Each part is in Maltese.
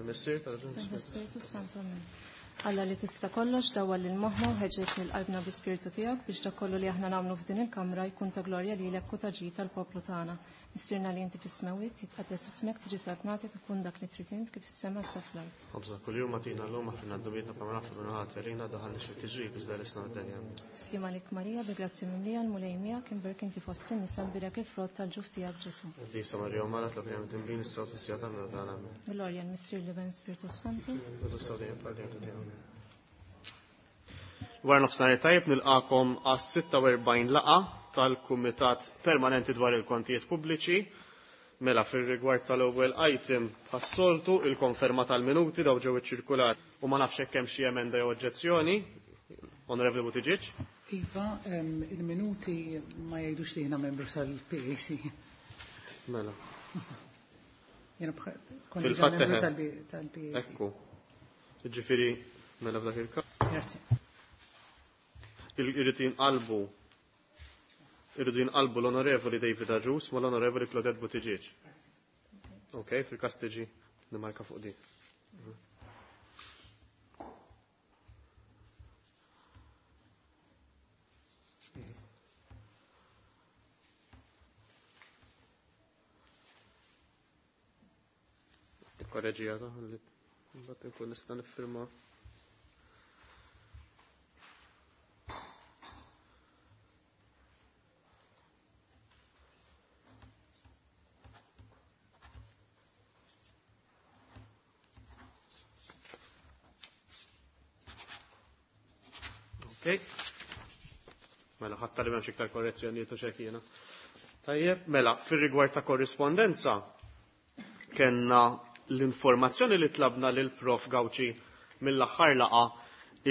Tal-Missier, tal-Bin, Spiritu Santu. Amen. Alla li tista' kollox dawwal lil moħħna u ħeġġeġ lil qalbna bi spiritu tiegħek biex dak kollu li aħna nagħmlu f'din il-kamra jkun ta' glorja lilek u ta' ġid tal-poplu tagħna. Missierna li inti fis-smewwiet, jitqaddes ismek, tiġi saltnatek ikun dak li trid int kif is-sema sa fl-art. Ħobżna kuljum agħtina llum aħfirna dnubietna bħalma naħfru lil ħadd għalina daħalniex fit-tiġrib iżda ħlisna mid-denja. Sliem għalik Marija, bi grazzja mimlija l-Mulej miegħek, imbierek inti fost in-nisa mbierek il-frott tal-ġuf tiegħek Ġesù. Qaddisa Marija Omm Alla, tlob lilna midinbin issa u fis-siegħa tal-mewt tagħna. Amen. Glorja l-Missier l-Iben Spiritu Santu. Wara nofsinhar tajjeb nilqakom għas-46 laqgħa tal-Kumitat Permanenti dwar il-Kontijiet Pubbliċi. Mela fir-rigward tal-ewwel item bħas-soltu il-konferma tal-minuti daw ġew iċċirkulat u ma nafx hekk hemm xi emenda jew oġġezzjoni. Onorevoli Buttigieg. Iva, il-minuti ma jgħidux li jiena membru tal-PAC. Mela. Jiena kont diġà membru tal-PAC. Ekku. Ġifieri mela f'dak il-każ. Grazzi. Irrid jinqalbu irridu jinqalbu l-Onorevoli David Agius ma l-Onorevoli Claudette Buttigieg. Ok, fil-każ tiġi nimarka fuq din. Korreġi għada, li mbagħad inkun nista' niffirma. Ok. Mela, ħatta li m'hemmx iktar korrezzjonijiet u xek jiena. Tajjeb, mela, fir-rigward ta' korrispondenza, kellna l-informazzjoni li tlabna lil Prof Gauci mill-aħħar laqa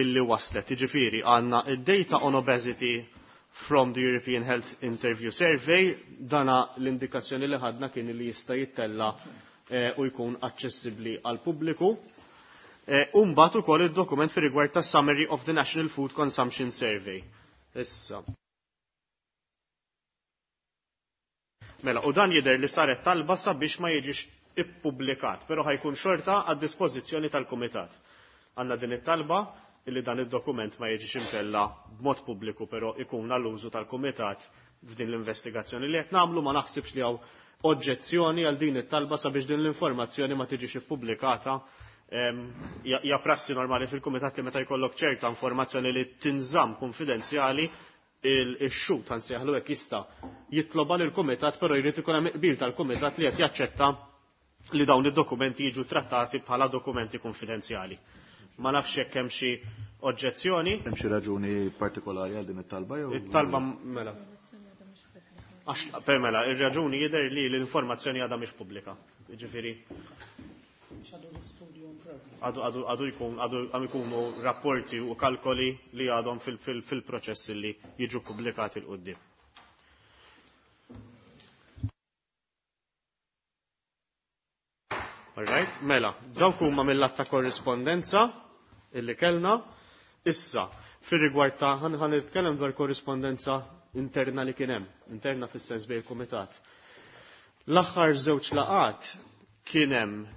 illi waslet. Jiġifieri għandna id-data on obesity from the European Health Interview Survey, dana l-indikazzjoni li ħadna kien li jista' jittella u jkun aċċessibbli għal pubbliku. U mbagħad ukoll id-dokument fir-rigward tas Summary of the National Food Consumption Survey. Issa. Mela, u dan jidher li saret talba sabiex ma jiġix ippubblikat, però ħajkun xorta għad dispożizzjoni tal-Kumitat. Għandna din it-talba illi dan id-dokument ma jiġix imtella b'mod pubbliku, però ikun għall-użu tal-Kumitat f'din l-investigazzjoni li qed nagħmlu. Ma naħsibx li hawn oġġezzjoni għal din it-talba sabiex din l-informazzjoni ma tiġix ippubblikata. Hija prassi normali fil-Kumitat li meta jkollok ċerta informazzjoni li tinżamm konfidenzjali, il-xut anzi jaħlu hekk jista' jitloba lill-Kumitat, però jrid ikun hemm qbil tal-Kumitat li qed jaċċetta li dawn id-dokumenti jiġu trattati bħala dokumenti konfidenzjali. Ma nafx jekk hemm xi oġġezzjoni. Hemm xi raġuni partikolari għal din it-talba jew? It-talba mela. Għax per mela, ir-raġuni jidher li l-informazzjoni għadha mhix pubblika. Jiġifieri għadu jkun, għadu għam ikunu rapporti u kalkoli li għadhom fil-proċess li jiġu pubblikati l-qoddim. All right, mela, dawk huma mill-att ta' korrispondenza illi kellna. Issa, fir-rigward ta' ħan nitkellem dwar korrispondenza interna li kien hemm, interna fis-sens bejn il-kumitat. L-aħħar żewġ laqat kien hemm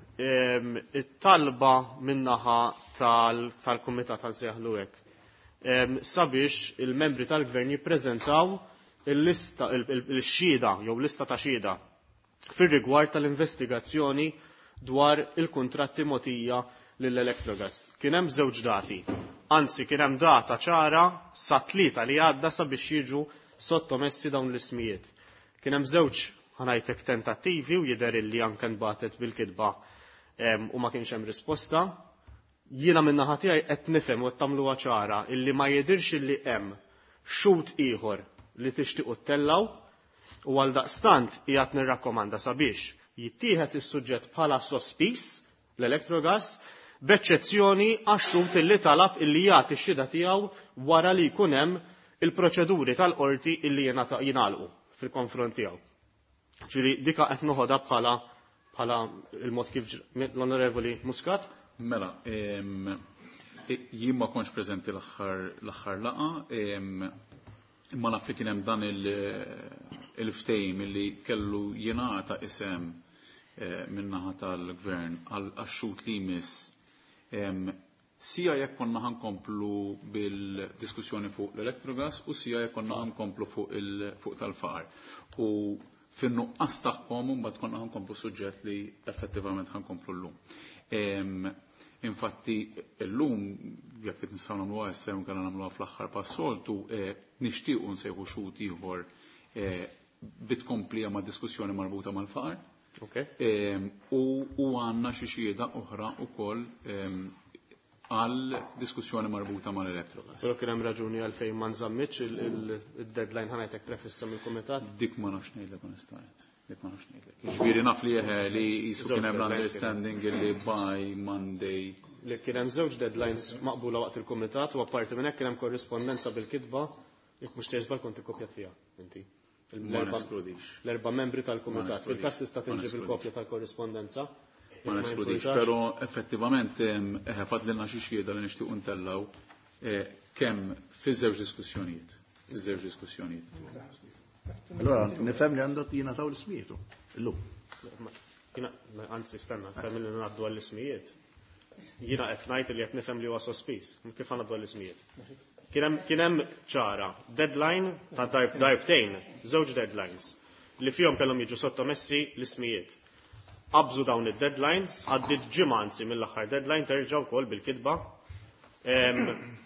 it-talba min-naħa tal-kumitat għal sejħlu hekk, sabiex il-membri tal-gvern jippreżentaw il-lista, il-xhieda jew lista ta' xhieda fir-rigward tal-investigazzjoni dwar il-kuntratti mogħtija lill-Electrogas. Kien hemm żewġ dati. Anzi, kien hemm data ċara sa tlieta li għadda sabiex jiġu sottomessi dawn l-ismijiet. Kien hemm żewġ ħanajtek tentattivi u jidher illi anke nbatet bil-kitba u ma kienx hemm risposta. Jiena min-naħa tiegħi qed nifhem u qed tagħmluha ċara illi ma jidhirx illi hemm xhud ieħor li tixtiequ ttellaw u għaldaqstant qiegħed nirrakkomanda sabiex jittieħed is-suġġett bħala sospiż l-Electrogas b'eċċezzjoni għax-xhud illi talab illi jagħti x-xhieda tiegħu wara li jkun hemm il-proċeduri tal-qorti illi jingħalqu fil-konfront tiegħu. Ġifieri dika qed noħodha bħala il-mod kif l-Onorevoli Muscat. Mela, jien ma kontx preżenti l-aħħar laqgħa, imma naf li kien hemm dan il-ftehim illi kellu jingħata isem min-naħa tal-gvern għax-xhud li jmiss, sija jekk konna ħa nkomplu bil-diskussjoni fuq l-Electrogas u sija jekk konna ħa nkomplu fuq tal-faqar. U fin-nuqqas tagħhom imbagħad konna ħa nkomplu suġġett li effettivament ħa nkomplu llum. Infatti llum jekk trid nistgħu nagħmluha issa jew inkella nagħmluha fl-aħħar pas-soltu, nixtiequ nsejħu xhud ieħor bit-tkomplija ma' diskussjoni marbuta mal-faqar. U għandna xi xhieda oħra wkoll għal diskussjoni marbuta mal-Electrogas. Però kien hemm raġuni għalfejn ma nżammitx il-deadline, ħa ngħidlek, prefissa mill-kumitat? Dik ma nafx ngħidlek onestament. Dik ma nafx ngħidlek. Ġifieri naf li jisu kien hemm l-understanding li by Monday. Li kien hemm żewġ deadlines maqbula waqt il-kumitat u apparti minn hekk kien hemm korrispondenza bil-kitba, jekk mhux sejjer żball kont ikkopjat fiha inti. Ma neskludix. L-erba' membri tal-kumitat. Ma Fil-każ tista' Ma tinġib neskludix. il-kopja tal-korrispondenza. Ma neskludix, però effettivament fadlilna xi xhieda li nixtiequ ntellgħu kemm fiż-żewġ diskussjonijiet. Iż-żewġ diskussjonijiet. Allora, nifhem li għandek jingħataw l-ismijiet illum. Jiena, anzi, stenna, nifhem li ngħaddu għall-ismijiet. Jiena qed ngħid li qed nifhem li huwa sospiż. Kif ngħaddu għall-ismijiet? Kien hemm ċara deadline ta' darbtejn, żewġ deadlines li fihom kellhom jiġu sottomessi l-ismijiet. Qabżu dawn id-deadlines, għaddit ġimgħa anzi mill-aħħar deadline terġa' wkoll bil-kitba.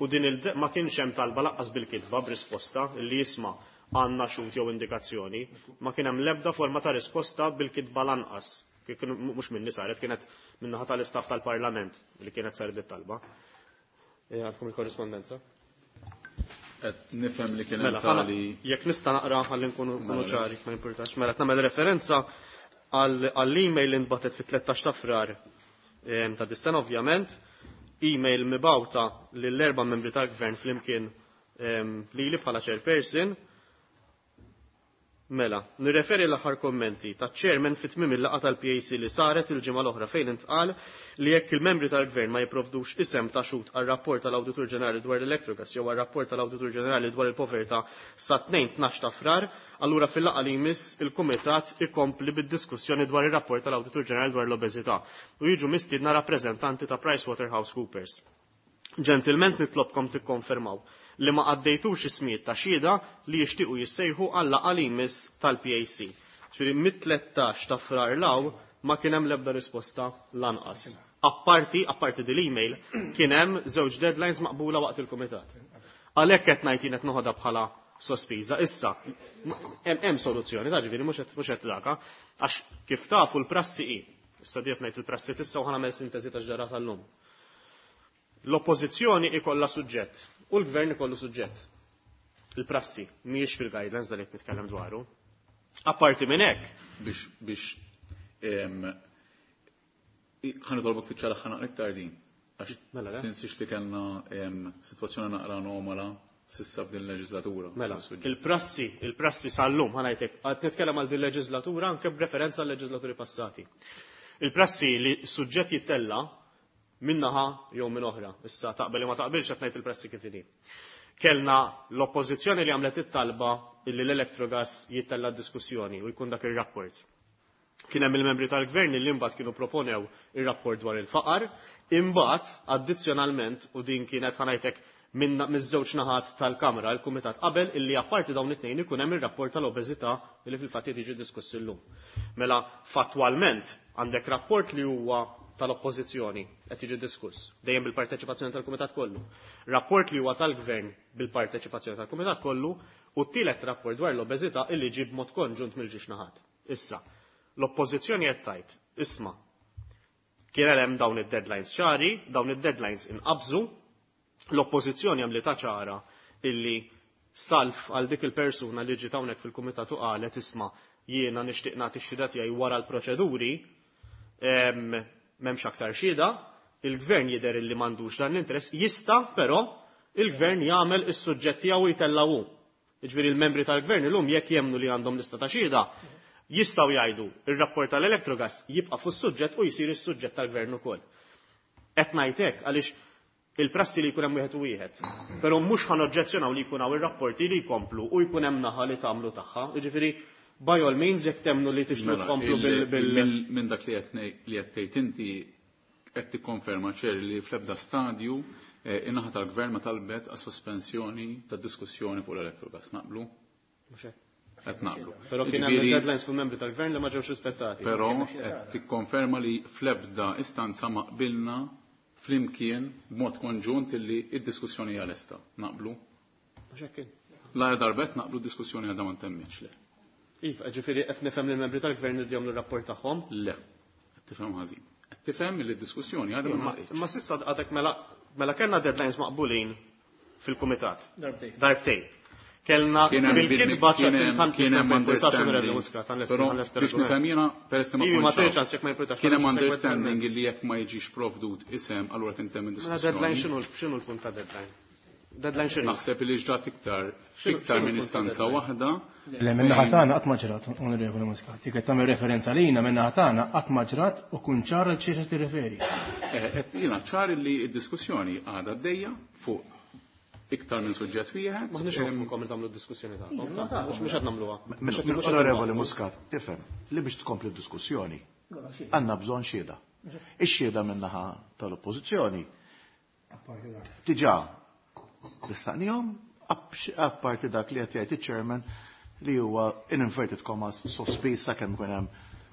U din il ma kienx hemm talba lanqas bil-kitba b'risposta li jisma' għandna xhud jew indikazzjoni, ma kien hemm l-ebda forma ta' risposta bil-kitba lanqas. Kien mhux minni saret, kienet min-naħa tal-istaff tal-Parlament li kienet saret it-talba. Għandkom il-korrispondenza? Qed nifhem li kien hemm Mela, ħana, tali jekk nista' naqra ħalli nkunu Mela, ċari, ma jimpurtax. Mela, qed nagħmel referenza għall-email li nbatet fit-13 ta' Frar ta' dis-sena ovvjament, email mibgħuta lill-erba' membri tal-gvern flimkien lili bħala chairperson. Mela, nirreferi l-aħħar kommenti ta' chairman fit tmiem il-laqgħa tal-PAC li saret il-ġimgħa l-oħra fejn intqal li jekk il-membri tal-gvern ma jipprovdux isem ta' xhud għar-rapport tal-Awditur Ġenerali dwar l-Electrogas jew għar-rapport tal-Awditur Ġenerali dwar il-povertà sa 2-12 ta' Frar, allura fil-laqgħa li jmiss il-Kumitat ikompli bid-diskussjoni dwar ir-rapport tal-Awditur Ġenerali dwar l-obeżità u jiġu mistiedna rappreżentanti ta' PricewaterhouseCoopers. Ġentilment nitlobkom tikkonfermaw li ma għaddejtux ismijiet ta' xhieda li jixtiequ jissejħu għal laqgħa li jmiss tal-PAC. Ġifieri mit-13 ta' Frar 'l hawn ma kien hemm l-ebda risposta lanqas. Apparti din l-email, kien hemm żewġ deadlines maqbula waqt il-kumitat. Għalhekk qed ngħid jien qed noħodha bħala sospiża. Issa, hemm soluzzjoni, ta' ġifieri mhux qed daka, għax kif tafu l-prassi hi. Issa diet ngħid il-prassi tissa u ħa nagħmel sintesi ta' ġara tal-lum. L-oppożizzjoni ikollha suġġett u l-gvern ikollu suġġett. Il-prassi mhijiex fil-guidelines dal qed nitkellem dwaru. Apparti minn hekk, Biex ħa nitolbok fiċċa l naqra iktar din. Għax Mela, le? tinsix li kellna sitwazzjoni naqra anomala s'issa f'din il-leġislatura. Mela, Suġġett. il-prassi sal-lum, ħa ngħidlek, qed nitkellem għal din leġislatura anke b'referenza għal leġislaturi passati. Il-prassi li suġġett jittella minnaħa jew minn oħra. Issa taqbel li ma taqbilx, qed ngħid il-prassi kif inhi. Kellna l-oppożizzjoni li għamlet it-talba illi l-Electrogas jittella diskussjoni u jkun dak ir-rapport. Kien hemm il-membri tal-gvern li imbagħad kienu proponew ir-rapport dwar il-faqar, imbagħad addizzjonalment, u din kienet, ħa ngħidlek, minn miż-żewġ naħat tal-Kamra, il-Kumitat qabel illi apparti dawn it-tnejn ikun hemm ir-rapport tal-obeżità li fil-fatt jiġi diskuss illum. Mela fattwalment għandek rapport li huwa tal-oppożizzjoni qed jiġi diskuss dejjem bil-parteċipazzjoni tal-Kumitat kollu. Rapport li huwa tal-Gvern bil-parteċipazzjoni tal-Kumitat kollu u t-tielet rapport dwar l-obeżità illi ġie b'mod konġunt mill-ġiex naħat. Issa, l-oppożizzjoni qed tgħid, isma' kien hemm dawn id-deadlines ċari, dawn id-deadlines inqabżu, l-oppożizzjoni għamlitha ċara illi salf għal dik il-persuna li ġiet hawnhekk fil-kumitat u qalet, isma' jiena nixtieq nagħti x-xhieda tiegħi wara l-proċeduri, m'hemmx aktar xhieda, il-gvern jidher illi m'għandux dan l-interess, jista' però il-gvern jagħmel is-suġġett tiegħu jtellgħu. Jiġifieri il-membri tal-gvern illum jekk jemnu li għandhom lista ta' xhieda, jistgħu jgħidu ir-rapport tal-Electrogas jibqa' fuq is-suġġett u jsir is-suġġett tal-gvern ukoll. Qed ngħid hekk għaliex il-prassi li jkun hemm wieħed u wieħed. Però mhux ħa noġġezzjonaw li jkun hawn ir-rapporti li jkomplu u jkun hemm naħa li tagħmlu tagħha. Jiġifieri By all means, jekk temnu li tixtiequ Mela, tkomplu bil Minn dak li qed tgħid inti qed tikkonferma ċer li fl-ebda stadju in-naħa tal-gvern ma talbet għas sospensjoni tad-diskussjoni fuq l-Electrogas. Naqblu? Qed naqblu. Però kien hemm Jiġifieri- deadlines fuq membri tal-gvern li ma ġewx rispettati. Però qed tikkonferma li fl-ebda istanza ma qbilna flimkien b'mod konġunt illi id-diskussjoni hija lesta. Naqblu? Mhux hekk kien. La darbet naqblu d-diskussjoni għadha ma ntemmitx le. Iva, ġifieri qed nifhem li l-membri tal-gvern li jagħmlu r-rapport tagħhom. Le. Qed tifhem ħażin. Qed tifhem li d-diskussjoni għadha ma naqgħitx. Imma s'issa għadek mela kellna deadlines maqbulin fil-kumitat. Darbtejn. Darbtejn. Kellna Kien hemm bil-kitba kien hemm understanding. Però biex nifhem jiena peress li ma Ivi, ma kontx hawn. ċans jekk ma jimpurtax. Kien hemm understanding li jekk ma jiġix provdut isem allura tintemm Mela deadline id-diskussjoni. x'inhu l-punt ta' deadline? Deadline x'inhu? Naħseb li ġrat iktar X'inhu- iktar x'inhu minn l-punt ta' istanza deadline? waħda. Le minna ħatana qatt ma ġrat, onorevoli Muscat. Jekk qed tagħmel referenza lina minna ħatana qatt ma ġrat u kun ċar għal xiex tirreferi. Qed jiena ċar li d-diskussjoni għadha għaddejja fuq iktar minn suġġett wieħed. Maħniex nofrukom li tagħmlu d-diskussjoni tagħkom. Mhux qed nagħmluha. Onorevoli Muscat, tifhem li biex tkompli d-diskussjoni għandna bżonn xhieda. Ix-xhieda min-naħa tal-Oppożizzjoni diġà ressaqnihom apparti dak li qed jgħid iċ-chairman li huwa in inverted commas sospiż sakemm ikun hemm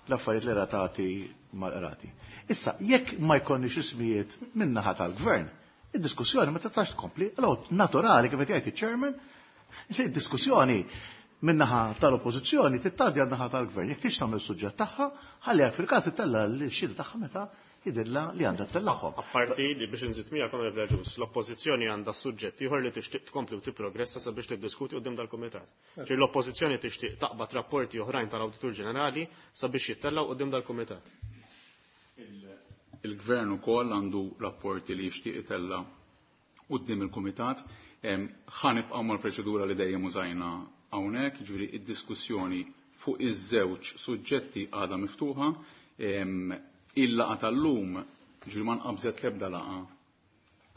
l-affarijiet li ratati mal-qrati. Issa, jekk ma jkollniex ismijiet min-naħa tal-gvern, id-diskussjoni ma tistax tkompli, allora naturali kif qed jgħid iċ-chairman li d-diskussjoni min-naħa tal-oppożizzjoni tittaddi għan-naħa tal-gvern. Jekk tix tagħmel suġġett tagħha, ħalli jekk fil-każ ittella l-xhieda tagħha meta jidhirla li għandha ttellagħhom. Apparti li biex nżid miegħek Onorevoli Agius, l-oppożizzjoni għandha suġġett ieħor li tixtieq tkompli u tipprogressa sabiex tiddiskuti quddiem dal-kumitat. Ġifieri l-oppożizzjoni tixtieq taqbad rapporti oħrajn tal-Awditur Ġenerali sabiex jittellgħu quddiem dal-kumitat. Il-gvern ukoll għandu rapporti li jixtieq itella' quddiem il-kumitat. Ħa nibqgħu mal-proċedura li dejjem użajna hawnhekk, jiġifieri id-diskussjoni fuq iż-żewġ suġġetti għadha miftuħa. Il-laqgħa tal-lum, jiġifieri ma nqabżet l-ebda laqgħa,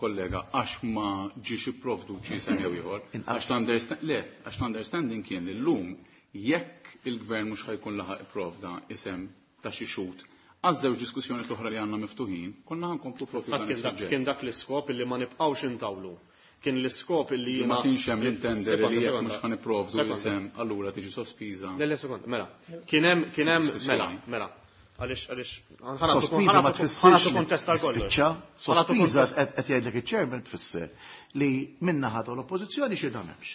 kollega, għax ma ġiex ipprovdut xi isem jew ieħor. Għax l-understanding kien li llum jekk il-gvern mhux ħajkun laħaq ipprovda isem ta' xi xhud għaż-żewġ diskussjoni oħra li għandna miftuħin, konna ħankomplu propju Fatt dan kien dak is-suġġett. kien dak l-iskop illi ma nibqgħux intawlu. Kien l-iskop illi Ma jiena kienx hemm l-intender Sekonda, li jekk sekonda. mhux ħanipprovdu Sekonda. isem allura tiġi sospiża. Le, le, sekonda, mela. Kien hemm, Diskussjoni. mela, mela. Għaliex, għaliex, Sospiża ma tfissirx ħanatu li kontest għal kollox. tispiċċa. Ħanatu Sospiża kontest. qed jgħidlek iċ-chairman tfisser li min-naħa tal-Oppożizzjoni xhieda m'hemmx.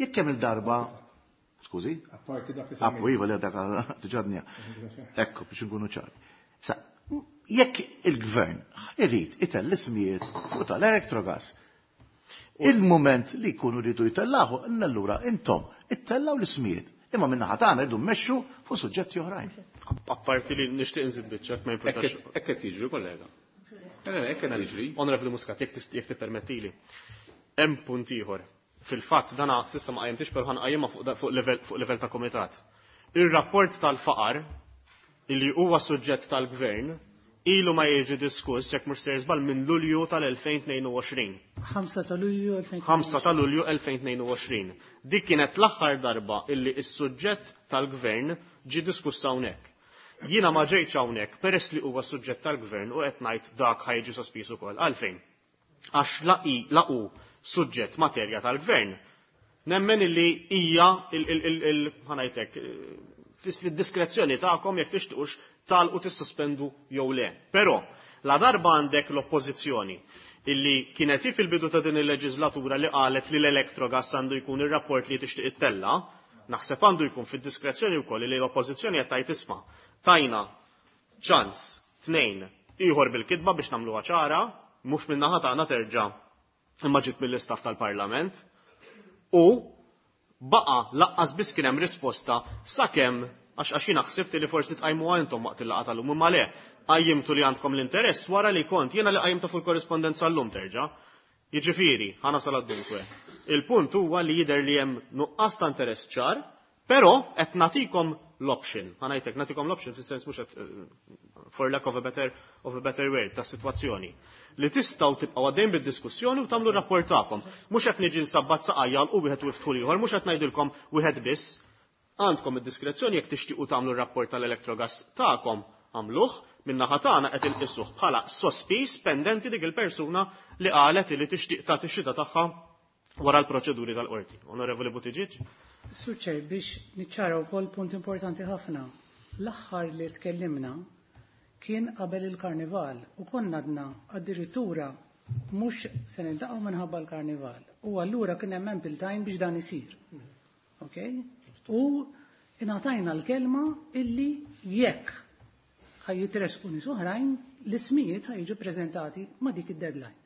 Jekk hemm il-darba, skużi? Apparti dak li Appu, iva li dak diġà Ekku, biex nkunu ċari. Sa, jekk il-gvern irid itell l-ismijiet fuq tal-Electrogas, il-moment li jkunu rridu jtellaħu, allura intom ittellaw l-ismijiet. Imma min-naħa tagħna rridu mmexxu fuq suġġetti oħrajn. Apparti li nixtieq nżid biċċa, ma jimpurtax. Hekk qed jiġri, kollega. Le, hekk qed jiġri. Onorevoli Muscat, jekk tippermettili. Hemm punt ieħor. Fil-fatt dana s'issa ma qajjimtix però ħanqajjimha fuq livell ta' komitat. Ir-rapport tal-faqar illi huwa suġġett tal-gvern ilu ma jiġi diskuss jekk mhux ser żball minn Lulju tal-2022. 5 ta' Lulju 2022. 5 ta' Lulju 2022. Dik kienet l-aħħar darba illi s-suġġett tal-gvern ġie diskuss hawnhekk. Jiena ma ġejtx hawnhekk peress li huwa suġġett tal-gvern u qed ngħid dak ħajġi sospiż ukoll. Għalfejn? Għax laqu suġġett materja tal-gvern. Nemmen illi hija ħanajtek fid-diskrezzjoni tagħkom jekk tixtuqux talqu tissospendu jew le. Però la darba għandek l-oppożizzjoni illi kienet hi fil-bidu ta' din il-leġislatura li qalet li l-Electrogas għandu jkun ir-rapport li tixtieq ittella, naħseb għandu jkun fid-diskrezzjoni wkoll li l-oppożizzjoni qed tgħid isma' tajna ċans tnejn ieħor bil-kitba biex nagħmluha ċara, mhux min-naħa tagħna terġa' imma ġiet mill-istaff tal-Parlament u baqa laqqas biss kien hemm risposta sakemm għax jiena ħsibt li forsi tqajmuha intom waqt il-laqgħa tal-lum imma le qajjimtu li għandkom l-interess wara li kont jiena li qajjimtu fuq il-korrispondenza llum terġa'. Jiġifieri, ħa nasal għad-dunkwe. Il-punt huwa li jidher li hemm nuqqas ta' interess ċar, però qed nagħtikom l-option. Ħa ngħidlek nagħtikom l-option fis-sens mhux qed for lack of a better word ta' sitwazzjoni. Li tistgħu tibqgħu għaddejn bid-diskussjoni u tagħmlu rapport tagħkom. Mhux qed niġi nsabbat saqajja u wieħed u iftħu ieħor, mhux qed ngħidilkom wieħed biss. Għandkom id-diskrezzjoni jekk tixtiequ tagħmlu r-rapport tal-Electrogas tagħkom għamluh, min-naħa tagħna qed inqisuh bħala sospiż pendenti dik il-persuna li qalet li tixtieq tagħti x-xhieda tagħha wara l-proċeduri tal-qorti. Onorevoli Buttigieg? Sur Chair, biex niċċara wkoll punt importanti ħafna. L-aħħar li tkellimna kien qabel il-karnival u konna għadna addirittura mhux se niltaqgħu minħabba l-karnival. U allura kien hemm ample time biex dan isir. Okay? U ingħatajna l-kelma illi jekk ħa jitresqu nies oħrajn, l-ismijiet ħa jiġu preżentati ma' dik id-deadline.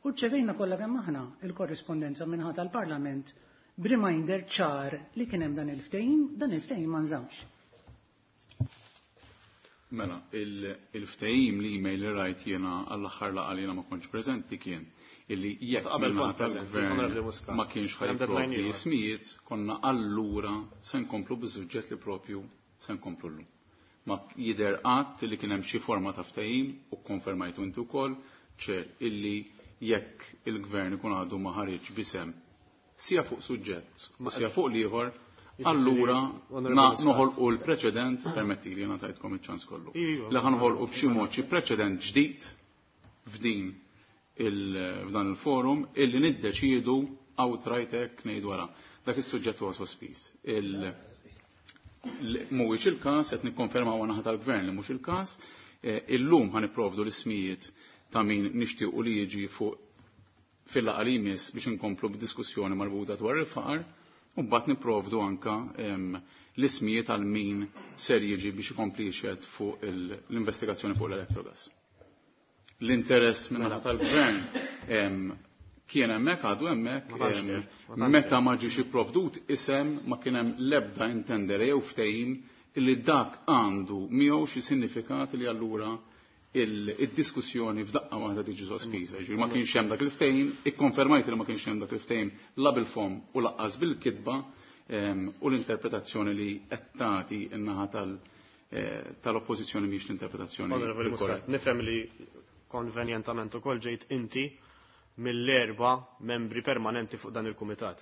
U rċevejna kollha kemm aħna il-korrispondenza minħata tal-Parlament b'reminder ċar li kien hemm dan il-ftehim, dan il-ftehim ma nżamx. Mela, il-ftehim li email li rajt jiena għall-aħħar laqgħa li jiena ma kontx preżenti kien illi jekk Qabel minnaħa kont preżenti, tal-gvern Onorevoli Muscat. ma kienx Hemm deadline ħajprovdi ieħor. ismijiet, konna allura se nkomplu biż-suġġett li propju se nkomplu llum. Ma jidher qatt li kien hemm xi forma ta' ftehim u kkonfermajtu inti wkoll ċer illi jekk il-gvern ikun għadu ma ħareġ b'isem sija fuq suġġett u sija fuq l-ieħor, allura Onorevoli Muscat. noħolqu l-preċedent, permetti li jiena tajtkom iċ-ċans kollu. Iva. Li ħanħolqu b'xi mod xi preċedent ġdid f'din f'dan il-forum illi niddeċiedu outright hekk ngħid wara. Dak is-suġġett huwa sospiż. Mhuwiex il-każ, qed nikkonfermaw naħa tal-gvern li mhux il-każ. Illum ħa nipprovdu l-ismijiet ta' min nixtiequ li jiġi fuq fil-laqgħa li jmiss biex inkomplu b'diskussjoni marbuta dwar il-faqar, u mbagħad nipprovdu anka l-ismijiet għal min ser jiġi biex ikompli jixhed fuq l-investigazzjoni fuq l-Electrogas. L-interess minn naħa tal-gvern kien hemmhekk, għadu hemmhekk, Ma tantx kien, ma tantx meta ma ġiex ipprovdut isem ma kien hemm l-ebda intendere jew ftehim illi dak għandu miegħu xi sinifikat li allura id-diskussjoni f'daqqa waħda tiġi sospiża. Ġifieri ma kienx hemm dak il-ftehim, ikkonfermajt li ma kienx hemm dak il-ftehim la bil-fom u laqqas bil-kitba, u l-interpretazzjoni li qed tagħti n-naħa tal-oppożizzjoni mhix l-interpretazzjoni Onorevoli Muscat, korretta. nifhem li konvenjentament ukoll ġejt inti mill-erba' membri permanenti fuq dan il-kumitat.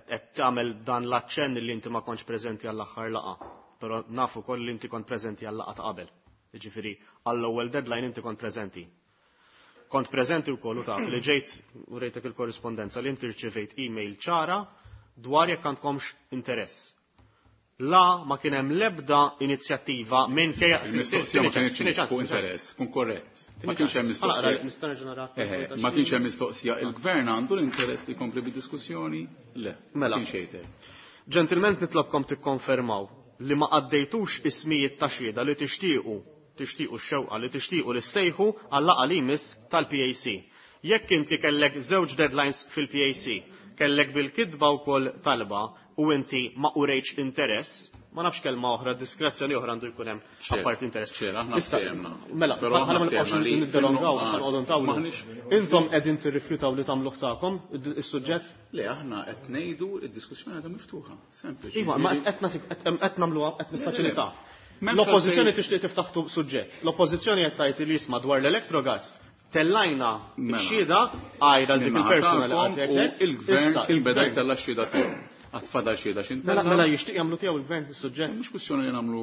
Qed tagħmel dan l-aċċenn li inti ma kontx preżenti għall-aħħar laqgħa, però nafu wkoll li inti kont preżenti għall-laqgħa ta' qabel. Jiġifieri għall-ewwel deadline inti kont preżenti. Kont preżenti wkoll u taf li ġejt u rejtek il-korrispondenza li inti rċevejt email ċara dwar jekk għandkomx interess. La ma kien hemm l-ebda inizjattiva minn kejja Il-mistoqsija ma kienx fuq interess, kun korrett. Ma kienx hemm mistoqsija. Nista' nerġa' nara. Eħe, ma kienx hemm mistoqsija. Il-gvern għandu l-interess li jkompli bid-diskussjoni? Le. Mela. Kienx jgħid hekk. Ġentilment nitlobkom tikkonfermaw li ma għaddejtux ismijiet ta' xhieda li tixtiequ x-xewqa li tixtiequ li ssejħu għal-laqgħa li jmiss tal-PAC. Jekk inti kellek żewġ deadlines fil-PAC, kellek bil-kitba wkoll talba u inti ma urejtx interess, ma nafx kelma oħra, diskrezzjoni oħra għandu jkun hemm Ċer, apart interess. ċer, aħna Issa, ftehemna. Mela, Però ħalli ma aħna nibqgħux ftehemna li niddolongaw, fin-nuqqas issa noqogħdu ntawlu. maħniex- Intom qegħdin tirrifjutaw li tagħmluh tagħkom is-suġġett? Le, aħna qed ngħidu d-diskussjoni għadha miftuħa. Sempliċi. Iva, ma qed nagħtik qed nagħmluha qed niffaċilità. M'hemmx L-oppożizzjoni għalfejn- tixtieq tiftaħ suġġett. L-oppożizzjoni qed tgħid li jisma' dwar l-Electrogas tellajna Mela. x-xhieda għajra dik il-persuna li Minnaħa qed tagħkom u jgħidlek. il-gvern Issa, kien beda il-gvern- jtella' x-xhieda tiegħu. Għad fadal xhieda x'intella'. Mela, mela jixtieq jagħmlu tiegħu il-gvern is-suġġett. Mhux kwistjoni li nagħmlu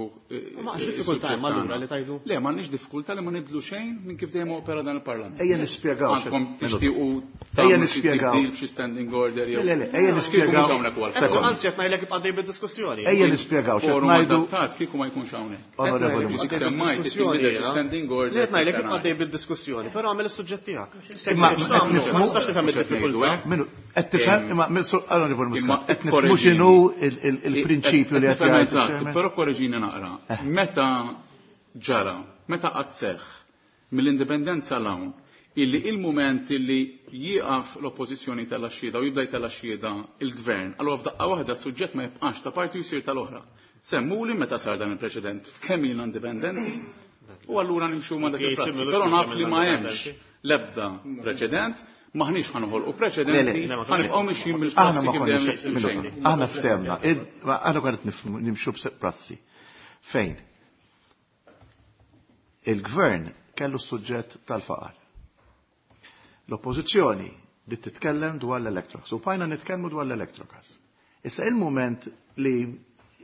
Ma għax diffikultà hemm allura li tajdu. Le, m'għandniex diffikultà li ma nibdlu xejn minn kif dejjem opera dan il-Parlament. Ejja nispjegaw. Għandkom tixtiequ Ejja tagħmlu xi nispjegaw. tibdil b'xi standing order jew. Le, le, le, ejja Kieku nispjegaw. mhux hawnhekk huwa Sekond. l-forum. Anzi qed ngħidlek ibqa' dejjem bid-diskussjoni. Ejja nispjegaw x'qed Forum ngħidu. adattat kieku ma jkunx hawnhekk. Onorevoli Dik Muscat. semmajt tinbidel xi standing order. Qed ngħidlek ibqa' dejjem bid-diskussjoni, però għamel is-suġġett tiegħek. Imma Ma nistax nifhem Mhux qed id-diffikultà. ngħidu hekk. Minu, qed tifhem imma Onorevoli Imma Muscat, qed nifhmu x'inhu il-prinċipju li qed Nifhem jgħid eżatt, il-chairman. però korreġini naqra. Meta ġara, meta qatt seħħ mill-indipendenza l-hawn, illi il-moment illi jieqaf l-oppożizzjoni tal-axxieda u jibda jtella' il-gvern, allura f'daqqa waħda s-suġġett ma jibqax ta' parti u jsir tal-oħra. Semmuli meta sar dan il-preċedent f'kemm ilna indipendenti u allura nimxu ma' dak il-prassi. Però naf li ma hemmx l-ebda preċedent, maħniex ħanħolqu preċedenti, Le, le. ħanibqgħu mixjin Aħna bil-prassi ma kif konniex dejjem minuta. mxejn. Aħna ftehmna, aħna konna qed nimxu b'prassi. Fejn? Il-gvern kellu s-suġġett tal-faqar. L-oppożizzjoni bdiet titkellem dwar l-Electrogas. U bqajna nitkellmu dwar l-Electrogas. Issa il-moment li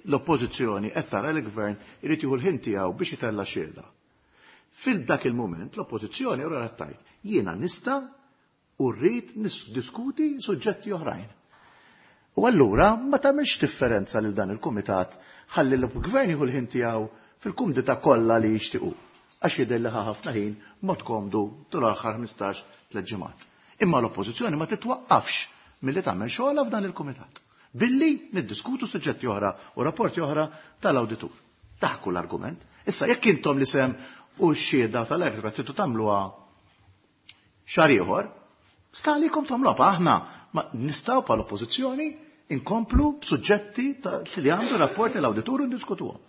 l-oppożizzjoni qed tara li l-gvern irid jieħu l-ħin tiegħu biex itella' xhieda. Fil-dak il-mument l-oppożizzjoni ora qed tgħid jiena nista' u rrid niddiskuti suġġetti oħrajn. U allura ma tagħmilx differenza lil dan il-kumitat ħalli l-gvern jieħu l-ħin tiegħu fil-kumdità kollha li jixtiequ. Għax jidher li ħa ħafna ħin mod komdu tul l-aħħar 15 tliet ġimgħat. Imma l-oppożizzjoni ma titwaqqafx milli tagħmel xogħolha f'dan il-kumitat. Billi niddiskutu suġġetti oħra u rapporti oħra tal-awditur. Dak hu l-argument. Issa jekk intom li sem u x-xhieda tal-Electrobras tridu tagħmluha xahar ieħor, sta għalikom tagħmluha aħna ma nistgħu bħala oppożizzjoni inkomplu b'suġġetti li għandu rapporti l-awditur u ndiskutuhom.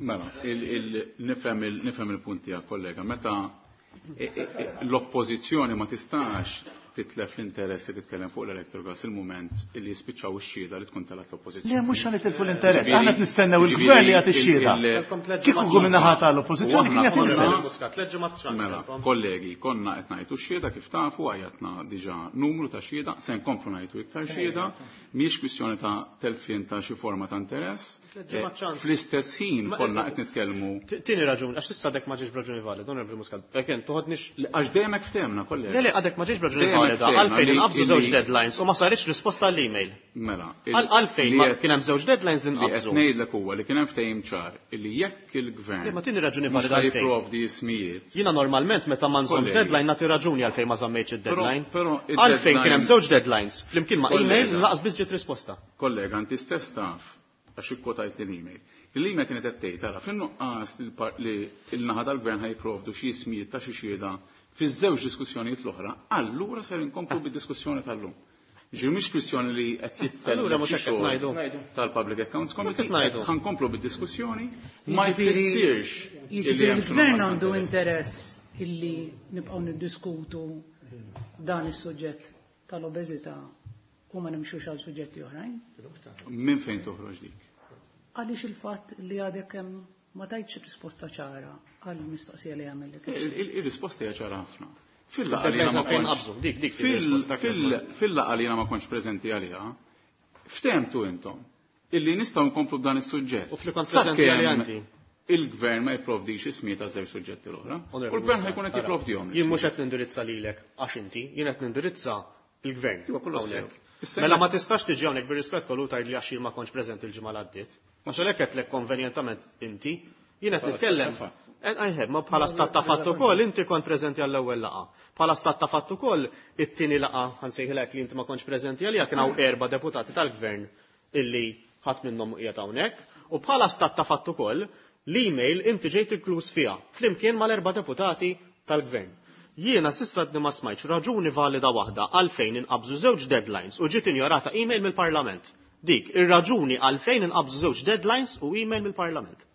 Mela, nifhem il-punt tiegħek kollega, meta l-oppożizzjoni ma tistax titlef l-interess li titkellem fuq l-Electrogas il-mument illi jispiċċaw ix-xhieda li tkun telat l-oppożizzjoni. Le mhux ħa nitilfu l-interess, aħna qed nistennew il-gvern li jagħti x-xhieda. Kieku hu min-naħa tal-oppożizzjoni kien jagħti l-isem. Mela, kollegi, konna qed ngħidu x-xhieda kif tafu għajatna diġà numru ta' xhieda, se nkomplu ngħidu iktar xhieda, mhijiex kwistjoni ta' telfien ta' xi forma ta' interess. Fl-istess ħin konna qed nitkellmu. Tieni raġuni, għax issa għadek ma ġiex b'raġuni valida, Onorevoli Muscat. Again, toħodnix. Għax dejjem hekk ftehmna, kollegi. Le, le, għadek ma ġiex b'raġuni valida, għalfejn inqabżu żewġ deadlines u ma saritx risposta għall-email. Mela, Għalfejn ma kien hemm żewġ deadlines li nqabżu. Li qed ngħidlek huwa li kien hemm ftehim ċar illi jekk il-gvern Ma tieni raġuni valida għalfejn. Jipprovdi ismijiet. Jiena normalment meta ma nżommx deadline nagħti raġuni għalfejn ma żammejtx id-deadline. Għalfejn kien hemm żewġ deadlines flimkien ma' email laqas biss ġiet risposta. Kollega, inti stess taf għax ikkwotajt l-email. L-email kienet qed tgħid ara fin-nuqqas li l-naħa tal-gvern ħa jipprovdu xi ismijiet ta' xi xhieda fiż-żewġ diskussjonijiet l-oħra, allura ser inkomplu bid-diskussjoni tal-lum. Ġifieri mhix kwistjoni li qed jitkellem Allura mhux hekk qed ngħidu. tal-Public Accounts Committee, Mhux qed ngħidu. ħa nkomplu bid-diskussjoni, ma jfissirx illi Jiġifieri hemm xi l-gvern nuqqas għandu ta' interess illi nibqgħu niddiskutu dan is-suġġett tal-obeżità u ma nimxux għal suġġetti oħrajn. Minn fejn toħroġ dik? Għaliex il-fatt li għadek hemm ma tajtx risposta ċara għall-mistoqsija li għamillek. Il-risposta hija ċara ħafna. Fil-laqgħa li jiena ma kontx preżenti għaliha, ftehmtu intom illi nistgħu nkomplu b'dan is-suġġett. U fli kont preżenti għaliha inti. Il-gvern ma jipprovdix ismijiet ta' żewġ suġġetti l-oħra. U l-gvern ħa jkun qed jipprovdihom. Jien mhux qed nindirizza lilek għax inti, jien qed nindirizza l-gvern. Iva, kollu sew. Mela ma tistax tiġi hawnhekk bir-rispett kollu tgħid li għax jien ma kontx preżenti l-ġimgħa li għaddiet. Għax għalhekk qedlek konvenjentament inti, jien qed nitkellem. Għajħeb, ma bħala stat ta' fatt ukoll inti kont preżenti għall-ewwel laqgħa. Bħala stat ta' fatt ukoll it-tieni laqgħa ħansejħilek li inti ma kontx preżenti għaliha kien hawn 4 deputati tal-gvern illi ħadd minnhom qiegħed hawnhekk, u bħala stat ta' fatt ukoll l-email inti ġejt inkluż fiha flimkien mal-4 deputati tal-gvern. Jiena s'issa għadni ma smajtx raġuni valida waħda għalfejn inqabżu żewġ deadlines u ġiet injorata email mill-Parlament. Dik ir-raġuni għalfejn inqabżu żewġ deadlines u email mill-Parlament.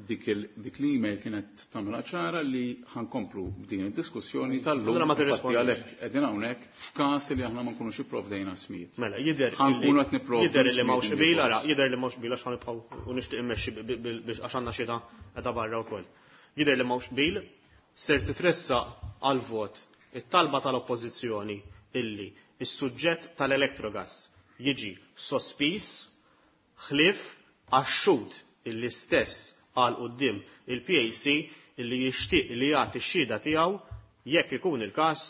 Dik l-email kienet tagħmilha ċara li ħankomplu b'din id-diskussjoni tal-lum. Allura ma Infatti tirrispondix. għalhekk qegħdin hawnhekk f'każ li aħna ma nkunux ipprovdejna smijiet. Mela, Ħankunu qed nipprovdu jidher li m'hawnx smijiet qbil, individwali. ara, jidher li m'hawnx qbil għax ħanibqgħu u nixtieq immexxi biex għax għandna xita qiegħda barra wkoll. Jidher li m'hawnx qbil, ser titressaq għal vot it-talba tal-oppożizzjoni illi is-suġġett tal-Electrogas jiġi sospiż ħlief għax-xhud illi stess għal quddiem il-PAC illi jixtieq li jagħti x-xhieda tiegħu jekk ikun il-każ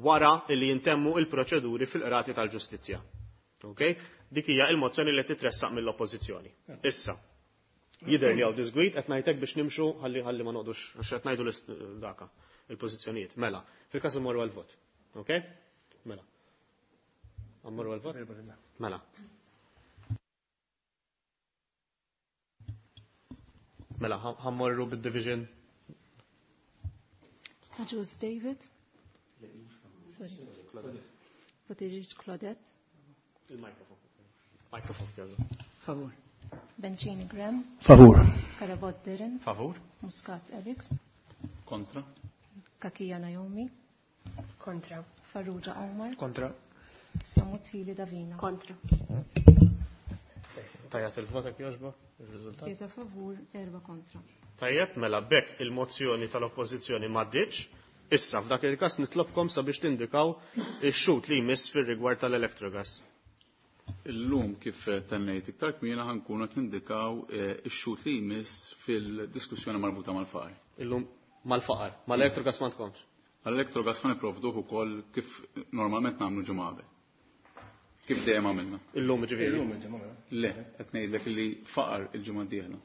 wara illi jintemmu il-proċeduri fil-qrati tal-ġustizzja. Okay? Dik hija il-mozzjoni li titressaq mill-oppożizzjoni. Issa, jidher li hawn disgwid qed ngħidlek biex nimxu ħalli ma noqgħodux għax qed ngħidu daka il-pożizzjonijiet. Mela, fil-każ immorru għall-vot. Okay? Mela. Ammorru għall-vot? Mela. Mela, ħammorru bid-division. Agius David. Sorry. Buttigieg Claudette. Il-mikrofon. Mikrofon, jogħġu. Favur. Bencini Graham. Favur. Carabott Darren. Favur. Muscat Alex. Kontra. Cachia Naomi. Kontra. Farrugia Omar. Kontra. Sammut Hili Davina. Kontra. Tajjat il-vot jekk jogħġbok, il-riżultat. 3 favur, 4 kontra. Tajjeb, mela bekk il-mozzjoni tal-oppożizzjoni m'għaddietx. Issa f'dak il-każ nitlobkom sabiex tindikaw ix-xhud li jmiss fir-rigward tal-Electrogas. Illum kif tennejt iktar kmieni ħa nkunu qed nindikaw ix-xhud li jmiss fil-diskussjoni marbuta mal-faqar. Illum mal-faqar, mal-Electrogas ma tkomx. Għall-Electrogas ħa nipprovduh ukoll kif normalment nagħmlu ġimgħa qabel. Kif dejjem għamilna. Illum ġifieri. Illum il-ġimgħa mela. Le, qed ngħidlek li faqar il-ġimgħa d-dieħla.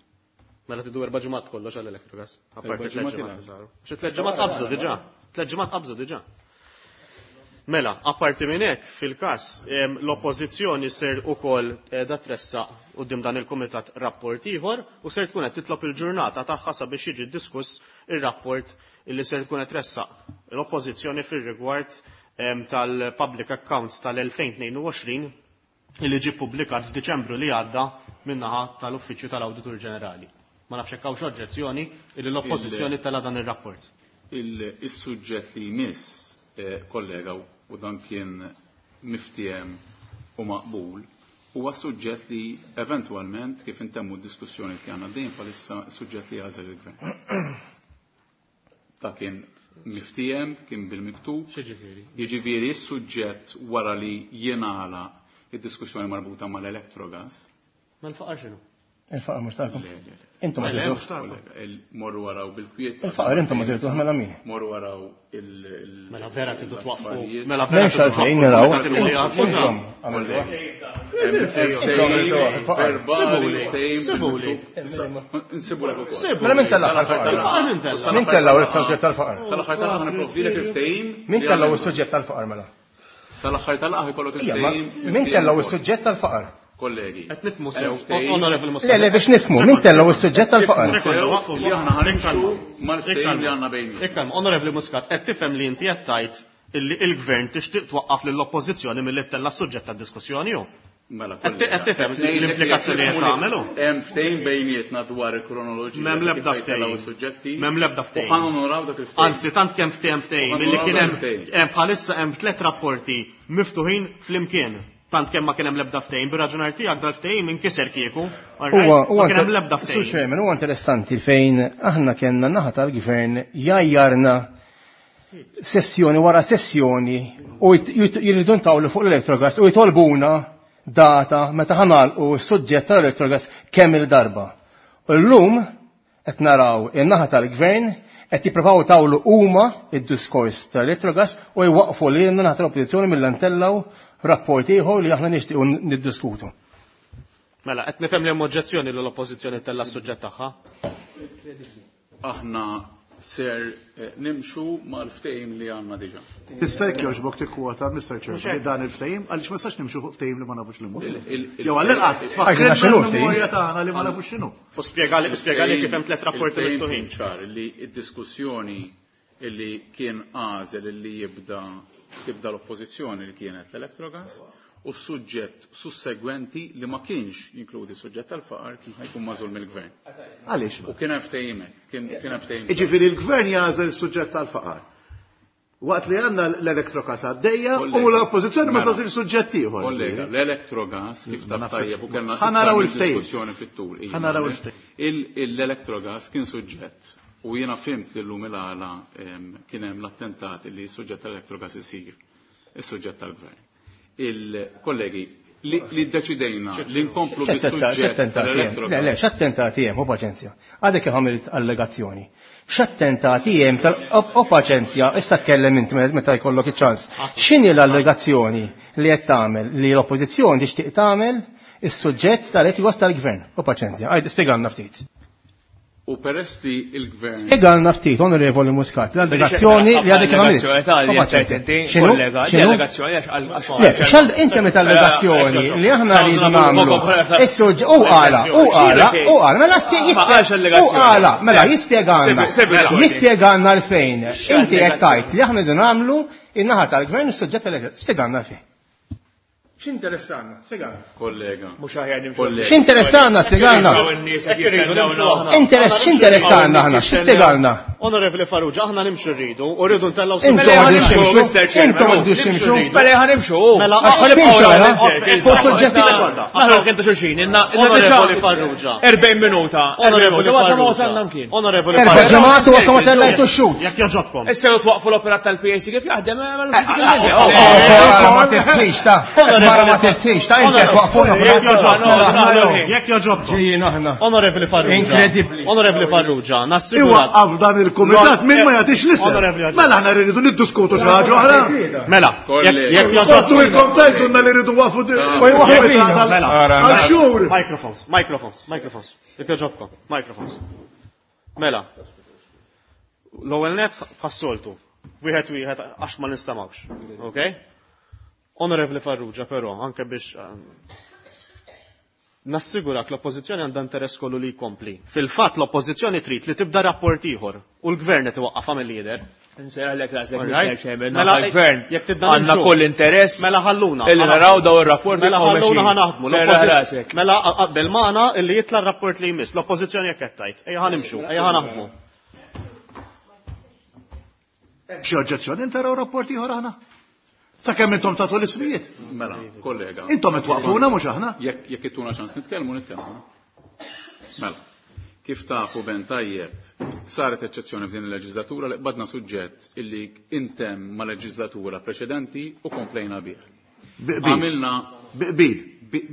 Mela tidu erba' ġimgħat kollox għall-Electrogas. Apparti Erba' tliet ġimgħat ġimgħat ila. saru. Xi tliet ġimgħat qabżu diġà. Tliet ġimgħat qabżu diġà. Mela, apparti minn hekk, fil-każ, l-oppożizzjoni ser ukoll qiegħda tressaq quddiem dan il-kumitat rapport ieħor u ser tkun qed titlob il-ġurnata tagħha sabiex jiġi diskuss ir-rapport illi ser tkun qed tressaq l-oppożizzjoni fir-rigward tal-Public Accounts tal-2022 illi ġie ppubblikat f'Diċembru li għadda min-naħa tal-Uffiċċju tal-Awditur Ġenerali. Ma nafx hekk hawnx oġġezzjoni illi l-oppożizzjoni tela' dan ir-rapport. Is-suġġett li jmiss, kollega, u dan kien miftiehem u maqbul, huwa suġġett li eventwalment kif intemmu d-diskussjoni li għandna dejjem bħalissa suġġett li jagħżel il-gvern. Ta' kien miftiehem, kien bil-miktub. X'jiġifieri? Jiġifieri s-suġġett wara li jingħalaq id-diskussjoni marbuta mal-Electrogas. Mal-faqar x'inhu? Il-faqar mhux tagħkom. Le, le, le. Intom ma Le, żirtuh. mhux tagħkom. Kollega, morru waraw bil-kwiet. Il-faqar intom ma żirtuh mela min? Morru waraw il- Mela vera tridu twaqqfu. l-affarijiet. Mela vera M'hemmx tridu għalfejn twaqqfu naraw. il-kumitat li għadmu. Intom għamiltuha. Sibuli, sibuli. Nsibulek ukoll. Sibuli. Mela min tella l-faqar? Il-faqar min tella? Min tella is-suġġett tal-faqar? Sal-aħħar tal-aħħar nipprovdilek il-ftehim. Min tella is-suġġett tal-faqar mela? Sal-aħħar tal-aħħar ikollok Ija, ma il-ftehim. min tella is-suġġett tal-faqar? Kollegi. Qed nifhmu sew. Onorevoli Muscat. Le, le, biex nifhmu, min tella is-suġġett tal-faqar? Sekonda, waqfu. Li aħna ħanimxu mal-ftehim li għandna bejnietna. Ikkalma, Onorevoli Muscat, qed tifhem li inti qed tgħid illi il-gvern tixtieq twaqqaf lill-oppożizzjoni milli ttella' s-suġġett tad-diskussjoni hu. Mela, Qed tifhem l-implikazzjoni qed tagħmel hu? Hemm ftehim bejnietna dwar il-kronoloġija. M'hemm l-ebda kif jtellgħu ftehim. is-suġġetti. M'hemm l-ebda ftehim. U ħa nonoraw dak il-ftehim. Anzi, tant kemm ftehim ftehim, U ħa illi kien nonoraw hemm dak il-ftehim. hemm bħalissa hemm tliet rapporti miftuħin flimkien. Tant kemm ma kien hemm l-ebda ftehim, bir-raġunar tiegħek dal-ftehim inkiser kieku. all right? Huwa huwa Ma kien hemm l-ebda Sur ftehim. Chairman, huwa interessanti fejn aħna kellna naħa tal-gvern jajjarna sessjoni wara sessjoni u jridu ntawlu fuq l-Electrogas u jitolbuna data meta ħanalqu s-suġġett tal-Electrogas kemm il-darba. U llum qed naraw in-naħa tal-gvern qed jippruvaw tawlu huma id-diskors tal-Electrogas u jwaqfu lilna naħa tal-oppożizzjoni mill-antellaw rapport ieħor li aħna nixtiequ niddiskutu. Mela, qed nifhem li hemm oġġezzjoni li l-oppożizzjoni tella' s-suġġett tagħha. Aħna ser nimxu mal-ftehim li għandna diġà. Tista' jekk jogħġbok tikkwota, Mr. Chairman, li dan il-ftehim, għaliex ma nistax nimxu fuq ftehim li ma nafux li mhu. Jew għall-inqas Għajna tfakkrna x'inhu l-memorja tagħna li ma nafux x'inhu. U spjegali kif hemm tliet rapporti Il-ftehim miftuħin. kien ċar li d-diskussjoni illi kien għażel illi jibda tibda l-oppożizzjoni li kienet l-Electrogas u s-suġġett sussegwenti li ma kienx jinkludi s-suġġett tal-faqar kien ħajkun magħżul mill-gvern. Għaliex? U kien hemm ftehim hekk, kien hemm ftehim. Jiġifieri l-gvern jagħżel is-suġġett tal-faqar. Waqt li għandna l-Electrogas għaddejja u Kollega, l-oppożizzjoni ma mela. tagħżil suġġett ieħor. Kollega, l-Electrogas kif taf tajjeb u kellna Ħa naraw iktar minn il-ftehim. diskussjoni fit-tul. Iva, Ħa naraw il-ftehim. L-Electrogas kien suġġett u jiena fhimt li llum il-għala kien hemm l-attentat li s-suġġett tal-Electrogas isir is-suġġett tal-gvern. Il-kollegi, li ddeċidejna li nkomplu bis-suġġett Le, le, tal-Electrogas. x'attentati hemm, u paċenzja. Għadek kif għamilt allegazzjoni. X'attentati hemm tal o paċenzja, issa tkellem inti meta jkollok iċ-ċans. X'inhi l-allegazzjoni li qed tagħmel li l-oppożizzjoni tixtieq tagħmel is-suġġett tal-etikos tal-gvern? U paċenzja, għajd spjegalna ftit. U peress li il-gvern Spjegalna ftit, Onorevoli Muscat, l-allegazzjoni li għadek kif għamilt. Allegazzjoni ta' li U paċenzja. qed inti, X'inhu? kollega, di X'inhu? allegazzjoni għax għal- Le, xal inti meta allegazzjoni li aħna rridu nagħmlu. Is-suġġ u qala, u qala, u qala, mela u qala, mela jispjegana. Jispjegana għalfejn. Inti qed tgħid li aħna rridu nagħmlu in-naħa tal-gvern is-suġġett tal Spjegana għalfejn. X'interessanna? Spjegana. kollega. Mhux aħjar nimxu. Kollega. X'interessanna spjegana? Hawn in-nies qed jistennew Interess x'interessanna aħna, x'spjegana? Onorevoli Farrugia, aħna nimxu rridu, u rridu ntellgħu Intom suġġett. għadu ximxu, Mr. Chairman, intom għadu ximxu. Mela ħa nimxu. Mela, Għax ħa nibqgħu timxu, round mela. in circles. Fuq suġġetti sekonda. Naħlu kien ta' xulxin, inna Onorevoli Farrugia. 40 minuta. Onorevoli Għadna ma Farrugia. wasalna mkien. Onorevoli Erba' Farrugia. ġimgħat u għadkom ma tellajtu x-xut. Jekk joġobkom. Issa lu twaqfu l-operat tal-PAC kif jaħdem, mela Oh, Mara ma testix, ta' mara ma testix, ta' inti waqfuna. Jekk joġobkom. Jekk joġobkom. Ġejjin aħna. Onorevoli Farrugia. Incredibli. Onorevoli Farrugia, nassigurak. Iwaqqaf dan il-kumitat min ma jagħtix l-isem. Onorevoli Aġġor. Mela aħna rridu niddiskutu xi ħaġa oħra. Mela, Kollegi. jekk Kottu joġobkom. ilkom tajtunna li rridu wafu Mela. għal xhur. Microphones, microphones, microphones. Jekk joġobkom, microphones. Mela. L-ewwel net bħas-soltu. Wieħed wieħed għax ma nistamawx. Okay? Onorevoli Farrugia, però, anke biex nassigurak l-oppożizzjoni għandha interess kollu li jkompli. Fil-fatt l-oppożizzjoni trid li tibda rapport ieħor u l-gvern qed iwaqqafha mill-lider. Nsejjaħlek rasek, Alright. Mr. Chairman, Mela, mela, gvern jekk tibda għandna nimxu. kull interess Mela ħalluna. illi naraw daw ir-rapporti Mela jibqgħu ħalluna mexjin. ħanaħdmu. Serraħ L-oppożizzjoni- rasek. Mela qabel magħna illi jitla' r-rapport li jmiss. L-oppożizzjoni jekk qed tgħid. Ejja ħanimxu, ejja ħanaħdmu. Xi oġġezzjoni intaraw rapport ieħor aħna? Sakemm intom tagħtu l-ismijiet. Mela, kollega. Intom qed twaqfuna mhux aħna. Jekk jekk ittuna ċans nitkellmu, nitkellmu. Mela, kif tafu ben tajjeb, saret eċċezzjoni f'din il-leġislatura li qbadna suġġett illi intemm ma' leġislatura preċedenti u komplejna bih. Biqbil. Għamilna Biqbil.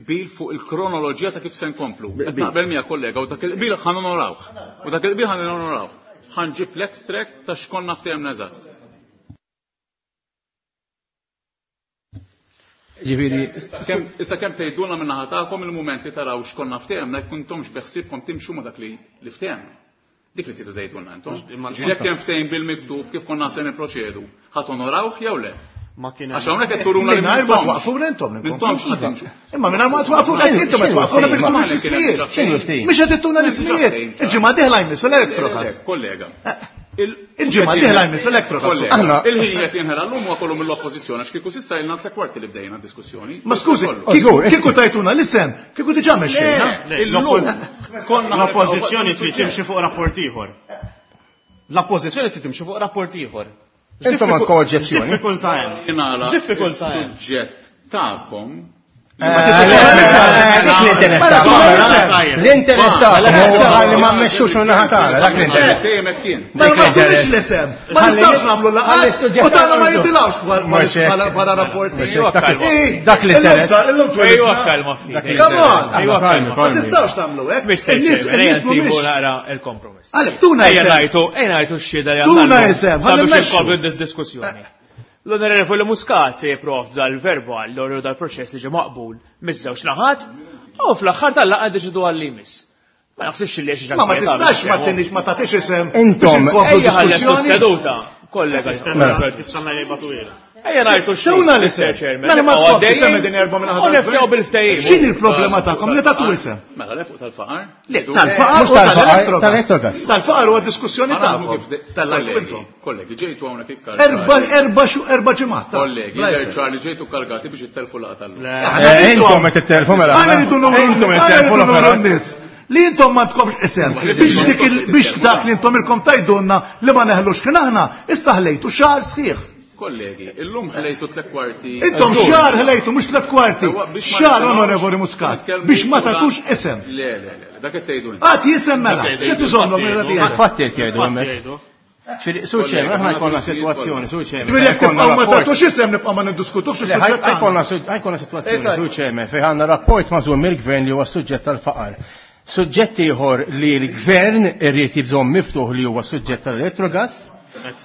bil fuq il-kronoloġija ta' kif se nkomplu. Qed naqbel miegħek kollega u dak il-qbil ħa nonorawh. U dak il-qbil ħa nonorawh. Ħanġib l-extract ta' x'konna ftehemna eżatt. Ġifieri, Issa kemm tgħidulna minn naħa tagħkom il-mument li taraw x'konna ftehemna jekk intomx beħsiebkom timxu ma' dak li li ftehemna. Dik li tridu tgħidulna intom. Jekk hemm ftehim bil-miktub kif konna se nipproċedu, ħadd onorawh jew le? Ma kien Għax hawnhekk qed turuna li Mingħajr ma m'intomx. twaqfuna intom M'intomx ħa timxu. Imma mingħajr ma twaqfuna intom qed twaqfuna bil Ma- l-ismijiet. x'inhu l-ftehim? Mhux qed ittuna l-ismijiet. Il-ġimgħa dieħla jmiss l-Electrogas. Kollega. Il-ġimgħa dieħla jmiss l-Electrogas. Kollega, Aħna- il-ħin qed jinħela llum huwa kollu mill-oppożizzjoni għax kieku s'issa ilna tliet kwarti li bdejna d-diskussjoni. Ma skużi, Kollu. kieku kieku tajtuna l-isem, kieku diġà mexxejna. Illum konna L-oppożizzjoni trid timxi fuq rapport ieħor. L-oppożizzjoni trid timxi fuq rapport ieħor. Intom għandkom oġġezzjoni. X'diffikultà hemm? Jingħala X'diffikultà hemm? Suġġett tagħkom Dik l-interess tagħkom. L-interess tagħkom huwa li ma mmexxux minn naħa tagħna, dak l-interess. Dejjem hekk kien. Ma Dik ma tunix l-interess. l-isem. Ma nistgħux nagħmlu Ħalli laqgħat. s-suġġett U tagħna ma tal-ordu. jitilgħux Mhux hekk. bħala rapporti. Mhux hekk. Eh, Dak l-interess. Illum Ejwa twelidna. kalma ftit. Dak Come on! Ejwa Kalmi, kalma. Ma kalmi. tistgħux tagħmlu hekk. Mr. In-nies Chairman, ejja in-nies nsibu mhumiex. naqra il-kompromess. Għalek, tuna Ejja isem. ngħidu, ejja ngħidu x-xhieda li Tuna għandna llum isem, ħalli sabiex mmexxu. inkomplu d-diskussjoni. L-Onorevoli Muscat se jipprovd dal-verbal l dal-proċess li ġie maqbul miż-żewġ naħat u fl-aħħar tal-laqgħa deċidu għal limis. Ma naħsibx li xi Ma ma tistax ma tinix ma tagħtix isem. Intom, biex inkomplu Ejja ħallestu diskussjoni. s-seduta, kollega. Tistanna jibatu ilha. Ejja ngħidu x-xhieda. Tuna l-isem. Chairman. Mela ma Nibqgħu tkompli għaddejjin semmi din erba' minn U niftew bil-ftehim. X'inhi l-problema tagħkom li tagħtu isem? Mela le fuq tal-faqar. Le, tal-faqar Mhux u tal-faqar, tal-Electrogas. tal-Electrogas. Tal-faqar huwa diskussjoni Ma naħdmu tagħkom. kif de- Tal-lajku kollegi, intom. Kollegi, ġejtu hawnhekk ikkargati. Erba' erba' xu erba' ġimgħat. ta' Kollegi, bla isem. ċar li ġejtu kargati biex ittelfu laqgħa tal-lum. Aħna rridu- Intom qed tittelfu mela. Aħna rridu nuru Intom qed aħna tittelfu rridu nuru l-operat. n-nies. Li intom ma tkomx isem biex dik il- biex dak li intom ilkom tajdunna li ma neħlux kien aħna issa ħlejtu xahar sħiħ. Kollegi, illum ħlejtu tliet kwarti. Intom xahar ħlejtu mhux tliet kwarti. Sewwa, biex ma Xahar nisimgħux, onorevoli Muscat nitkellmu biex ma fuq dan- tagħtux isem. Le, le, le, dak qed tgħidu inti. Għad jisem mela, xi tiżommhom minn dak jgħidu? Fatti qed jgħidu hemmhekk. Jgħidu. Ġifieri, Sur Chairman, aħna jkollna sitwazzjoni, Sur Chairman. Ġifieri jekk jkollna tibqgħu ma rapport. tagħtux isem nibqa' ma niddiskutux Le, is-suġġett tagħna. ħajkonna situazzjoni, Eh, Sur Chairman, fejn għandna rapport mażul mill-gvern li huwa suġġett tal-faqar. Suġġett ieħor li l-gvern irrid jibżomm miftuħ li huwa suġġett tal-elettrogas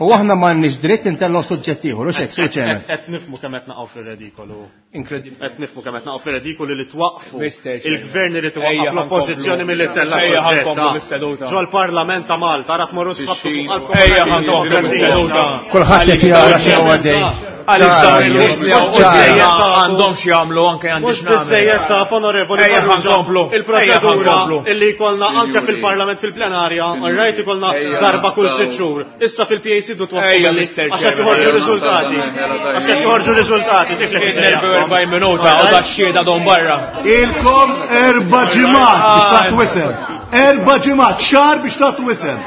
u aħna m'għandniex dritt intellgħu suġġett ieħor, u xek, Sur Chairman. Qed nifmu kemm qed naqgħu fir-redikolu. Inkredibbli. Qed nifmu kemm qed naqgħu fir-redikolu li twaqfu Mr. Chairman. il-gvern irid Ejja, iwaqqaf l-oppożizzjoni ħankomplu. milli tella Ejja, ħankomplu suġġett. bis-seduta. Ġol-Parlament ta' Malta, ra tmorru sħabtu fuq qalbkom. Ejja ħankomplu bis-seduta. Kulħadd qed jara x'inhu għaddej. Għaliex dawn il-nies li Mhux għaw għandhom xi jagħmlu anke għandi Mhux x'nagħmel. biżejjed ta' onorevoli Ejja, Farrugia, ħankomplu. Ejja, il-proċedura ħankomplu. illi jkollna anke Sinjuri. fil-Parlament fil-plenarja, Sinjuri. rajt ikollna Ejja, darba kull naqtaw. sitt xhur. Issa fil-PAC du twaqqfu Ejja, billi- Mr. għax qed Chairman. joħorġu Ejja, riżultati. naqtaw. Għax qed joħorġu riżultati, dik li qed 42 minuta u da xhieda don barra. Ilkom erba' ġimgħat biex tagħtu isem. Erba' ġimgħat, xahar biex tagħtu isem.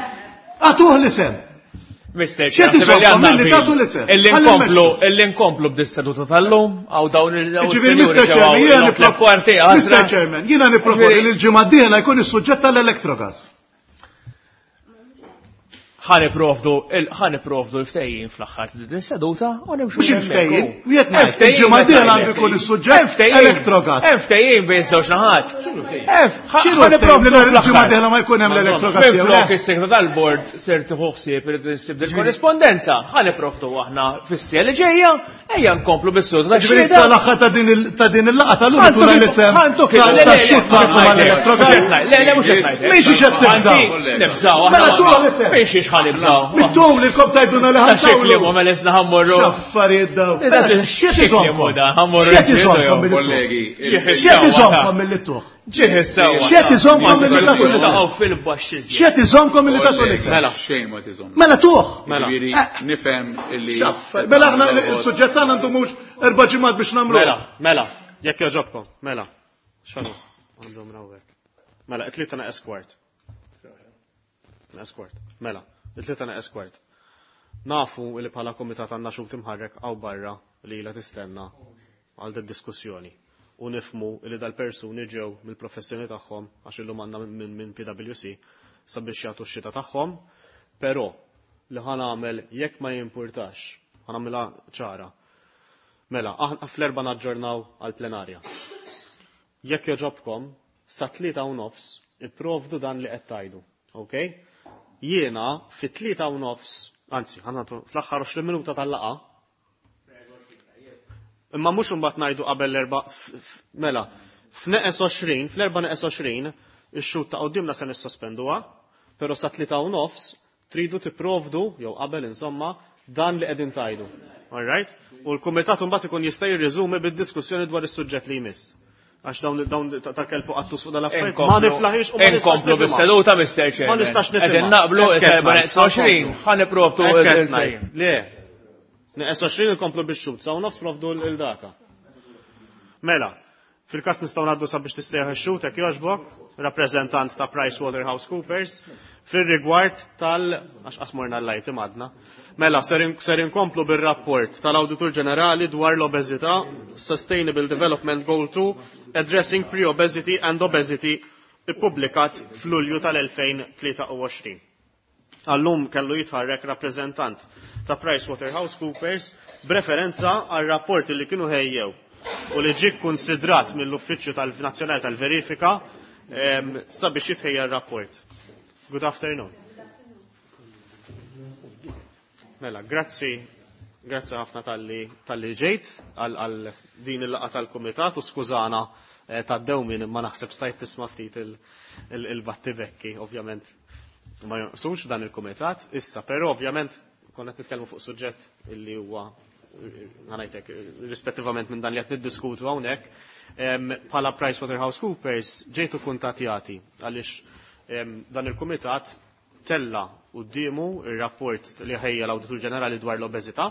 Agħtuh l-isem. Mr. X'qed iżommkom milli tagħtu l-isem? Illi Ħalli nkomplu, mmexxu. illi nkomplu b'dis-seduta tal-lum, għaw dawn Ġifieri Mr. Chairman, jiena nipproponi Mr. Chairman, jiena nipproponi li l-ġimgħa d-dieħla jkun is-suġġett tal-Electrogas. Ħa nipprovdu l-ftehim fl-aħħar ta' din seduta u nimxu. Mhux il-ftehim, wieħed ngħid, il-ġimgħa d-dieħla għandu jkun is-suġġett Electrogas. Hemm ftehim bejn żewġ naħat. X'inhu Ħa nipprovdu nipprovdu l-ġimgħa d-dieħla ma jkun hemm l-Electrogas jew le? Minflok is-segretar tal-bord ser tieħu ħsieb irid insib il-korrispondenza. Ħa nipprovdu aħna fis-sija li ġejja, ejja nkomplu bis-seduta ta' Ġifieri xhieda. sal-aħħar ta' din il- ta' din il-laqgħa tal-lum ikun hemm l-isem tax-xut tagħkom għall-Electrogas. Le, le, mhux qed ngħid. Mhix qed tibżgħu. Nibżgħu. Mela tuha l-isem. Mhix ħa nibżgħu. Mittum li kom tajduna li Ta' xekli ħantawlu. mu mela isna ħammorru. X'affarijiet daw. Da- X'qed xekli iżommkom? mu da, ħammorru X'qed nġidu iżommkom jew. milli tuħ? Kollegi, X'qed iżommkom milli tuħ? Ġieħ is-sewwa. X'qed iżommkom milli tagħtu l-isem? Taqgħu fil-baxx iżjed. X'qed iżommkom milli tagħtu l-isem? Mela, xejn ma tiżomm. Mela tuħ. Mela. Ġifieri nifhem illi X'affarijiet. Mela aħna il-suġġett tagħna għandu mhux erba' ġimgħat biex nagħmlu. Mela, mela, jekk joġobkom, mela. Xanu, għandhom rawek. Mela, it-tlieta naqes kwart. Naqes kwart. Mela, it-tlieta naqes kwart. Nafu li bħala komitat għandna xut imħarrek għaw barra li ilha tistenna għal din diskussjoni. U nifmu li dal-persuni ġew mill-professjoni tagħhom għax illum għandna minn min PwC sabiex jagħtu x-xita tagħhom, però li ħa nagħmel jekk ma jimpurtax, ħa nagħmilha ċara. Mela, aħna fl-erba naġġornaw għal-plenarja. Jekk joġobkom, sa 3:30 ipprovdu dan li qed tgħidu, ok? Jiena fi 3:30, anzi, ħanatu fl-aħħar 20 minuta tal-laqa. Imma mhux imbagħad ngħidu qabel l-erba' mela, f'neqes 20, fl-erba' neqes 20, ix-xut ta' qudiemna se nissospenduha, però sa 3:30 tridu tipprovdu jew qabel insomma dan li qegħdin tgħidu. All right? U l-kumitat imbagħad ikun jista' jirriżumi bid-diskussjoni dwar is-suġġett li jmiss. Għax dawn dawn ta' kelbu qattus fuq dal-affarijiet. Ma niflaħix u ma nistax Inkomplu nifhimha. bis-seduta, Mr. Chairman. Ma nistax nifhimha. Qegħdin naqblu Hekk qed is-erba' ngħid, neqs 20, ħa nipprovdu Hekk qed il-ftehim. ngħid. Le. Neqes 20 inkomplu bix-xut, sa nofs provdu l-data. Mela, fil-kas nistgħu ngħaddu sabiex tissejjaħ ix-xut hekk jogħġbok, rappreżentant ta' PricewaterhouseCoopers, fir-rigward tal għax qasmorna l-lajt imadna. Mela, ser inkomplu bir-rapport tal-Awditur Ġenerali dwar l-obeżità, Sustainable Development Goal 2, Addressing Pre-Obesity and Obesity, ippubblikat f'Lulju tal-2023. Għallum kellu jitħarrek rappreżentant ta' PricewaterhouseCoopers b'referenza għal rapport li kienu ħejjew u li ġie konsidrat mill-Uffiċċju tal-Nazzjonali tal-Verifika sabiex jitħejja r-rapport. Good afternoon. Mela, grazzi, grazzi ħafna talli ġejt għal din il-laqgħa tal-Kumitat u skużana tad-dewmin imma naħseb stajt tisma' ftit il-battibekki, ovvjament ma jonqsux dan il-kumitat issa, però ovvjament konna qed nitkellmu fuq suġġett illi huwa ħanajtek rispettivament minn dan li qed niddiskutu hawnhekk, bħala PricewaterhouseCoopers ġejtu kuntatjati għaliex dan il-kumitat tella quddiemu ir-rapport li ħejja l-Awditur Ġenerali dwar l-obeżità,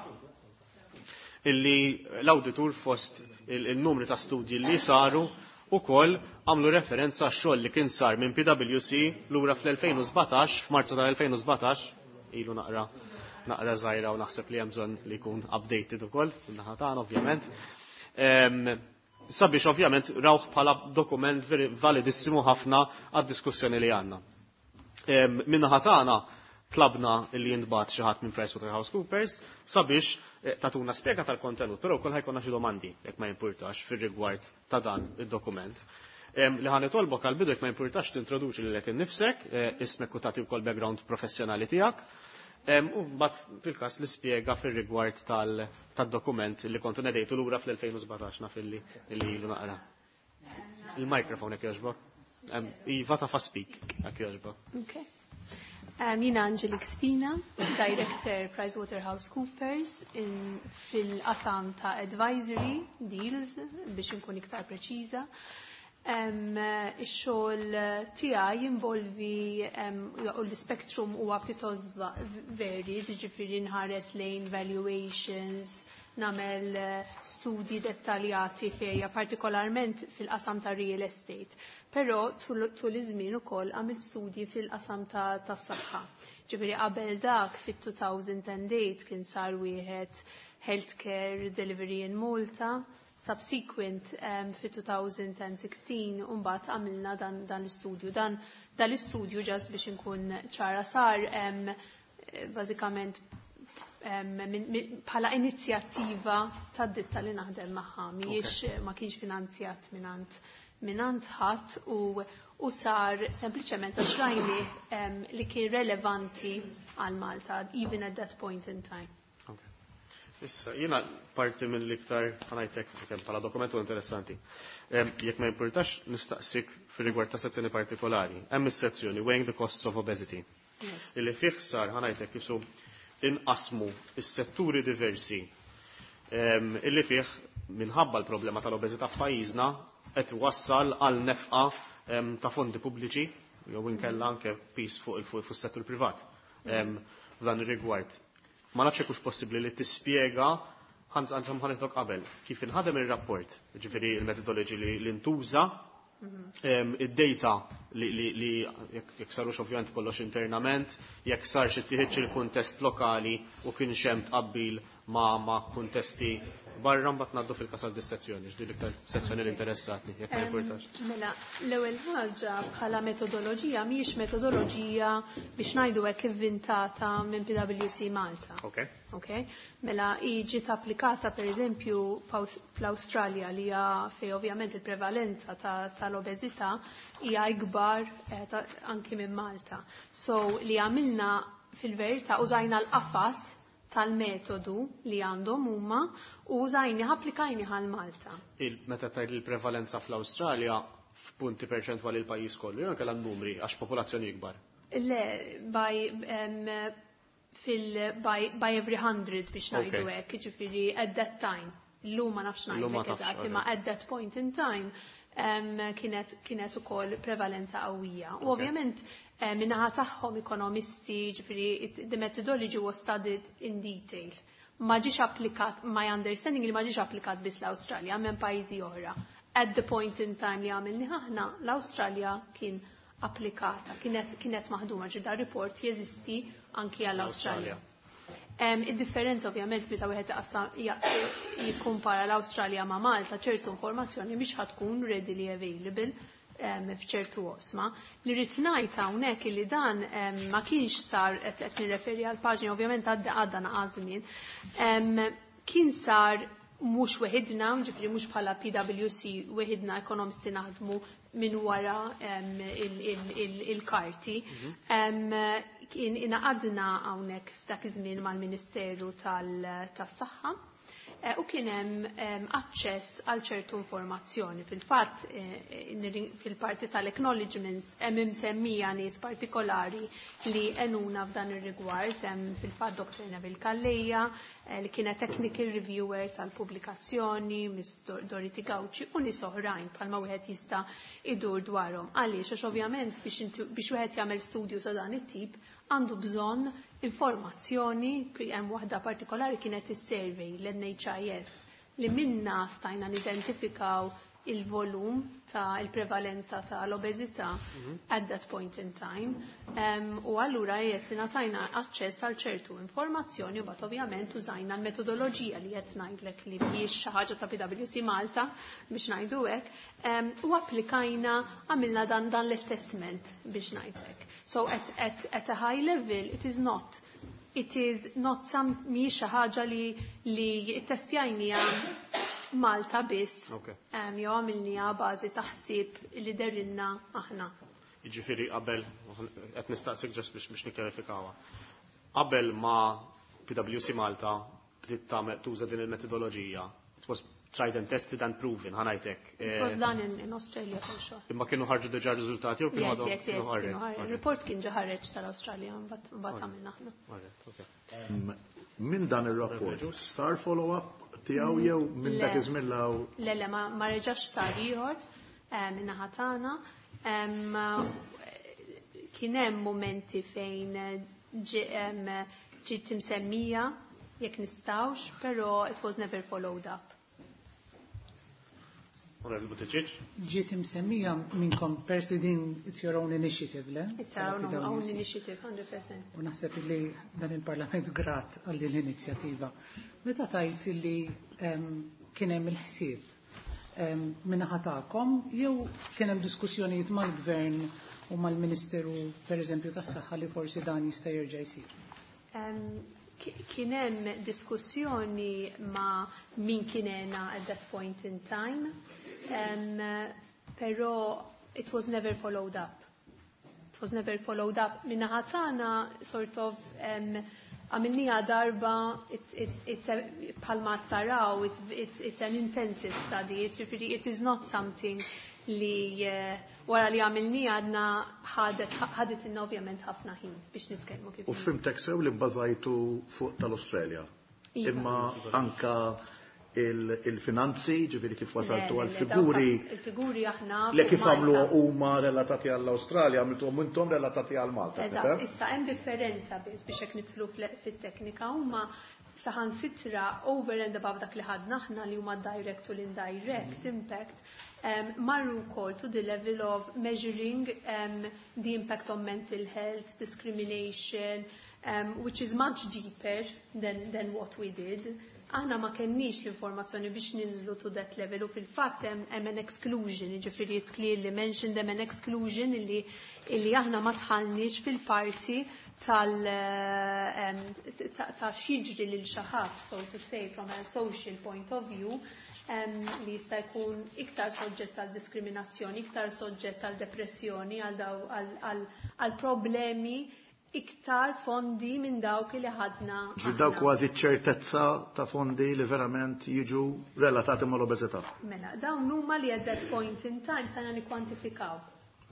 illi l-awditur fost il-numri ta' studji li saru u koll għamlu referenza għax-xogħol li kien sar minn PwC lura fl-2017, f'Marzu tal-2017, ilu naqra żgħira u naħseb li hemm bżonn li jkun updated ukoll fin-naħa tagħna ovvjament. Sabiex ovvjament rawh bħala dokument validissimu ħafna għad-diskussjoni li għandna. Min-naħa tagħna tlabna li jintbagħat xi ħadd minn PricewaterhouseCoopers sabiex tatuna spjega tal-kontenut, però wkoll ħajkonna xi domandi jekk ma jimpurtax fir-rigward ta' dan id-dokument. Li ħa nitolbok għal bidu jekk ma jimpurtax tintroduċi lilek innifsek, ismek u tagħti wkoll background professjonali tiegħek. U mbagħad fil-każ li spjega fir-rigward tad-dokument li kontu nedejtu lura fl-2017 naf illi ilu naqra. Il-microphone jekk jogħġbok. Iva ta' speak jekk jogħġbok. Okay. Jina Angelique Spina, Director PricewaterhouseCoopers fil-qasam ta' Advisory Deals, biex nkun iktar preċiża. Ix-xogħol tiegħi jinvolvi u l-spectrum huwa pjuttost varied, jiġifieri nħares lejn valuations, nagħmel studji dettaljati ferja, partikolarment fil-qasam ta' real estate. Però tul iż-żmien ukoll għamilt studji fil-qasam tas-saħħa. Ġifieri qabel dak fit-2008 kien sar wieħed Healthcare Delivery in Malta, subsequent fit-2016 mbagħad għamilna dan l-istudju. Dan l-istudju just biex inkun ċara sar bażikament bħala inizjattiva tad-ditta li naħdem magħha, mhijiex ma kienx finanzjat mingħand ħadd u sar sempliċement għax rajni li kien relevanti għal Malta even at that point in time. Issa, jiena parti minn l-iktar ħa ngħidlek kemm bħala dokumentu interessanti. Jekk ma jimpurtax nistaqsik fir-rigward ta' sezzjoni partikolari. Hemm is-sezzjoni Weighing the Costs of Obesity. Illi fih sar ħa ngħidlek jisu inqasmu is-setturi diversi illi fih minħabba l-problema tal-obeżità f'pajjiżna qed wassal għal nefqa ta' fondi pubbliċi jew inkella anke piż fuq is-settur privat f'dan ir-rigward. Ma nafx hekk hux possibbli li tispjega ħanżam ħanidok qabel kif inħadem ir-rapport, ġifieri il-methodology li ntuża, id-data li jekk sarux ovvjament kollox internament, jekk sarx ittieħedx il-kuntest lokali u kien hemm tqabbil ma' kuntesti barra mbagħad ngħaddu fil-kasal dis-sezzjoni, x'di l-iktar sezzjoni li interessatni, jekk ma jimpurtax. Mela, l-ewwel ħaġa bħala metodoloġija mhijiex metodoloġija biex ngħidu hekk ivvintata minn PwC Malta. Ok. Mela ġiet applikata pereżempju fl-Awstralja li hija fej ovvjament il-prevalenza tal-obeżità hija ikbar anki minn Malta. So li għamilna fil-verità użajna l-qafas tal-metodu li għandhom huma u użajni applikajni għal Malta. Meta tgħid il-prevalenza fl-Awstralja f'punti perċentwali l-pajjiż kollu, jew kellha numri għax popolazzjoni ikbar? Le, by every 100 biex ngħidu hekk, jiġifieri at that time. Illum ma nafx ngħidlek eżatt, imma at that point in time kienet ukoll prevalenza qawwija. U ovvjament minnaħa tagħhom ekonomisti, ġifieri the methodology was studied in detail. Ma ġiex applikat, my understanding li ma ġiex applikat biss l-Awstralja, minn pajjiżi oħra. At the point in time li għamilni aħna, l-Awstralja kien applikata, kienet maħduma, ġi da report jeżisti anki għall-Awstralja. Id-differenza ovvjament meta wieħed jikkumpara l-Awstralja ma' Malta, ċertu informazzjoni mhix ħatkun readily available f'ċertu oqsma. Li rrid ngħid hawnhekk li dan ma kienx sar qed nirreferi għal paġni ovvjament għadda naqa' żmien. Kien sar mhux weħidna, ġifieri mhux bħala PwC weħidna ekonomisti naħdmu minn wara il-karti. Kien ingħaqadna hawnhekk f'dak iż-żmien mal-Ministeru tas-Saħħa u kien hemm aċċess għal ċertu informazzjoni. Fil-fatt fil-parti tal-acknowledgements hemm imsemmija nies partikolari li għenuna f'dan ir-rigward, hemm fil-fatt Dr. Neville Calleja li kienet technical reviewer tal-pubblikazzjoni, Miss Dorothy Gauci u nies oħrajn bħalma wieħed jista' idur dwarhom. Għaliex għax ovvjament biex wieħed jagħmel studju ta' dan it-tip għandu bżonn informazzjoni, hemm waħda partikolari kienet is-survey l-NHIS li minna stajna nidentifikaw il-volum ta' il-prevalenza ta' l-obeżità at that point in time. U allura jes ingħatajna aċċess għal ċertu informazzjoni u bat ovvjament użajna l-metodoloġija li qed ngħidlek li mhijiex xi ħaġa ta' PwC Malta biex ngħidu hekk, u applikajna għamilna dan l-assessment biex ngħidlek. So at a high level it is not some mhijiex xi ħaġa li ttestjajnija Malta biss. Jew għamilniha bażi taħsib li derinna aħna. Jiġifieri qabel qed nistaqsik just biex nikkjarifikawha. Qabel ma PwC Malta bdiet tagħmel tuża din il-metodoloġija, it was tried and tested and proven, ħa ngħidlek. It was done in Australia for sure. Imma kienu ħarġu diġà riżultati jew kienu għadhom? Yes, kienu Il-report kien ġa ħareġ tal-Awstralja, mbagħad għamilna aħna. Min dan ir-rapport sar follow-up tiegħu jew minn dak iż-żmien law? Le, ma reġax sar ieħor min-naħa tagħna. Kien hemm momenti fejn ġiet imsemmija jekk nistgħux, però it was never followed up. Onorevoli Buttigieg. Ġiet imsemmija minnkom pers li din it's your own initiative, le? It's our own initiative, 100%. U naħseb li dan il-Parlament grat għal din l-inizjattiva. Meta tajt li kien hemm il-ħsieb min-naħa tagħkom jew kien hemm diskussjonijiet mal-Gvern u mal-Ministeru pereżempju tas-Saħħa li forsi dan jista' jerġa' jsir? Kien hemm diskussjoni ma' min kien at that point in time, però it was never followed up. It was never followed up. Min-naħa tagħna sort of għamilnieha darba, it's bħalma taraw, it's an intensive study, ġifieri it is not something li wara li għamilnieha għadna ħadet inna ovvjament ħafna ħin biex nitkellmu kif. U fhimtek sew li bbażajtu fuq tal-Australia. Iva. Imma anka il-finanzi, ġifieri kif wasaltu għal-figuri. Il-figuri aħna. Le kif għamlu huma relatati għall-Australia, għamiltuhom intom relatati għal Malta. Eżatt, issa hemm differenza biss biex hekk nidħlu fit-teknika huma saħansitra over and above dak li ħadna aħna li huma direct u l-indirect impact, marru wkoll to the level of measuring the impact on mental health, discrimination, which is much deeper than what we did. Aħna ma kenniex l-informazzjoni biex ninżlu to that level u fil-fatt hemm an exclusion, jiġifieri it's clearly mentioned hemm an exclusion illi aħna ma dħalniex fil-parti tal ta' x'jiġri lil xi ħadd, so to say, from a social point of view, li jista' jkun iktar soġġett għal diskriminazzjoni, iktar soġġett għal depressjoni, għal problemi iktar fondi minn dawk li ħadna. Ġi dawk kważi ċertezza ta' fondi li verament jiġu relatati mal-obeżità. Mela, dawn huma li at that point in time stajna nikkwantifikaw.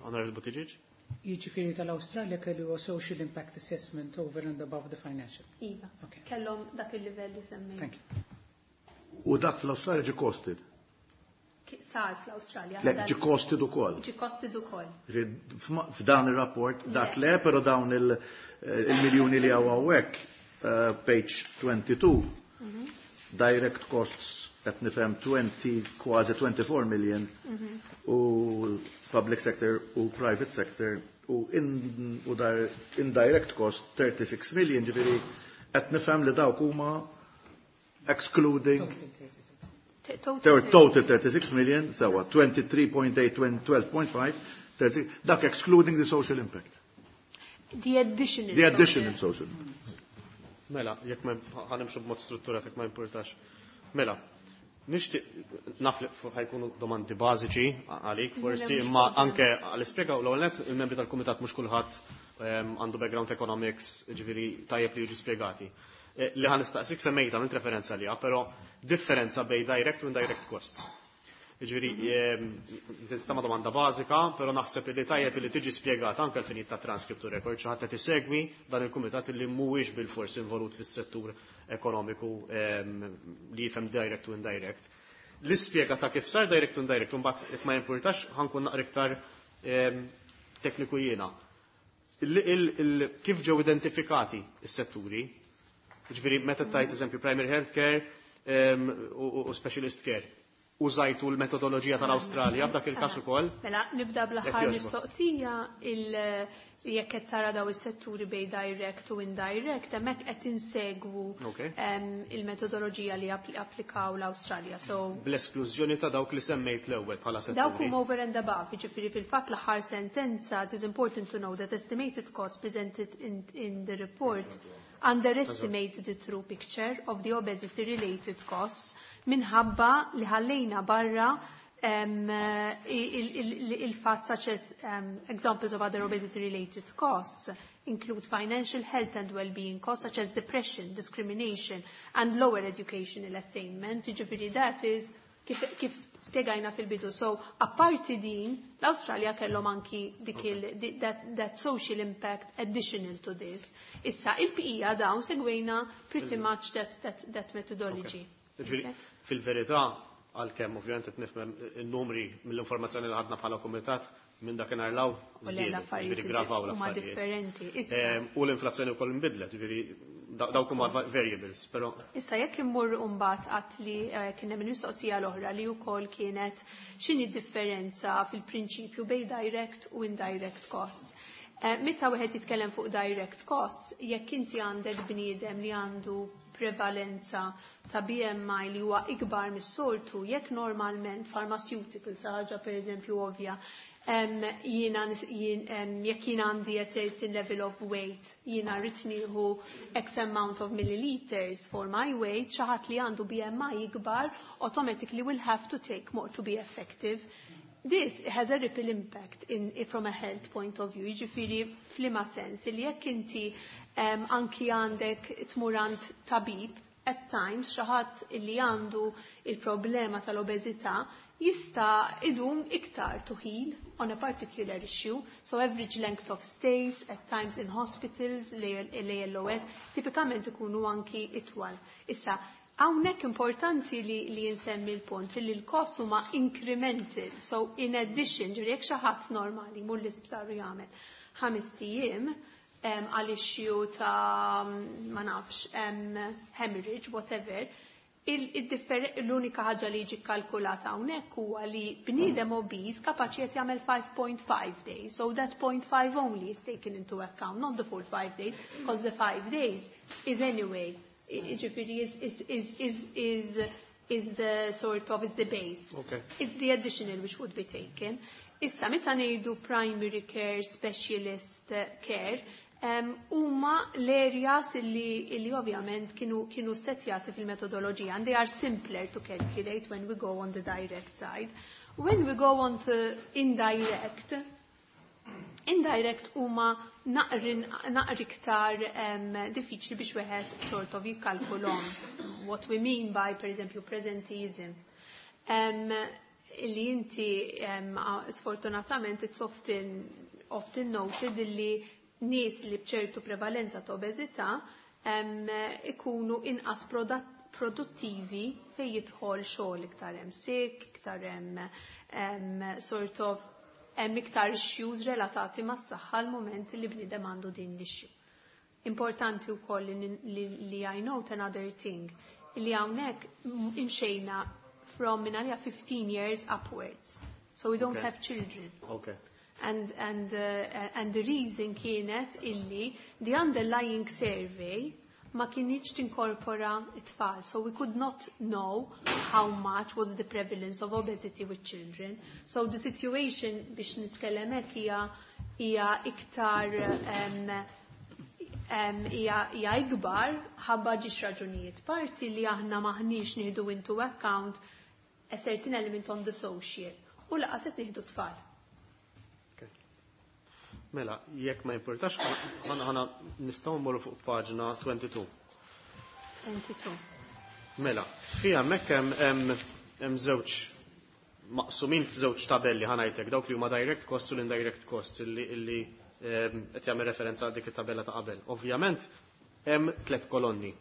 Honorable Buttigieg? Jiġifieri tal-Awstralja kellu social impact assessment over and above the financial. Iva. Okay. Kellhom dak il-livell li semmejt. Thank you. U dak fl-Awstralja ġi costed? Sar fl-Awstralja. Le, ġi costed ukoll. Ġi costed ukoll. F'dan ir-rapport dak le, però dawn il-miljuni li hawn hawnhekk, page 22, direct costs qed nifhem 20, kważi 24 million, u public sector u private sector u indirect cost 36 million, ġifieri qed nifhem li dawk huma excluding Total total 36 million, sewa 23.8, 12.5, 36, dak excluding the social impact. The additional. The additional social. Mela, jekk ma ħanimxu b'mod strutturat jekk ma importax. Mela, nixtieq naf li ħajkunu domandi bażiċi għalik forsi, imma anke għal-ispjega u l-ewwel nett il-membri tal-kumitat mhux kulħadd għandu background economics, ġifieri tajjeb li jiġu spjegati. Li ħa nistaqsik semmejta minn referenza liha, però differenza bejn direct u indirect costs. Ġifieri, tinstama domanda bażika, però naħseb li tajjeb li tiġi spjegata anke l-finijiet ta' transcript u record, xi ħadd qed isegwi dan il-kumitat li mhuwiex bil-fors involut fis-settur ekonomiku li jifhem direct u indirect. L-ispjega ta' kif sar direct u indirect, u mbagħad jekk ma jimpurtax ħankun naqra iktar tekniku jiena. Kif ġew identifikati s-setturi? Ġifieri meta tajt eżempju primary health care u specialist care. Użajtu l-metodoloġija tal-Awstralja f'dak il-każ ukoll? Mela, nibda bl-aħħar mistoqsija jekk qed tara daw is-setturi bej direct u indirect, hemmhekk qed insegwu il-metodoloġija li applikaw l-Awstralja. So bl-esklużjoni ta' dawk li semmejt l-ewwel bħala setturi. Dawk huma over and above, jiġifieri fil-fatt l-aħħar sentenza, it is important to know that estimated cost presented in the report underestimated the true picture of the obesity related costs minħabba li ħallejna barra il-fatt such as examples of other obesity related costs include financial health and well-being costs such as depression, discrimination and lower educational attainment. Ġifieri that is kif spjegajna fil-bidu. So, apparti din, l-Awstralja kellhom anki dik that social impact additional to this. Issa, il-bqija dawn segwejna pretty much that methodology. Ġifieri, fil-verità, għalkemm ovvjament qed nifhem in-numri mill-informazzjoni li ħadna bħala kumitat Minn dakinhar 'l hawn żdiedu, jiġifieri ggravaw l-affarijiet. differenti. U l-inflazzjoni wkoll inbidlet, jiġifieri dawk huma variables, però. Issa jekk immur mbagħad għat li kien hemm il-mistoqsija l-oħra li wkoll kienet x'inhi d-differenza fil-prinċipju bejn direct u indirect costs. Meta wieħed jitkellem fuq direct costs, jekk inti għandek bniedem li għandu prevalenza ta' BMI li huwa ikbar mis-soltu, jekk normalment pharmaceuticals, ħaġa pereżempju ovvja, jiena jekk jiena għandi a certain level of weight, jiena rrid nieħu X amount of milliliters for my weight, xi ħadd li għandu BMI ikbar automatically will have to take more to be effective. This has a ripple impact from a health point of view, jiġifieri f'liema sens li jekk inti anki għandek tmur għand tabib, at times xi ħadd li għandu il-problema tal-obeżità jista' idum iktar to heal on a particular issue. So average length of stays at times in hospitals, l-ALOS, tipikament ikunu anki itwal. Issa, hawnhekk importanti li nsemmi l-punt li l-cost huma incremental. So in addition, ġifieri jekk xi ħadd normali mur l-isptar u jagħmel 5 ijiem għal issue ta' ma nafx hemorrhage, whatever, l-unika ħaġa li jiġi kalkulata hawnhekk huwa li bniedem obese kapaċi qed jagħmel 5.5 days. So that 0.5 only is taken into account, not the full 5 days, because the 5 days is anyway, jiġifieri is the sort of, is the base. It's the additional which would be taken. Issa, meta ngħidu primary care, specialist care, huma l-areas illi ovvjament kienu setjati fil-metodoloġija, and they are simpler to calculate when we go on the direct side. When we go on to indirect, indirect huma naqri iktar diffiċli biex wieħed sort of jikkalkulhom. What we mean by, per eżempju, presenteeism. Illi inti sfortunatament it's often noted illi nies li bċertu prevalenza ta' obeżità ikunu inqas produttivi fej jidħol xogħol, iktar hemm sick, iktar hemm sort of hemm iktar issues relatati mas-saħħa l-moment li bniedem għandu din l-issue. Importanti wkoll li I note another thing, li hawnhekk imxejna from minn għalija 15 years upwards. So we don't have children. And the reason kienet illi the underlying survey ma kinitx tinkorpora it-tfal. So we could not know how much was the prevalence of obesity with children. So the situation, biex nitkellem hekk, hija iktar hija ikbar ħabba ġiex raġunijiet. Parti li aħna maħniex nieħdu into account a certain element on the social u lanqas qed nieħdu tfal. Mela, jekk ma importax, ħana nistgħu mmorru fuq paġna 22. 22. Mela, fija hemmhekk hemm żewġ maqsumin f'żewġ tabelli, ħa ngħidlek, dawk li huma direct cost u l-indirect cost illi qed jagħmel referenza għal dik it-tabella ta' qabel. Ovvjament hemm tliet kolonni.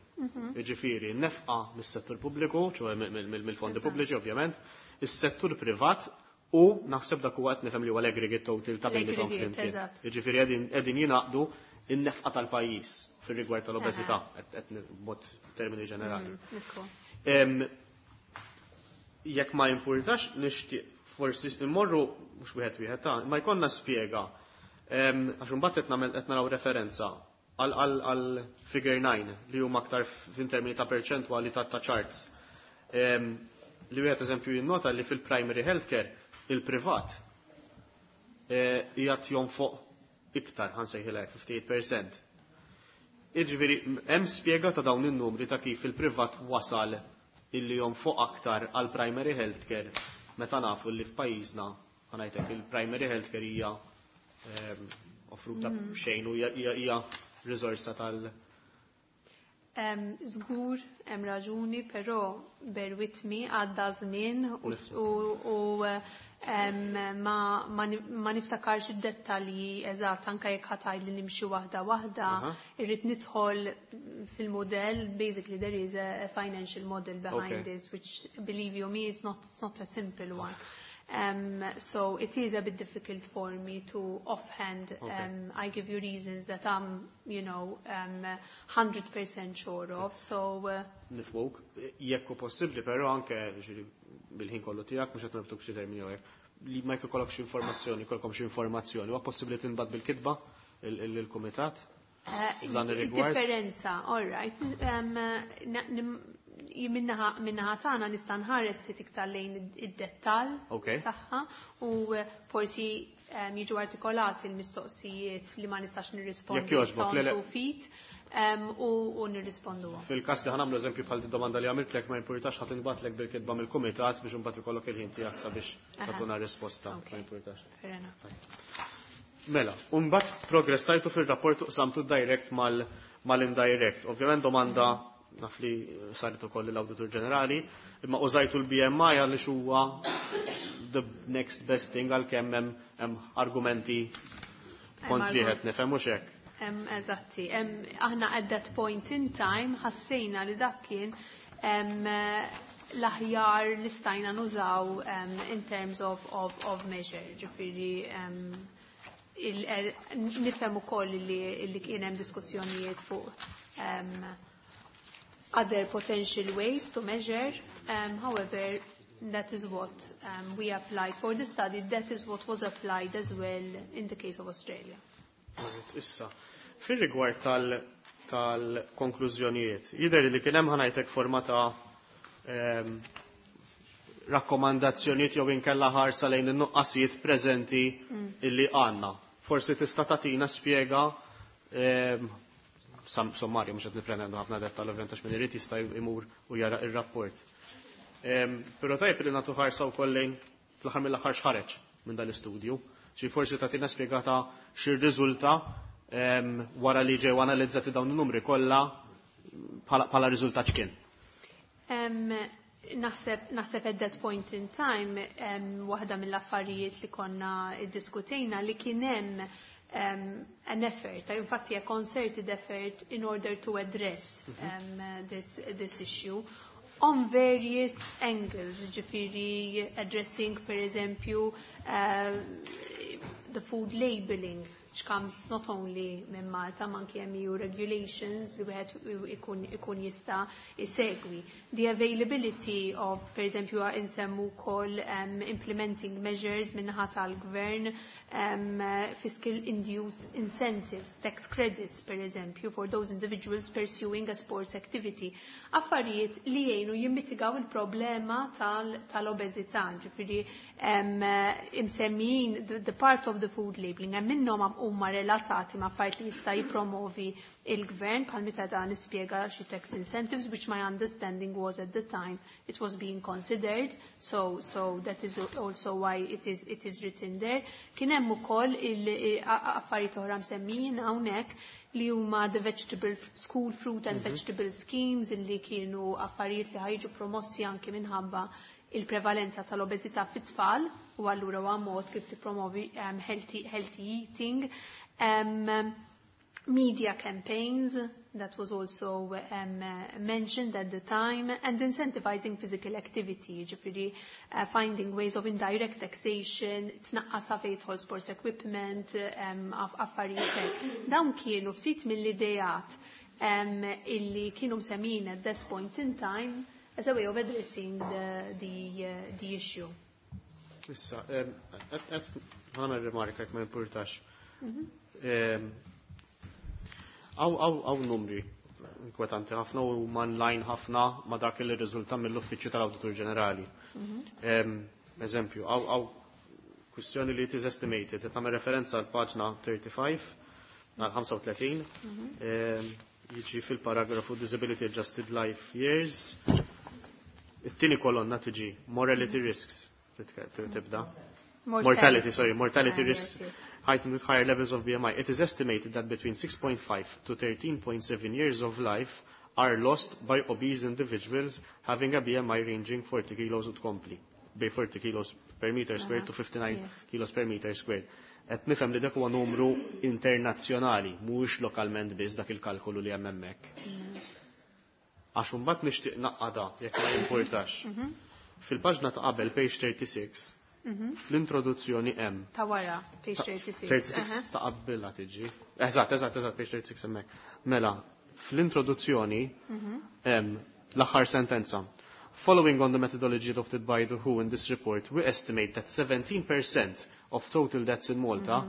Jiġifieri nefqa mis-settur pubbliku, ċoè mill-fondi pubbliċi ovvjament, is-settur privat u naħseb dak huwa qed nifhem li huwa l-aggregate total ta' bejniethom L-aggregate, flimkien. Eżatt. Jiġifieri qegħdin jingħaqdu in-nefqa tal-pajjiż fir-rigward tal-obeżità qed b'mod termini ġenerali. Jekk ma jimpurtax, nixtieq forsi immorru mhux wieħed wieħed ta' ma jkollna spjega, għax imbagħad qed nagħmel qed naraw referenza għal figure 9 li huma aktar f'termini ta' perċentwali ta' charts. Li wieħed eżempju jinnota li fil-primary healthcare il-privat qiegħed jonfoq iktar, ħa nsejħilek 58%. Jiġifieri hemm spjega ta' dawn in-numri ta' kif il-privat wasal illi jonfoq aktar għal primary healthcare meta nafu li f'pajjiżna, ħa ngħidlek, il-primary healthcare hija offruta xejn u hija riżorsa tal- Żgur hemm raġuni, però bear with me, għadda żmien u ma niftakarx id-dettalji eżatt anke jekk ħa tgħid li nimxi waħda waħda, irrid nidħol fil-modell. Basically there is a financial model behind this, which, believe you me, it's not a simple one. So it is a bit difficult for me to offhand, I give you reasons that I'm 100% sure of. So Nifhmuk, jekk hu possibbli, però anke ġifieri bil-ħin kollu tiegħek, mhux qed norbtuk xi termini jew hekk, li ma jkollok xi informazzjoni, jkollkom xi informazzjoni, huwa possibbli tinbagħat bil-kitba il-kumitat? F'dan ir-rigward? Differenza, all right. Min-naħa tagħna nista' nħares ftit iktar lejn id-dettall tagħha u forsi jiġu artikolati l-mistoqsijiet li ma nistax nirrispondi Jekk jogħġbok, le, le. on feet u nirrisponduhom. Fil-każ li ħa nagħmlu eżempju bħal domanda li għamiltlek, ma jimpurtax, ħa tinbagħatlek bil-kitba mill-kumitat biex imbagħad ikollok il-ħin tiegħek sabiex tagħtuna risposta. Ma jimpurtax. Fair enough. Mela, mbagħad progressajtu fil-rapport u qsamtu direct mal-indirect. Ovvjament domanda naf li saret ukoll l-Awditur Ġenerali, imma użajtu l-BMI għaliex huwa the next best thing, għalkemm hemm argumenti kontri, qed nifhem, mhux hekk? Eżatti. Aħna at that point in time ħassejna li dak kien l-aħjar li stajna nużaw in terms of measure. Ġifieri nifhem ukoll li kien hemm diskussjonijiet fuq other potential ways to measure. However, that is what we applied for the study. That is what was applied as well in the case of Australia. Alright, issa, fil-rigward tal-konklużjonijiet, jidher li kien hemm, ħa ngħidlek, forma ta' rakkomandazzjonijiet jew inkella ħarsa lejn in-nuqqasijiet preżenti illi għandna. Forsi tista' tagħtina spjega sommarju, mhux qed nippretendu ħafna dettall ovvjament għax min irid jista' jmur u jara ir-rapport. Però tajjeb li nagħtu ħarsa wkoll lejn fl-aħħar mill-aħħar x'ħareġ minn dal-istudju. Xi forsi tagħtina spjegata x'irriżulta wara li ġew analizzati dawn in-numri kollha, bħala riżultat x'kien. Naħseb at that point in time waħda mill-affarijiet li konna iddiskutejna li kien hemm an effort, infatti a concerted effort in order to address this issue on various angles, ġifieri addressing per eżempju the food labeling, which comes not only minn Malta, ma anki hemm EU regulations li wieħed ikun jista' isegwi. The availability of, per eżempju, insemmu wkoll implementing measures min-naħa tal-gvern, fiscal induced incentives, tax credits, per eżempju, for those individuals pursuing a sports activity. Affarijiet li jgħinu jimmitigaw il-problema tal-obeżità, ġifieri imsemmijin the part of the food labeling, hemm minnhom huma relatati ma' affarijiet li jista' jippromovi il-gvern, bħal meta dan nispjega xi tax incentives, which my understanding was at the time it was being considered, so that is also why it is written there. Kien hemm ukoll affarijiet oħra msemmijin hawnhekk li huma the vegetable school fruit and vegetable schemes, illi kienu affarijiet li ħa jiġu promossi anke minħabba il-prevalenza tal-obeżità fit-tfal u allura huwa mod kif tippromovi healthy eating. Media campaigns, that was also mentioned at the time, and incentivizing physical activity, ġifieri finding ways of indirect taxation, tnaqqas fejn jidħol sports equipment, affarijiet hekk. Dawn kienu ftit mill-idejat illi kienu msemmin at that point in time as a way of addressing the issue. Issa, ħa nagħmel rimarka jekk ma jimpurtax. Hawn numri inkwetanti ħafna u in line ħafna ma dak li riżulta mill-Uffiċċju tal-Awditur Ġenerali. Eżempju, hawn kwistjoni li it is estimated, qed nagħmel referenza għal paġna 35, għal 35, jiġi fil-paragrafu Disability Adjusted Life Years, it-tieni kolonna tiġi Mortality Risks, tibda. Mortality, sorry, mortality risks heightened with higher levels of BMI. It is estimated that between 6.5 to 13.7 years of life are lost by obese individuals having a BMI ranging 40 kilos u tkompli. Bej 40 kilos per meter squared to 59 kilos per meter squared. Qed nifhem li dak huwa numru internazzjonali, mhuwiex lokalment biss dak il-kalkolu li hemm hemmhekk. Għax imbagħad nixtieq naqada jekk ma jimpurtax. Fil-paġna ta' qabel, page 36, Fl-introduzzjoni hemm. Ta' wara, page 36. 36 ta' qabbilha tiġi. Eżatt, eżatt, eżatt, page 36 hemmhekk. Mela, fl-introduzzjoni hemm l-aħħar sentenza. Following on the methodology adopted by the WHO in this report, we estimate that 17% of total deaths in Malta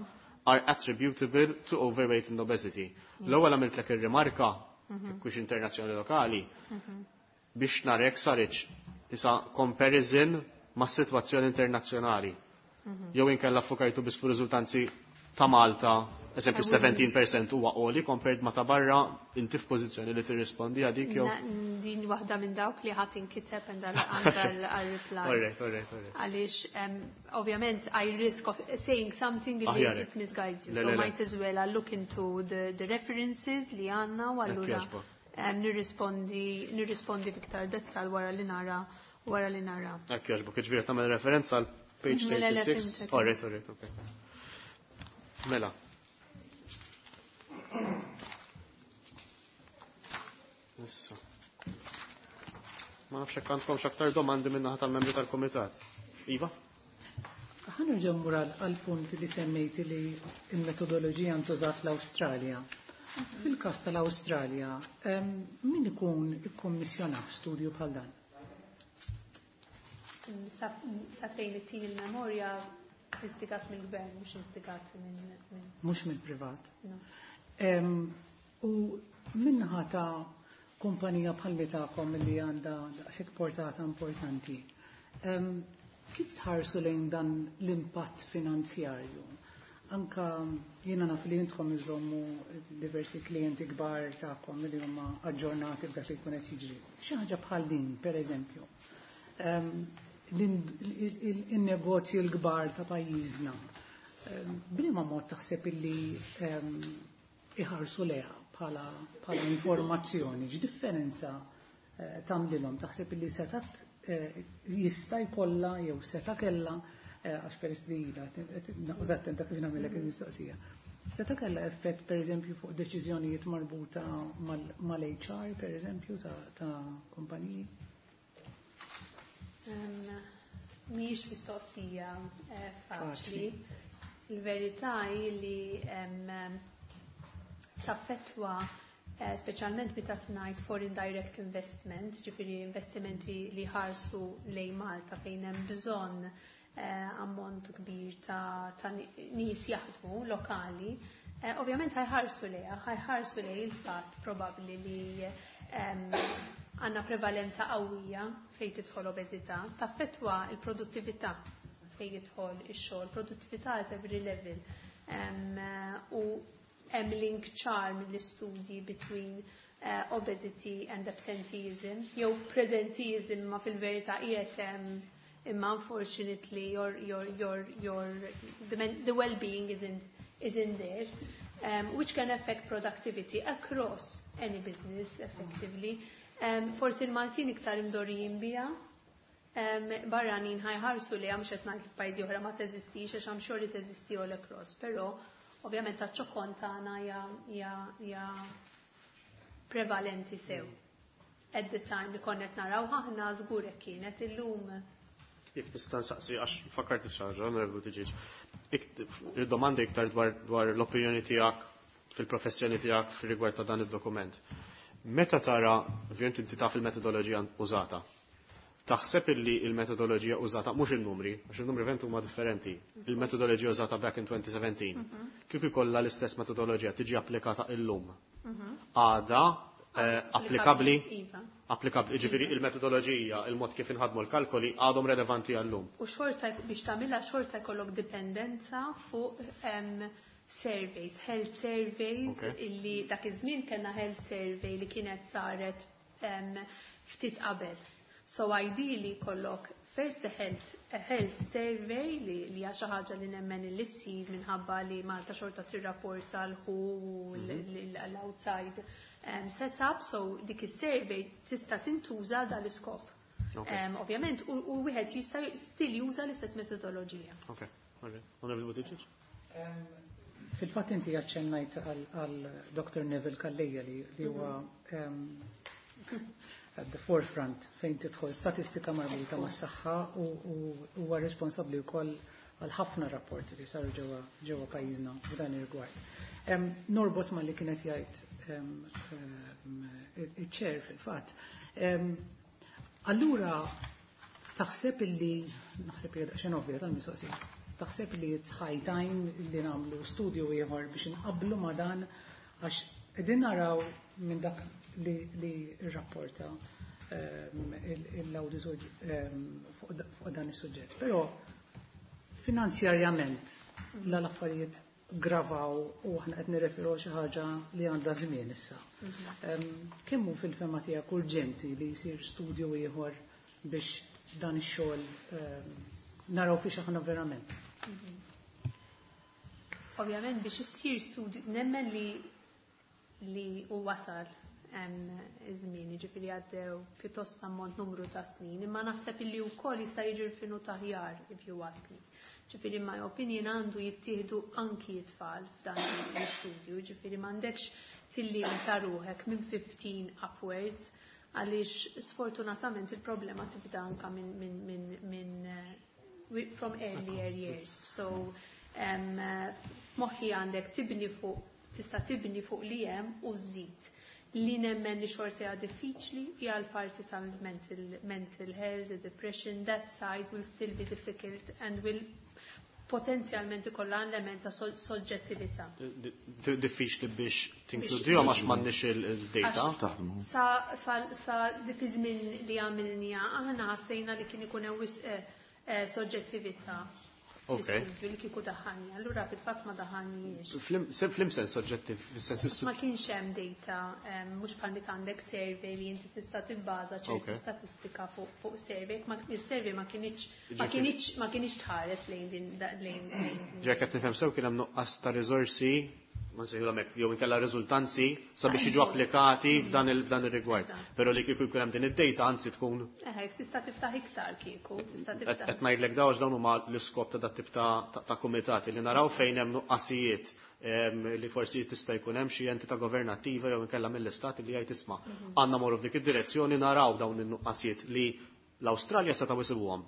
are attributable to overweight and obesity. L-ewwel għamiltlek ir-rimarka, kux internazzjonali lokali, biex narek saritx isa comparison ma' situazzjoni internazzjonali. Jew inkella fokajtu biss fuq riżultanzi ta' Malta, eżempju 17% huwa għoli compared ma' ta' barra, inti f'pożizzjoni li tirrispondi għadik jew. Din waħda minn dawk li ħadd inkiteb għal reply. Alright. Għaliex, ovvjament, I risk of saying something li Aħjar. it misguides you. Le, So le, le. might as well I look into the references li għandna u allura jogħġbok. nirrispondi biktar dettal wara li nara. Hekk jogħġbok, jiġifieri tagħmel referenza għal page Mela, le, 36. fimtek. Alright, okay. Mela. Issa. Ma nafx hekk għandkom x'aktar domandi minn naħa tal-membri tal-kumitat. Iva? Ħa nerġa' mmur għal-punt li semmejti li il-metodoloġija ntużat l-Awstralja. Fil-każ tal-Awstralja, min ikun ikkommissjonat studju bħal dan? Sa fejn it-tin il-memorja instigat mill-gvern, mhux instigat minn Mhux mill-privat. No. U minnaħa ta' kumpanija bħal tagħkom li għandha daqshekk portata importanti. Kif tħarsu lejn dan l-impatt finanzjarju? Anka jiena naf li intkom iżommu diversi klijenti kbar tagħkom li huma aġġornati b'dak li jkun qed jiġri. Xi ħaġa bħal din, per eżempju. Il-negozji l-kbar ta' pajjiżna. B'liema mod taħseb illi iħarsu leha bħala informazzjoni, x'differenza tagħmlilhom? Taħseb illi setat jista' jkollha jew seta' kellha, għax peress li ilha noqgħod attenta kif nagħmellek il-mistoqsija. Seta' kellha effett pereżempju fuq deċiżjonijiet marbuta mal-HR pereżempju ta' kumpaniji? Mhijiex mistoqsija faċli. Faċli. Il-verità hi li taffettwa speċjalment meta tgħid foreign direct investment, ġifieri investimenti li ħarsu lejn Malta fejn hemm bżonn ammont kbir ta' nies jaħdmu lokali, ovvjament ħajħarsu lejha, ħajħarsu lej il-fatt probabbli li għandna prevalenza qawwija fejn tidħol obeżità, taffettwa il-produttività fejn jidħol ix-xogħol, produttività at every level. U hemm link ċar mill-istudji between obesity and absenteeism, jew presenteeism ma fil-verità qiegħed hemm imma unfortunately the well-being isn't there, which can affect productivity across any business effectively. Forsi l-Maltin iktar imdorrijin biha, barranin ħajħarsu li għamx qed ngħid pajjiżi oħra ma teżistix għax I'm sure li teżisti all across, però ovvjament taċ-ċokon tagħna hija prevalenti sew. At the time li konna qed naraw aħna żgur hekk kienet illum. Jekk nista' nsaqsi għax fakkarti f'xi ħaġa, Onorevoli Buttigieg. Il-domanda iktar dwar l-opinjoni tiegħek fil-professjoni tiegħek fir-rigward ta' dan id-dokument. Meta tara, ovvjament inti taf il-metodoloġija użata, taħseb illi il-metodoloġija użata, mhux il-numri, għax il-numri vent huma differenti, il-metodoloġija użata back in 2017, kieku jkollha l-istess metodoloġija tiġi applikata illum. Għada applikabbli? Iva. Applikabli, ġifieri il-metodoloġija, il-mod kif inħadmu l-kalkoli għadhom relevanti għallum. U xorta biex tagħmilha xorta jkollok dipendenza fuq surveys, health surveys, illi dak iż-żmien kellna health survey li kienet saret ftit qabel. So ideally kollok first a health survey li hija xi ħaġa li nemmen li ssir minħabba li Malta xorta tirrapporta l-WHO u l-outside setup, so dik is-survey tista' tintuża dal-iskop. Ovvjament, u wieħed jista' still juża l-istess metodoloġija. Ok, alright. Onorevoli Buttigieg? Fil-fatt inti aċċennajt għal Dr. Neville Calleja li huwa at the forefront fejn tidħol statistika marbuta mas-saħħa u huwa responsabbli wkoll għal ħafna rapporti li saru ġewwa pajjiżna f'dan ir-rigward. Norbot ma li kienet jgħid iċ-chair fil-fatt. Allura taħseb illi naħseb li daqsxejn ovvja tal-mistoqsija. Taħseb li it's high time li nagħmlu studju ieħor biex inqablu ma' dan, għax qegħdin naraw minn dak li rrapporta l-awditur fuq dan is-suġġett. Però finanzjarjament l-affarijiet gravaw u aħna qed nirreferu xi ħaġa li għandha żmien issa. Kemm hu fil-fema tiegħek urġenti li jsir studju ieħor biex dan ix-xogħol naraw fiex aħna verament? Ovvjament biex issir studju nemmen li hu wasal iż-żmien, jiġifieri għaddew pjuttost ammont numru ta' snin, imma naħseb illi wkoll jista' jiġi rfinut aħjar, if you ask me. Ġifieri my opinion għandu jittieħdu anki it-tfal f'dan l-istudju, ġifieri m'għandekx tillimita ruħek minn 15 upwards, għaliex sfortunatament il-problema tibda anka minn from earlier years. So f'moħħi għandek tibni fuq, tista' tibni fuq li hemm u żżid. Li nemmen li xorta hija diffiċli hija l-parti tal-mental mental health, the depression, that side will still be difficult and will potenzjalment ikollha element ta' soġġettività. Diffiċli biex tinkludihom għax m'għandniex il-data. Sa fi żmien li għamilniha aħna ħassejna li kien ikun hemm wisq soġġettività fl-istudju li kieku daħħalni. Allura fil-fatt ma daħħalniex. F'liema sens soġġettiv, fis-sens Ma kienx hemm data, mhux bħal meta għandek survey li inti tista' tibbaża ċertu statistika fuq survey, ma il-survey ma kinitx tħares lejn din lejn Ġek qed nifhem sew, kien hemm nuqqas ta' riżorsi, ma nsejħulhom hekk, jew inkella riżultanzi sabiex jiġu applikati f'dan ir-rigward. Però li kieku jkun hemm din id-data, anzi tkun Eħe, tista' tiftaħ iktar kieku, tista' qed tiftaħ. Qed ngħidlek daw għax dawn huma l-iskop ta' dat tip ta' kumitati, li naraw fejn hemm nuqqasijiet li forsi tista' jkun hemm xi entità governattiva jew inkella mill-istat li jgħid, "Isma', għandna morru f'dik id-direzzjoni, naraw dawn in-nuqqasijiet li l-Awstralja setgħu jsibuhom.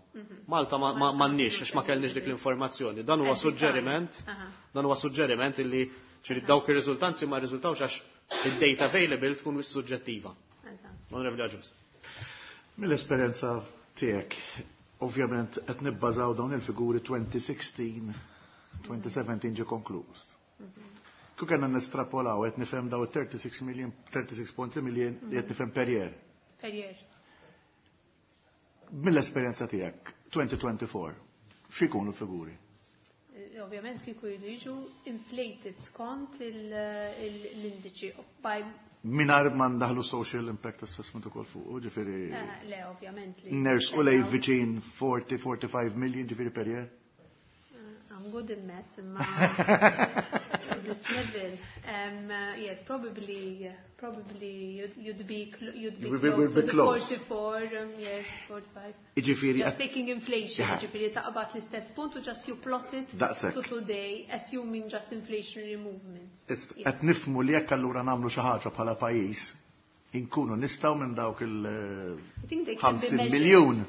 Malta m'għandniex għax ma kellniex dik l-informazzjoni." Dan huwa At the time. suġġeriment, dan huwa suġġeriment illi ċiri dawk ir-riżultanzi ma rriżultawx għax id-data available tkun wis suġġettiva. Onorevoli Agius. Mill-esperjenza tiegħek, ovvjament qed nibbażaw dawn il-figuri 2016, 2017 ġie konkluż. Kieku kellna nestrapolaw, qed nifhem daw 36 million, 36.3 million li qed nifhem per year. Per year. Mill-esperjenza tiegħek, 2024, x'ikunu l-figuri? Ovvjament kieku jridu jiġu inflated skont l-indiċi by Mingħajr ma ndaħlu social impact assessment ukoll fuq, ġifieri Le, ovvjament li. Ners u lej viċin 40-45 million ġifieri per year? I'm good in maths, imma this level, yes, probably you'd be You will close be to the close. 44, yes, 45. Iġifieri Just taking inflation, ġifieri taqbad l-istess punt u just you plot it Daqshekk. to today, assuming just inflationary movements. Qed nifhmu li jekk allura nagħmlu xi ħaġa bħala pajjiż, inkunu nistgħu minn dawk il I think they can be 50 measured. miljun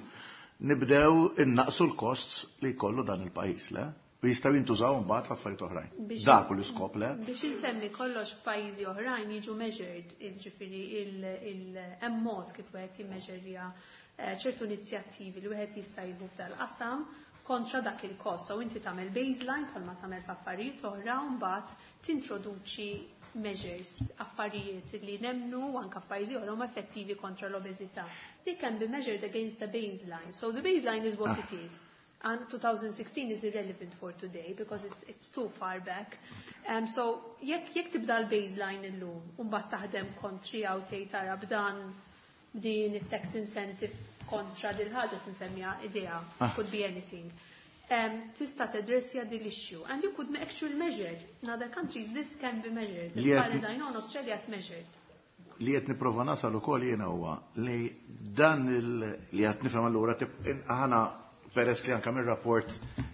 nibdew innaqsu l-costs li jkollu dan il-pajjiż, le? U jistgħu jintużaw mbagħad f'affarijiet oħrajn. Dak hu l-iskop, le? Biex insemmi kollox, f'pajjiżi oħrajn jiġu measured, il-ġifieri hemm mod kif wieħed jimmeġerja ċertu inizjattivi li wieħed jista' jieħu f'dal-qasam kontra dak il-kost. So inti tagħmel baseline bħalma tagħmel f'affarijiet oħra u mbagħad tintroduċi measures, affarijiet li nemnu anka f'pajjiżi oħra huma effettivi kontra l-obeżità. They can be measured against the baseline. So the baseline is what it is. And 2016 is irrelevant for today because it's too far back. So jekk tibda l-baseline illum, u mbagħad taħdem kontri għaw tgħid tara b'dan b'din it-tax incentive kontra dil ħaġa tinsemmiha idea, could be anything. Tista' tadressja dil issue and you could actually measure. In other countries this can be measured. As far as I know, in Australia it's measured. Li qed nipprova nasal ukoll jiena huwa li dan li qed nifhem allura aħna peress li anke mir-rapport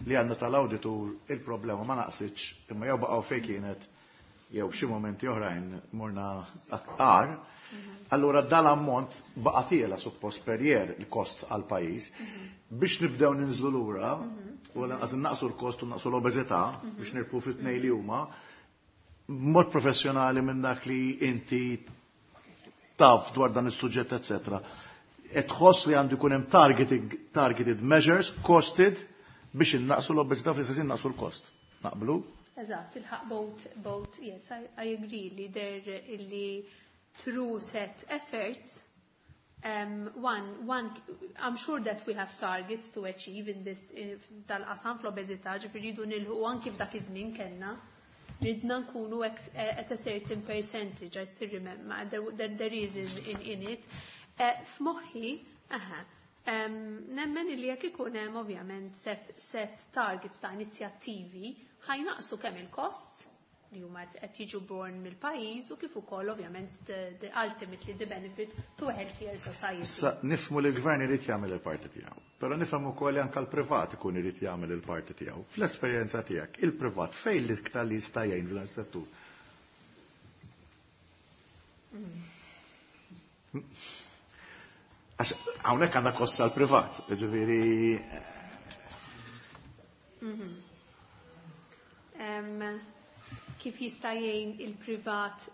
li għandna tal-awditur il-problema ma naqsitx imma jew baqgħu fejn kienet jew xi momenti oħrajn morna aktar. Allura dal-ammont baqa' tiela suppost per year il-kost għal pajjiż. Biex nibdew ninżlu lura, u lanqas naqsu l-kost u naqsu l-obeżità biex nirpu fit-tnej li huma, mod professjonali minn dak li inti taf dwar dan is-suġġett, eccetera. Qed tħoss li għandu jkun hemm targeted measures, costed, biex innaqsu l-obeżità fl-istess innaqsu l-kost. Naqblu? Eżatt, tilħaq both, yes, I agree li there illi through set efforts, one, I'm sure that we have targets to achieve in this dal-qasam fl-obeżità, ġifieri rridu nilħu anki f'dak iż-żmien kellna. Ridna nkunu at a certain percentage, I still remember, there is in it. F'moħħi, aha, nemmen li jekk ikun hemm ovvjament set targets ta' inizjattivi ħajnaqsu kemm il-costs li huma qed jiġu born mill-pajjiż u kif ukoll ovvjament the ultimately the benefit to a healthier society. Issa nifhmu li l-gvern irid jagħmel il-parti tiegħu, però nifhem ukoll li anke l-privat ikun irid jagħmel il-parti tiegħu. Fl-esperjenza tiegħek, il-privat fejn l-iktar li jista' jgħin f'dan is-settur? Għax hawnhekk għandna kost għall-privat, jiġifieri Kif jista' jgħin il-privat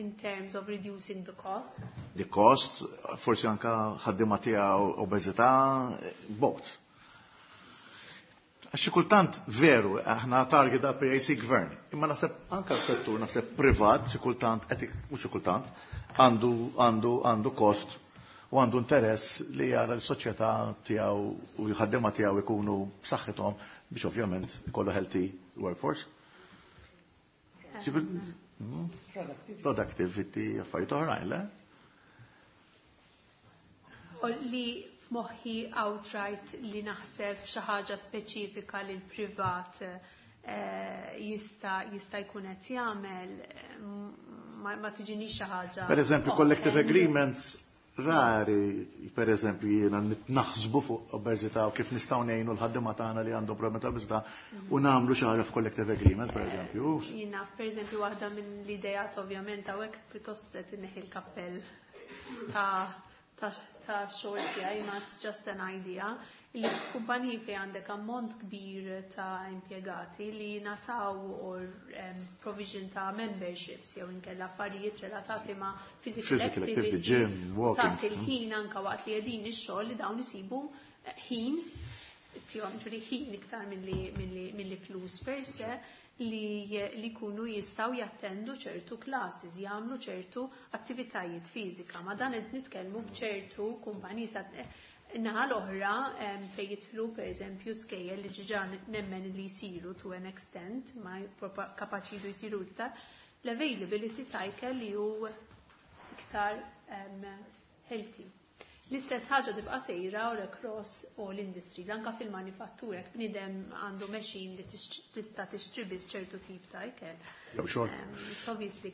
in terms of reducing the cost? The cost, forsi anka ħaddiema tiegħu obeżità, both. Għax xi kultant veru, aħna target da PAC gvern, imma naħseb anka s-settur naħseb privat xi kultant qed mhux xi kultant għandu kost u għandu interess li jara l-soċjetà tiegħu u l-ħaddiema tiegħu jkunu b'saħħithom biex ovvjament ikollu healthy workforce. Productivity, affarijiet oħrajn, le? U li f'moħħi outright li naħseb xi ħaġa speċifika li l-privat jista' jkun qed jagħmel ma tiġinix xi ħaġa. Per eżempju, collective agreements rari, per eżempju, jiena naħsbu fuq obeżità u kif nistgħu ngħinu l-ħaddiema tagħna li għandhom problemi ta' obeżità u nagħmlu xi ħaġa f'collective agreement, per eżempju. Jiena, per eżempju, waħda minn l-idejat ovvjament hawnhekk pjuttost qed inneħi l-kappell ta' xogħol tiegħi, ma it's just an idea, li f'kumpaniji fejn għandek ammont kbir ta' impjegati li nataw or provision ta' memberships jew inkella affarijiet relatati ma' physical Physical activity, activity, gym, walking. Tagħti l-ħin anka waqt li qegħdin ix-xogħol li dawn isibu ħin, tihom ġifieri ħin iktar milli flus per se, li jkunu jistgħu jattendu ċertu classes, jagħmlu ċertu attivitajiet fiżika. Ma dan qed nitkellmu f'ċertu kumpaniji sa naħa l-oħra fejn jidħlu pereżempju skejjel li ġiġa nemmen li jsiru to an extent, ma kapaċi jdu jsiru iktar, l-availability ta' ikel li hu iktar healthy. L-istess ħaġa tibqa' sejra all across all industries, anka fil-manifattura, jekk bniedem għandu machine li tista' tixtri biss ċertu tip ta' ikel. Jew xogħol. It's obviously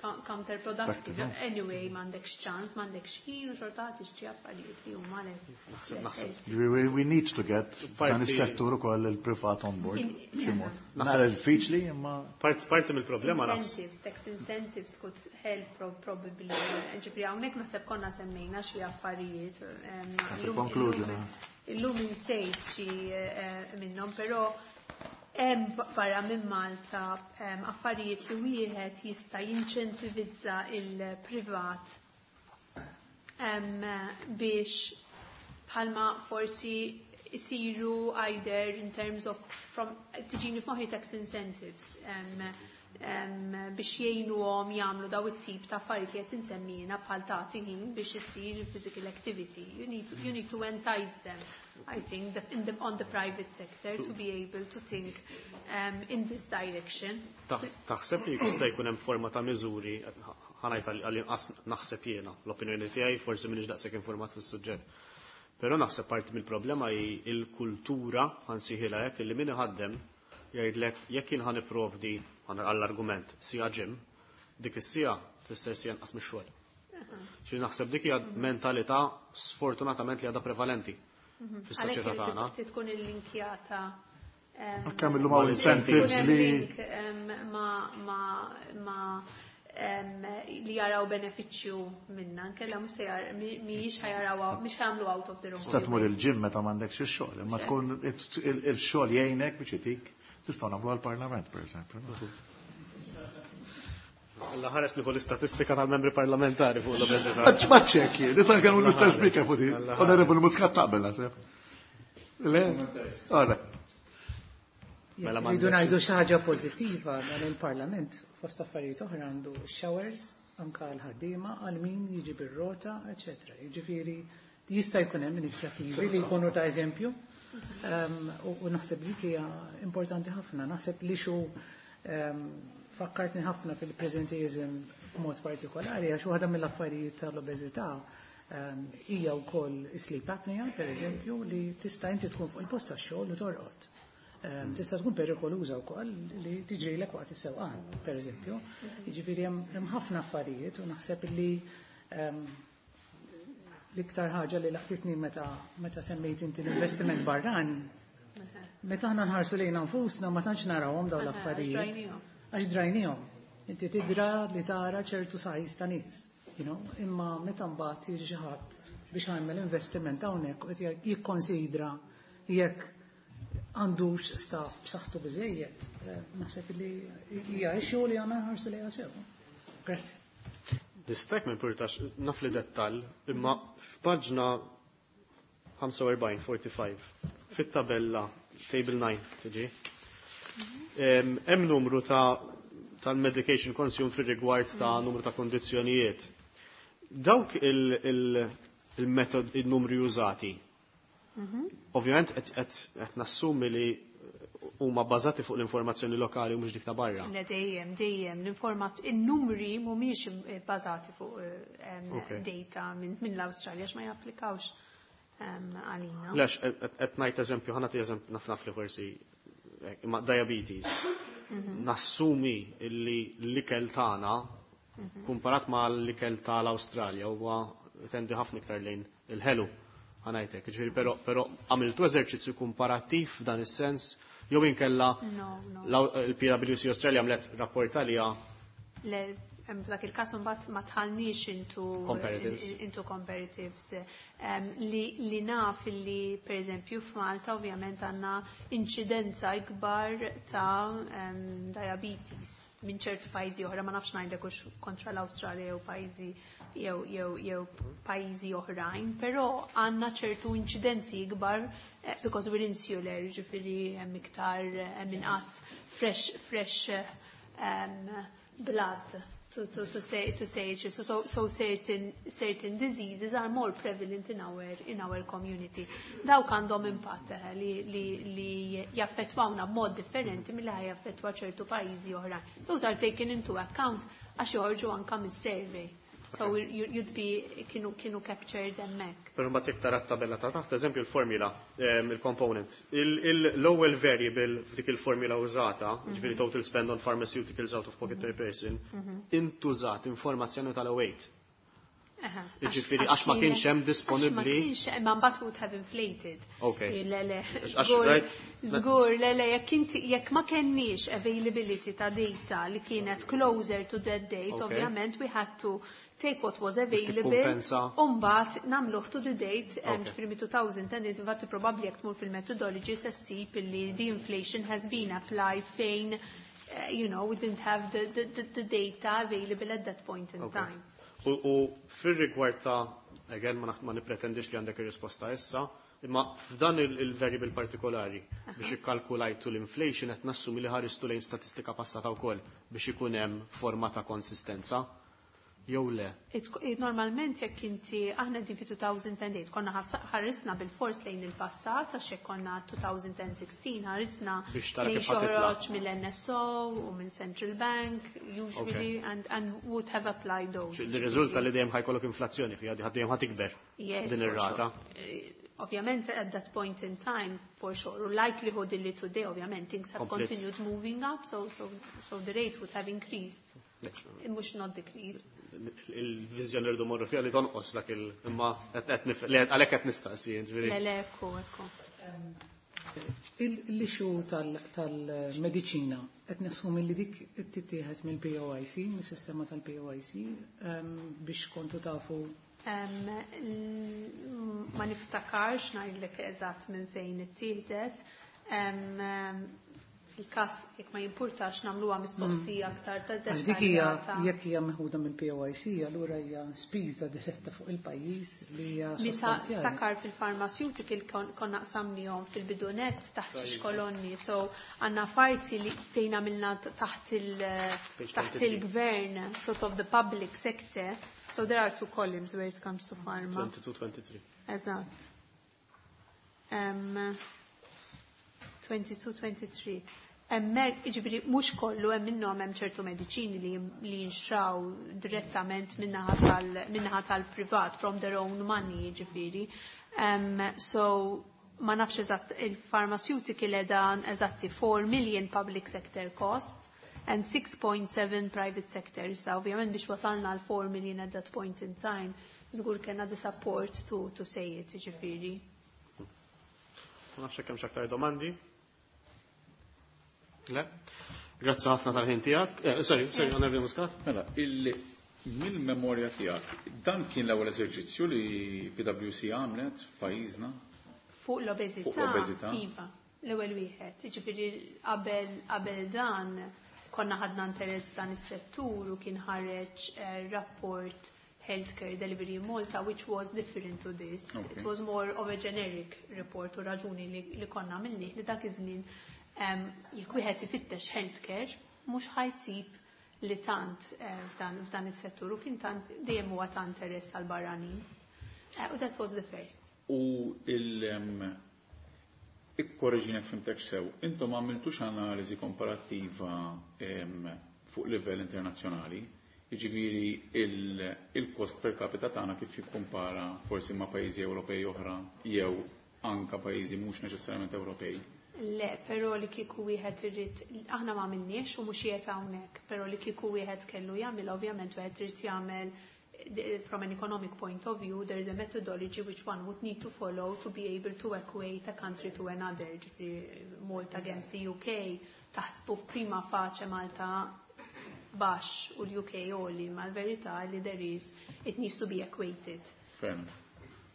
counterproductive. Practical. Anyway, m'għandekx ċans, m'għandekx ħin u xorta tixtri affarijiet li huma Naħseb, naħseb. We need to get Parti dan is-settur ukoll il-privat on board. B'xi mod. Naħseb Nara diffiċli imma Parti mill-problema naħseb. Incentives, tax incentives could help probably. Ġifieri hawnhekk naħseb konna semmejna xi affarijiet, Fil-conclusion, illum insejt xi minnhom, però hemm barra minn Malta affarijiet li wieħed jista' jinċentivizza il-privat biex bħalma forsi isiru either in terms of from tiġini f'moħħi tax incentives biex jgħinuhom jagħmlu daw it-tip ta' affarijiet li qed insemmina bħal tagħti ħin biex isir physical activity. You need to entice them, I think, that on the private sector to be able to think in this direction. Taħseb li jista' jkun hemm forma ta' miżuri, ħanajt għal-inqas naħseb jiena, l-opinjoni tiegħi forsi m'iniex daqshekk informat fis-suġġett. Però naħseb parti mill-problema hi l-kultura ħansieħilha hekk li min iħaddem jgħidlek jekk jien ħa nipprovdi għall-argument sija gym, dik is-sija tfisser sija nqas mix-xogħol. Xi naħseb dik hija mentalità sfortunatament li għadha prevalenti fis-soċjetà Għalhekk tagħna. irid tkun illinkjata, Anke mill-lum hawn irid incentives ikun hemm li link ma li jaraw benefiċċju minna, nkella mhux se mhijiex ħa jaraw, mhux ħa jagħmlu out of their own. Tista' tmur il-gym meta m'għandekx ix-xogħol, imma tkun il-xogħol jgħinek biex itik tistgħu nagħmlu għall-Parlament, pereżempju. Alla ħares nieħu l-istatistika tal-membri parlamentari fuq l-obeżità. Ma ċekki, nista' nkellmu l-Mr. Speaker fuq din. Onorevoli Muscat taqbel naħseb. Le? Ora. Mela Rridu ngħidu xi ħaġa pożittiva dan il-Parlament fost affarijiet oħra għandu showers anka l-ħaddiema għal min jiġi bir-rota, eċetera. Jiġifieri jista' jkun hemm inizjattivi li jkunu ta' eżempju. U naħseb dik hija importanti ħafna. Naħseb li xu fakkartni ħafna fil-presenteeism b'mod partikolari għax waħda mill-affarijiet tal-obeżità hija wkoll sleep apnea, per eżempju, li tista' inti tkun fuq il-post tax-xogħol u torqod. Tista' tkun perikoluża wkoll li tiġrilek waqt is-sewqan, per eżempju. Jiġifieri hemm ħafna affarijiet u naħseb li l-iktar ħaġa li laqtitni meta semmejt inti l-investiment barrani, meta aħna nħarsu lejna nfusna ma tantx narawhom dawn l-affarijiet. Għax drajnihom. Inti tidra li tara ċertu size ta' nies, imma meta mbagħad jiġi xi ħadd biex jagħmel investiment hawnhekk u qed jikkonsidra jekk għandux staff b'saħħtu biżejjed, naħseb li hija issue li għandna nħarsu lejha sew. Grazzi. Nistak minn purtax naf li dettall, imma f'paġna 45, 45, fit-tabella, table 9, tiġi, hemm numru ta' tal-medication consumed fir-rigward ta' numru ta' kondizzjonijiet. Dawk il-metod, il-numri użati, ovvjament qed nassumi li huma bbażati fuq l-informazzjoni lokali u mhux dik ta' barra. Le dejjem, dejjem, il-numri mhumiex bbażati fuq data minn l-Awstralja għax ma japplikawx għalina. Lex, qed ngħid eżempju, ħa nagħti eżempju naf naf li forsi imma diabetes. Nassumi illi l-ikel tagħna kumparat ma l-ikel tal-Awstralja huwa tendi ħafna iktar lejn il-ħelu. Ħa ngħidlek, ġifieri però għamiltu eżerċizzju komparattiv f'dan is-sens jew inkella No. il-PwC Australia għamlet rapport għalija. Le, f'dak il-każ imbagħad ma tħallniex into Comparatives. into comparatives. Li naf li pereżempju f'Malta ovvjament għandna inċidenza ikbar ta' diabetes minn ċertu pajjiżi oħra, ma nafx ngħidlek hux kontra l-Awstralja jew pajjiżi jew pajjiżi oħrajn, però għandna ċertu inċidenzi ikbar because we're insular, ġifieri hemm iktar hemm inqas fresh blood to say it. So certain diseases are more prevalent in our community. Dawk għandhom impatt li jaffettwawna b'mod differenti milli ħa jaffettwa ċertu pajjiżi oħrajn. Those are taken into account għax joħorġu anka mis-survey. So you'd be kienu captured hemmhekk. Però mbagħad jekk tara t-tabella ta' taħt, eżempju l-formula, il-component. L-ewwel variable f'dik il-formula użata, ġifieri total spend on pharmaceuticals out of pocket per person, intużat informazzjoni tal-08. Jiġifieri għax ma kienx hemm Għax ma disponibbli. kienx, imma mbagħad would have inflated. Le, le. Għax, Żgur, right? żgur, le, le, jekk inti, jekk ma kenniex availability ta' data li kienet closer to that date, ovvjament we had to take what was available. Tikkumpensa. U mbagħad nagħmluh to the date, ġifieri 2010, infatti probabbli jekk tmur fil-methodology se ssib illi the inflation has been applied fejn we didn't have the data available at that point in time. U fil-rigward ta' again, ma nipretendix li għandek ir-risposta issa, imma f'dan il-variable partikolari biex ikkalkulajtu l-inflation qed nassumi li ħaristu lejn statistika passata wkoll biex ikun hemm forma ta' konsistenza. Jew le? Normalment jekk inti aħna din fi 2008 konna ħarisna bil-fors lejn il-passat għax jekk konna 2016 ħarisna Biex tara lejn kif ħa titla'. xoħroġ mill-NSO u minn Central Bank usually and would have applied those. Li riżulta li dejjem ħa jkollok inflazzjoni fiha, dejjem ħa tikber Yes, din for ir-rata. sure. Ovvjament at that point in time, for sure, u likelihood illi today, ovvjament, things have Complete. continued moving up, so the rate would have increased, mhux not decreased. Il-vizjoni rridu morru fiha li tonqos dak il imma li għalhekk qed nistaqsi, ġifieri. Le, le, ekku, ekku. L-issue tal-mediċina qed nassumi li dik tittieħed mill-POIC, mis-sistema tal-POIC, biex kontu tafu. Ma niftakarx ngħidlek eżatt minn fejn ittieħdet. Fil-każ jekk ma jimpurtax nagħmluha mistoqsija aktar ta' Għax dik hija jekk hija meħuda mill-POIC, allura hija spiża diretta fuq il-pajjiż li hija Meta sostanzjali. Ftakar fil-pharmaceutical konna qsamnihom fil-bidunet taħt xi kolonni, so għandna parti li fejn għamilna taħt 23. il-gvern, sort of the public sector, so there are two columns where it comes to pharma. 22-23. Eżatt. 22-23. Hemmhekk, jiġifieri mhux kollu hemm minnhom, hemm ċertu mediċini li jinxtraw direttament minnaħa tal-privat from their own money, jiġifieri. So ma nafx eżatt il-pharmaceutical edan eżatti 4 million public sector cost and 6.7 private sector. So ovvjament biex wasalna għal 4 million at that point in time, żgur kellna the support to say it, jiġifieri. Ma nafx hekk hemm aktar domandi. Le? Grazzi ħafna tal-ħin tiegħek. Sorry, sorry, Onorevoli Muscat. Mela, mill-memorja tiegħek, dan kien l-ewwel eżerċizzju li PwC għamlet f'pajjiżna? Fuq l-obeżità. Fuq l-obeżità. Iva, l-ewwel wieħed. Jiġifieri qabel dan konna ħadna interess dan is-settur u kien ħareġ rapport Healthcare Delivery in Malta, which was different to this. It was more of a generic report u raġuni li konna minni li dak iż-żmien jekk wieħed ifittex healthcare mhux ħa jsib li tant f'dan is-settur u kien tant dejjem huwa ta' interess għal barranin. U that was the first. U ikkorreġini jekk fhimtek sew, intom għamiltux analiżi komparattiva fuq livell internazzjonali, jiġifieri il-kost per capita tagħna kif jikkumpara forsi ma' pajjiżi Ewropej oħra jew anka pajjiżi mhux neċessarjament Ewropej? Le, però li kieku wieħed irid, aħna ma għamilniex u mhux qiegħed hawnhekk, però li kieku wieħed kellu jagħmel, ovvjament wieħed irid jagħmel from an economic point of view, there is a methodology which one would need to follow to be able to equate a country to another. Ġifieri Malta against the UK, taħsbu prima facie Malta baxx u l-UK għoli, ma l-verità li there is, it needs to be equated. Fair enough.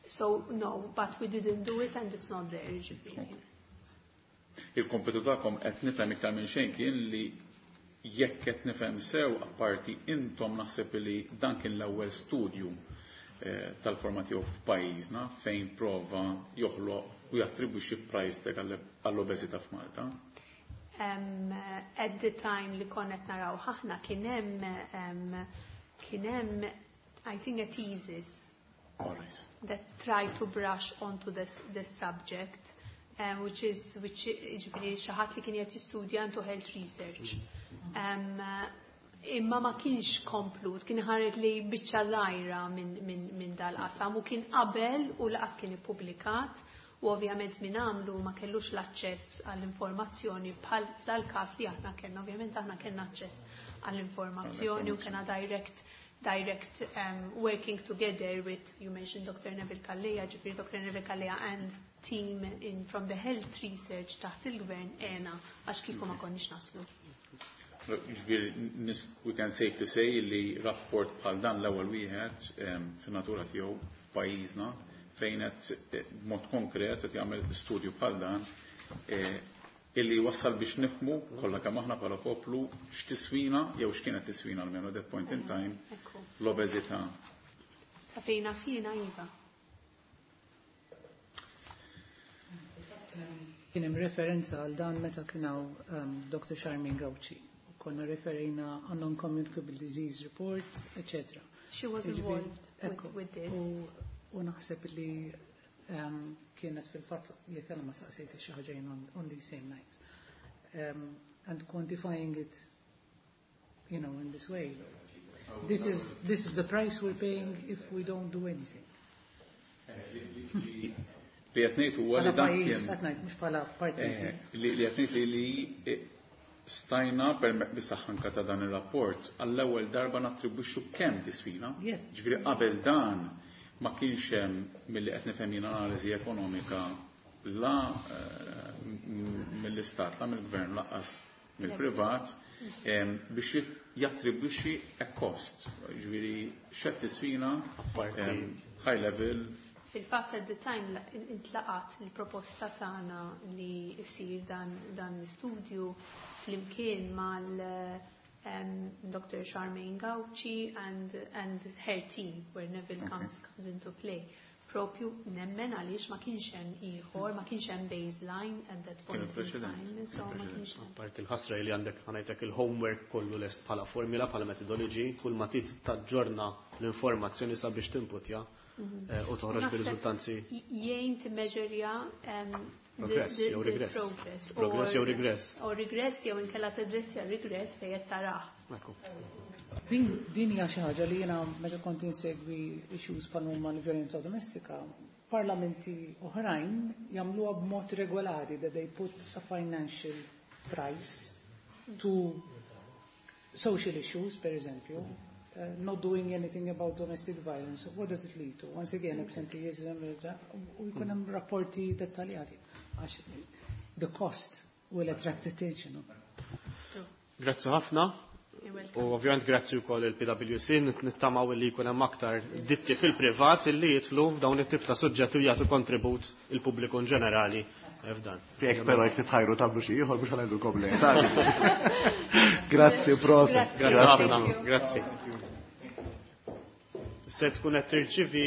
So, no, but we didn't do it and it's not there, ġifieri. Okay. Il-kompetu tagħkom qed nifhem iktar minn xejn kien li jekk qed nifhem sew, apparti intom naħseb li dan kien l-ewwel studju tal-forma tiegħu f'pajjiżna fejn prova joħloq u jattribwixxi price tag għall-obeżità f'Malta. At the time li konna qed naraw ħafna kien hemm I think a thesis All right. that tried to brush onto this subject, which is which ġifieri xi ħadd li kien qed jistudja into health research. Imma ma kienx komplut, kien ħareġ li biċċa żgħira min dal-qasam u kien qabel u lanqas kien ippubblikat u ovvjament min għamlu ma kellux l-aċċess għall-informazzjoni bħal f'dal-każ li aħna kellna, ovvjament aħna kellna aċċess għall-informazzjoni u kellna direct working together with, you mentioned Dr. Neville Calleja, ġifieri Dr. Neville Calleja and team from the health research taħt il-gvern ena, għax kieku ma konniex naslu. Ġifieri, we can safely say li rapport bħal dan l-ewwel wieħed fin-natura tiegħu f'pajjiżna fejn qed b'mod konkret qed jagħmel studju bħal dan illi wassal biex nifhmu kollha kemm aħna bħala poplu x'tiswina jew x'kienet tiswina almenu at that point in time l-obeżità. Sa fejna fina iva. Kien hemm referenza għal dan meta kien hawn Dr. Charmaine Gauci. U konna referejna għan non-communicable disease report, etc. She was Jiġifieri, involved with this. U naħseb li kienet fil-fatt jekk ma saqsejt xi ħaġa on the same night. And quantifying it in this way. This is the price we're paying if we don't do anything. Li qed ngħid huwa li Bħala dan pajjiż, kien qed ngħid mhux bħala partit. Li qed ngħid li stajna bis-saħħa anka ta' dan ir-rapport għall-ewwel darba nattribwixxu kemm tiswina. Ġifieri qabel dan ma kienx hemm milli qed nifhem jien analiżi ekonomika. la mill-istat, la mill-gvern, lanqas mill-privat biex jattribwixxi a cost. Ġifieri x'qed tiswina high level. Fil-fatt at the time intlaqat il-proposta tagħna li jsir dan l-istudju flimkien mal Dr. Charmaine Gauci and her team, where Neville comes into play. Propju nemmen għaliex ma kienx hemm ieħor, ma kienx hemm baseline at that point in time. So ma kienx hemm. Apparti il-ħasra li għandek ħa ngħidlek il-homework kollu lest bħala formula, bħala methodology, kull ma trid taġġorna l-informazzjoni sabiex timputja u toħroġ bir-riżultanzi. Jgħin timmeġerja Progress jew regress. Progress. Progress jew regress. U regress jew inkella tadressja regress fejn qed tarah. Din hija xi ħaġa li jiena meta kont insegwi issues bħal huma l-vjolenza domestika, parlamenti oħrajn jagħmluha b'mod regolari that they put a financial price to social issues, per eżempju, not doing anything about domestic violence. What does it lead to? Once again, absenteeism, u jkun hemm rapporti dettaljati. Għax the cost will attract attention. Grazzi ħafna. U ovvjament grazzi wkoll il-PwC, nittamaw li jkun hemm aktar ditti fil-privat illi jidħlu f'dawn it-tip ta' suġġetti u jagħtu kontribut il-pubbliku in ġenerali f'dan. Jekk però jekk titħajru tagħmlu xi ieħor biex ngħidulkom le. Grazzi, proset. Grazzi ħafna. Grazzi. Se tkun qed tirċivi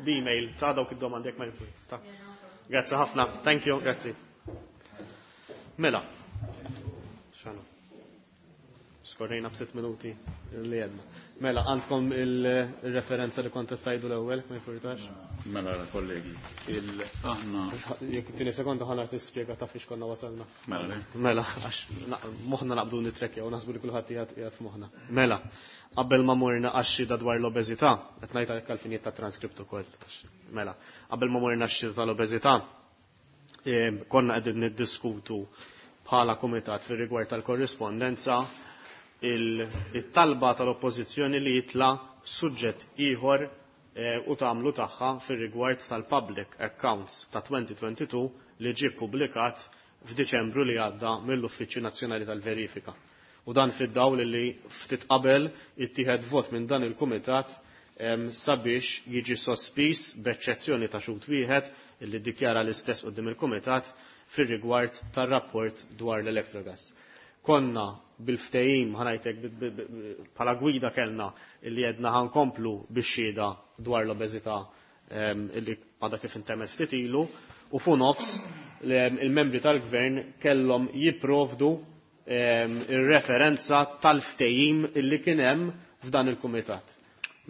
l-email ta' dawk id-domandi jekk ma jkun. Grazzi ħafna. Thank you, grazzi. Mela. Xanu. Skorrejna b'6 minuti li għedna. Mela, għandkom il-referenza li kont tajdu l-ewwel, ma jfurtax? Mela, kollegi, aħna. Jekk tieni sekonda ħa tispjega ta' fiex konna wasalna. Mela. Mela, għax moħħna naqbdu nitrekkja u naħsbu li kulħadd qiegħed f'moħħna. Mela, qabel ma morna għax-xhieda dwar l-obeżità, qed ngħid għalhekk għall-finijiet ta' transkript ukoll. Mela, qabel ma morna għax-xhieda tal-obeżità, konna qegħdin niddiskutu bħala kumitat fir-rigward tal-korrispondenza il-talba tal-oppożizzjoni li jitla suġġett ieħor u tagħmlu tagħha fir-rigward tal-Public Accounts ta' 2022 li ġie ppubblikat f'Diċembru li għadda mill-Uffiċċju Nazzjonali tal-Verifika. U dan fid-dawl li ftit qabel ittieħed vot minn dan il-kumitat sabiex jiġi sospiż b'eċċezzjoni ta' xhud wieħed illi ddikjara l-istess quddiem il-kumitat fir-rigward tar-rapport dwar l-Electrogas. Konna bil-ftehim ħa ngħidlek bħala gwida kellna illi jedna ħankomplu bix-xhieda dwar l-obeżità illi għadha kif intemmet ftit ilu u fu nofs il-membri tal-gvern kellhom jipprovdu ir-referenza tal-ftehim illi kien hemm f'dan il-kumitat.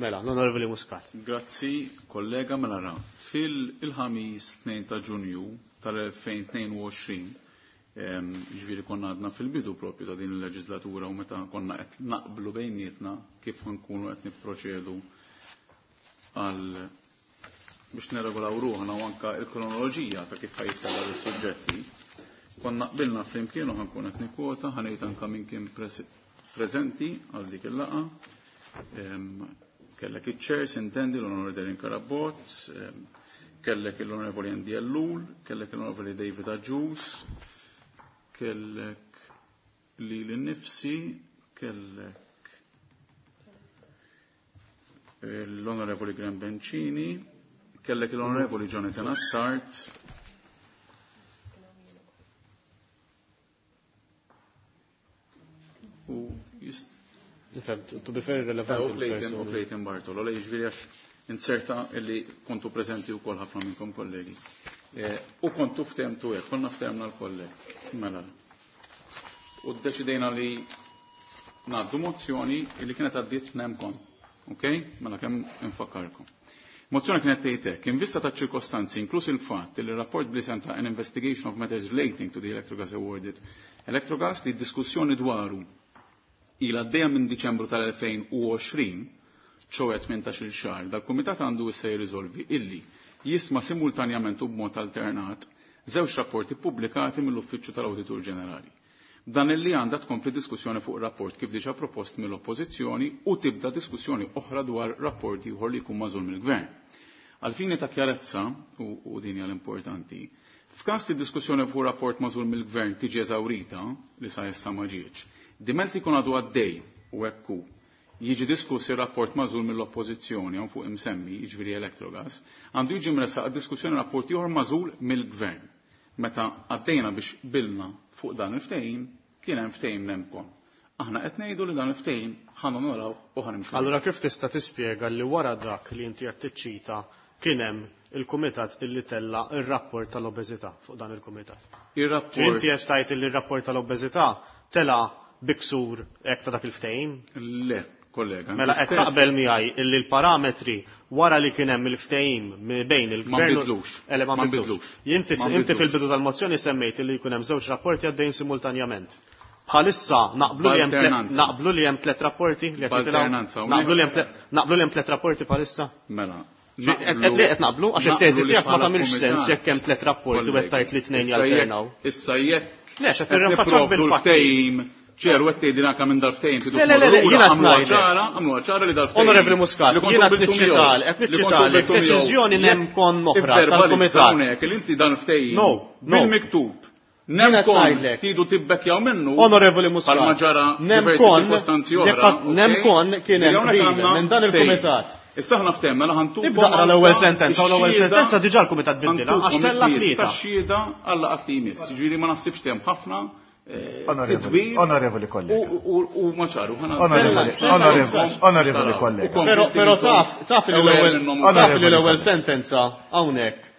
Mela, l-Onorevoli Muscat. Grazzi, kollega, mela ra. Fil-ħamis 2 ta' Ġunju tal-2022, ġifieri konna għadna fil-bidu propju ta' din il-leġislatura u meta konna qed naqblu bejnietna kif nkunu qed nipproċedu għal biex neregolaw ruħna u anka il-kronoloġija ta' kif ħajtella l-suġġetti. Konna qbilna flimkien u ħankun qed nikkwota, ħanejt anka min kien preżenti għal dik il-laqa. Kellek iċ-chairs, intendi l-Onorevoli Darren Carabott, kellek l-Onorevoli Andy Ellul, kellek l-Onorevoli David Agius, kellek li l-nifsi, kellek l-Onorevoli Graham Bencini, kellek l-Onorevoli Jonathan Attard, u Nifhem, to be fair, relevant. U Clayton Bartolo, li jiġifieri għax inserta illi kontu preżenti wkoll ħafna minnkom kollegi. U kontu ftehmtu hekk, konna ftehmna l-kolleg. Mela. U ddeċidejna li ngħaddu mozzjoni illi kienet għaddiet nemkom. Ok? Mela kemm infakkarkom. Mozzjoni kienet tgħid hekk, in vista ta' ċirkostanzi, inkluż il-fatt li r-rapport bl-isem ta' an investigation of matters relating to the Electrogas awarded Electrogas li d-diskussjoni dwaru ila għaddejja minn Diċembru tal-2020, ċoħe 18-il xahar, dal-Kumitat għandu issa jirriżolvi illi jisma' simultanjament u b'mod alternat żewġ rapporti pubblikati mill-Uffiċċju tal-Awditur Ġenerali. Dan illi għandha tkompli diskussjoni fuq rapport kif diġà propost mill-Oppożizzjoni u tibda diskussjoni oħra dwar rapporti ieħor li jkun magħżul mill-Gvern. Għal fini ta' kjarezza, u din hija l-importanti, F'każ li diskussjoni fuq rapport magħżul mill-gvern tiġi eżawrita, li sa issa ma ġietx, diment li jkun għadu għaddej u hekk hu, jiġi diskuss ir-rapport magħżul mill-Oppożizzjoni hawn fuq imsemmi, jiġifieri Electrogas, għandu jiġi mressaq għad-diskussjoni rapport ieħor magħżul mill-gvern. Meta għaddejna biex qbilna fuq dan il-ftehim, kien hemm ftehim nemcon. Aħna qed ngħidu li dan il-ftehim ħa nonorawh u ħa nimxu. Allura kif tista' tispjega li wara dak li inti qed tiċċita kien hemm il-kumitat illi tella' r-rapport tal-obeżità fuq dan il-kumitat? Ir-rapport. Inti qed tgħid illi r-rapport tal-obeżità tela' bi ksur hekk ta' dak il-ftehim? Le, kollega. Mela qed taqbel miegħi illi l-parametri wara li kien hemm il-ftehim bejn il-gvern. Ma nbidlux. Ele ma nbidlux. Inti fil-bidu tal-mozzjoni semmejt illi jkun hemm żewġ rapporti għaddejjin simultanjament. Bħalissa naqblu li hemm naqblu li hemm tliet rapporti li qed jitilgħu. Naqblu li hemm naqblu li hemm tliet rapporti bħalissa? Mela. Qed naqblu għax it-teżi tiegħek ma tagħmilx sens jekk hemm tliet rapporti u qed tgħid li tnejn jalternaw. Issa jekk Le, x'qed nirrinfaċċak bil-fatti. Ċer, u għettejdi anka minn dal-ftejn. Le, le, le, jiena għamlu ċara, għamlu ċara li dal-ftejn. Onorevoli Muscat, jiena qed qed niċċitalek, deċiżjoni nemkon oħra tal-kumitat. Hawnhekk li inti dan ftehim. No, no. Bil-miktub. Nemkon tidu tibbekjaw minnu. Onorevoli Muscat. Bħalma ġara diversi ċirkostanzi oħra. Nemkon kien hemm qbil minn dan il-kumitat. Issa aħna ftehemna li ħantukom. Ibda aqra l-ewwel sentenza u l-ewwel sentenza diġà l-kumitat biddilha għax tella' tlieta. Tax-xhieda għal laqgħat li jmiss. Jiġifieri ma naħsibx li hemm ħafna titwil. Onorevoli kollega. U ma ċaru. Onorevoli kollega. Però taf, taf li l-ewwel taf li l-ewwel sentenza hawnhekk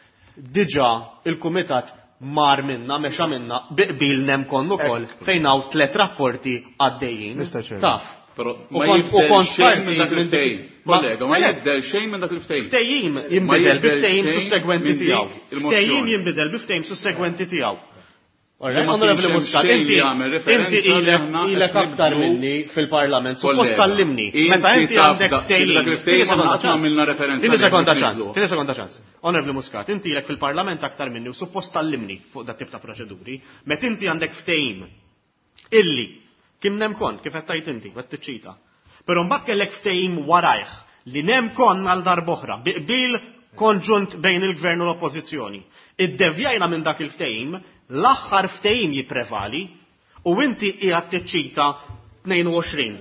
diġà il-kumitat mar minna, mexa minna, bi qbil nemkon ukoll fejn hawn tliet rapporti għaddejjin. Taf. Però ma jibdel xejn minn dak il-ftehim. Kollega, ma jibdel xejn minn dak il-ftehim. Ftehim jinbidel bi ftehim sussegwenti tiegħu. Ftehim jinbidel bi ftehim sussegwenti tiegħu. Onorevoli Muscat, inti inti ilek ilek aktar minni fil-Parlament, suppost tallimni. Meta inti għandek ftehim. Tini sekonda ċans, tini sekonda ċans. Onorevoli Muscat, inti ilek fil-Parlament aktar minni u suppost tallimni fuq dat tip ta' proċeduri. Meta inti għandek ftehim illi kien nemkon, kif qed tgħid inti, qed tiċċita. Però mbagħad kellek ftehim warajh li nemkon għal darb'oħra bi qbil konġunt bejn il-gvern u l-oppożizzjoni. Iddevjajna minn dak il-ftehim, l-aħħar ftehim jipprevali u inti qiegħed tiċċita 22.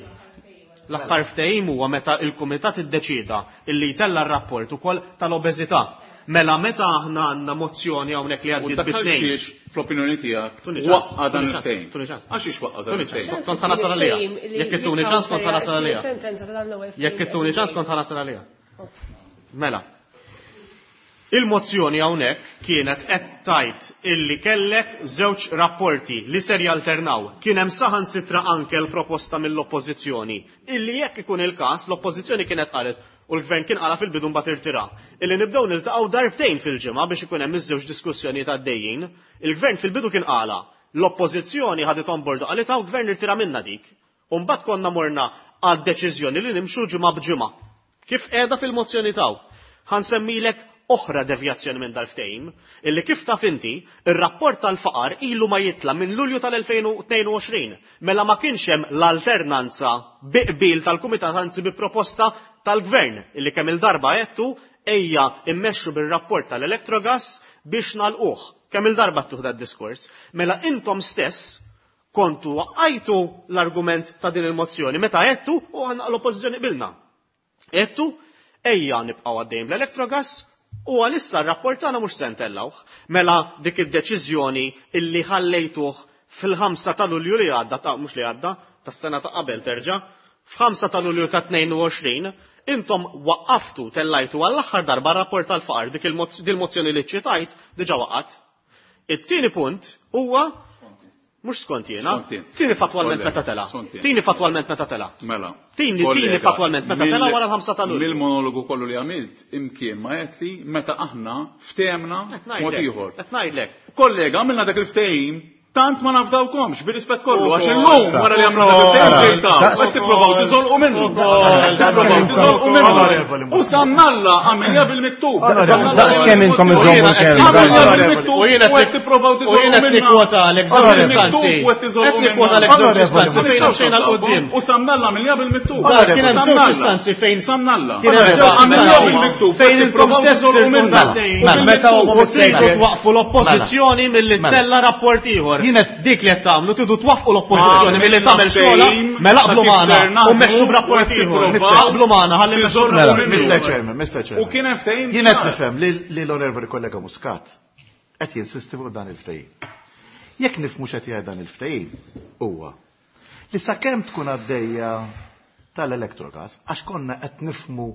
L-aħħar ftehim huwa meta il-kumitat iddeċieda illi jtella' r-rapport ukoll tal-obeżità. Mela meta aħna għandna mozzjoni hawnhekk li għaddiet bi tnejn. U dak għalxiex fl-opinjoni tiegħek waqqa' dan il-ftehim? Għalxiex waqqa' dan il-ftehim? Kont ħa nasal għaliha. Jekk ittuni ċans kont ħa nasal għaliha. Jekk ittuni ċans kont ħa nasal għaliha. Mela. Il-mozzjoni hawnhekk kienet qed tgħid illi kellek żewġ rapporti li ser jalternaw. Kien hemm saħansitra anke l-proposta mill-Oppożizzjoni illi jekk ikun il-każ l-Oppożizzjoni kienet qalet u l-Gvern kien qalha fil-bidu mbagħad irtira, illi nibdew niltaqgħu darbtejn fil-ġimgħa biex ikun hemm iż-żewġ diskussjonijiet għaddejjin. Il-Gvern fil-bidu kien qalha, l-Oppożizzjoni ħaditha on board u qalitha u l-Gvern irtira minnha dik. U mbagħad konna morna għad-deċiżjoni li nimxu ġimgħa b'ġimgħa. Kif qiegħda fil-mozzjoni t'hawn. Ħa nsemmilek oħra devjazzjoni minn dal-ftehim, illi kif taf inti, ir-rapport tal-faqar ilu ma jitla' minn Lulju tal-2022, mela ma kienx hemm l-alternanza bi qbil tal-Kumitat anzi bi proposta tal-Gvern, illi kemm-il darba għedtu ejja immexxu bir-rapport tal-Electrogas biex nagħlquh. Kemm-il darba għedtuh dad-diskors. Mela intom stess kontu waqqajtu l-argument ta' din il-mozzjoni meta għedtu u aħna l-Oppożizzjoni qbilna. Għedtu, ejja nibqgħu għaddejjin bl-Electrogas u għalissa r-rapport tagħna mhux se ntellgħuh. Mela dik id-deċiżjoni illi ħallejtuh fil-ħamsa ta' Lulju li għadda, ta' mhux li għadda, tas-sena ta' qabel terġa', f'ħamsa ta' Lulju ta' 22, intom waqqaftu, tellajtu għall-aħħar darba r-rapport tal-faqar, dik il-mozzjoni li ċċitajt diġà waqgħet. It-tieni punt huwa mhux skont jiena. Tieni fatwalment meta tela. Tieni fatwalment meta tela. Mela. Tieni tieni fatwalment meta tela wara l-ħamsa ta' Lulju. Mill-monologu kollu li għamilt imkien ma għedtli meta aħna ftehemna mod ieħor. Qed ngħidlek. Kollega, għamilna dak il-ftehim. Tant ma nafdawkomx, bir-rispett kollu, għax illum wara li għamlu ġejta, qed tippruvaw tiżolqu minnu. Tippruvaw tiżolqu minnu. U sannalla għamilja bil-miktub. Daqs kemm intom iżommu l-kelma. Għamilja bil-miktub u qed tippruvaw U tiżolqu jiena qed minnu. nikkwotalek żewġ istanzi. Qed nikkwotalek żewġ istanzi fejn xejn għal quddiem. U sannalla għamilja bil-miktub. Kien hemm żewġ istanzi fejn Sannalla. Kien hemm żewġ Għamilja istanzi bil-miktub. fejn intom stess tiżolqu minnu. Mela, Meta huma U tridu twaqqfu l-oppożizzjoni milli Mela. tella rapport ieħor. Jien qed- Dik li qed tagħmlu tridu twaffqu l-oppożizzjoni milli tagħmel xogħla, Ftehim mela aqblu ta' kif magħna ser u naħdmu mmexxu b'rapport u qed ieħor. tippruvaw Aqblu magħna ħalli mmexxu tiżolqu b'rapport minnu. Mr. Chairman, Mr. Chairman. U kien hemm ftehim Jien qed ċar. nifhem li l-onorevoli kollega Muscat qed jinsisti fuq dan il-ftehim. Jekk nifhmu x'qed jgħid dan il-ftehim huwa li sakemm tkun għaddejja tal-Electrogas għax konna qed nifhmu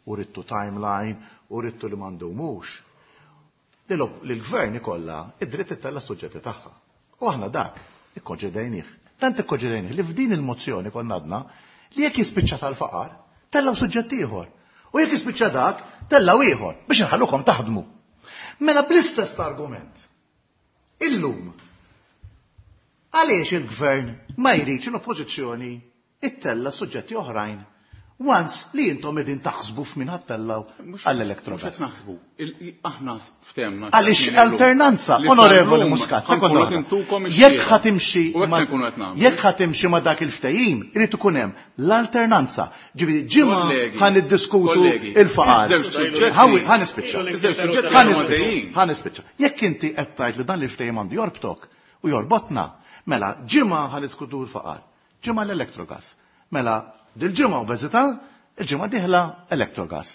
u ridtu timeline u ridtu li m'għandhomux li l-gvern ikollha id-dritt ittella' s-suġġetti tagħha. U aħna dak ikkonċedejnih. Tant ikkonċedejnih li f'din il-mozzjoni konna għadna li jekk jispiċċa tal-faqar, tellaw suġġett ieħor. U jekk jispiċċa dak, tellaw ieħor biex inħallukom taħdmu. Mela bl-istess argument. Illum, għaliex il-gvern ma jridx l-oppożizzjoni ittella suġġetti oħrajn once li intom qegħdin taħsbu f'min ħa ttellaw Mhux għall-Electrogas. qed naħsbu. Aħna ftehemna. Għaliex alternanza, onorevoli Muscat, sekonda waħda. Jekk ħa timxi U hekk ma- se nkunu qed nagħmlu. jekk ħa timxi ma dak il-ftehim, irid ikun hemm l-alternanza. Ġifieri ġimgħa Kollegi, ħa niddiskutu kollegi, il-faqar. iż-żewġ suġġetti- Ħawi- Ħa nispiċċa. Iż-żewġ suġġetti Ħa huma nispiċċa. għaddejjin. Ħa nispiċċa. Jekk inti qed tgħid li dan il-ftehim għandu jorbtok u jorbotna, mela ġimgħa ħa niskutu l-faqar, ġimgħa l-Electrogas. Mela dil-ġimgħa obeżità, il-ġimgħa dieħla Electrogas.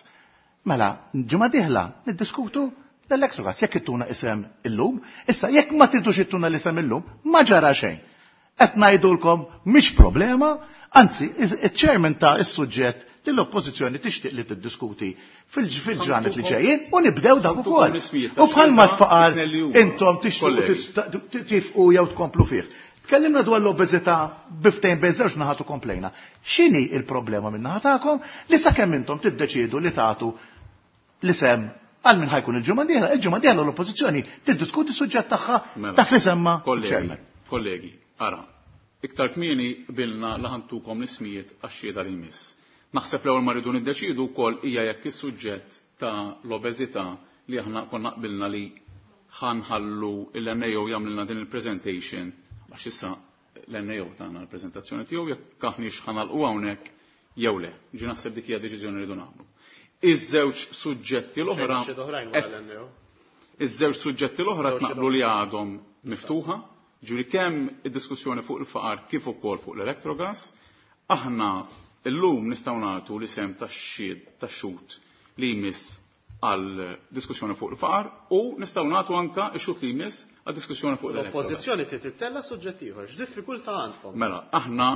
Mela, ġimgħa dieħla niddiskutu l-Electrogas. Jekk ittuna isem illum, issa jekk ma tridux ittuna l-isem illum, ma ġara xejn. Qed ngħidulkom mhix problema, anzi, iċ-chairman ta' is-suġġett li l-oppożizzjoni tixtieq li tiddiskuti fil-ġranet li ġejjin u nibdew dak ukoll. l-ismijiet U bħalma tax-xhieda tfaqar it-tnejn li huma. intom tixtiequ Kollegi. tifqu jew tkomplu fih. Tkellimna dwar l-obeżità biftejn bejn żewġ naħat u komplejna. X'inhi il-problema minn naħa tagħkom li sakemm intom tiddeċiedu li tagħtu l-isem għal min ħa jkun il-ġimgħa dieħla, il-ġimgħa dieħla l-oppożizzjoni tiddiskuti s-suġġett tagħha Mela. dak li semma Kollegi, chairman. kollegi, ara, iktar kmieni bilna li ħa ntukom l-ismijiet għax-xhieda li jmiss. Naħseb l-ewwel ma rridu niddeċidu wkoll hija jekk is-suġġett ta' l-obeżità li aħna konna qbilna li ħa nħallu l-NAO jagħmlilna din il-presentation għax issa l-NAO tagħna l-preżentazzjoni tiegħu jekk aħniex ħa nagħlqu hawnhekk jew le. Ġi naħseb dik hija deċiżjoni li rridu nagħmlu. Iż-żewġ suġġetti l-oħra Xejn oħrajn wara qed l-NAO. Iż-żewġ suġġetti l-oħra tnaqblu li għadhom miftuħa, ġuri kemm id-diskussjoni fuq il-faqar kif ukoll fuq l-Electrogas, aħna illum nistgħu nagħtu l-isem tax-xhied tax-xhud li jmiss għal diskussjoni fuq il-faqar u nistgħu nagħtu anka x-xhud li jmiss għal diskussjoni fuq l-Electrogas. L-oppożizzjoni trid tittella suġġett ieħor. X'diffikultà għandkom? Mela, aħna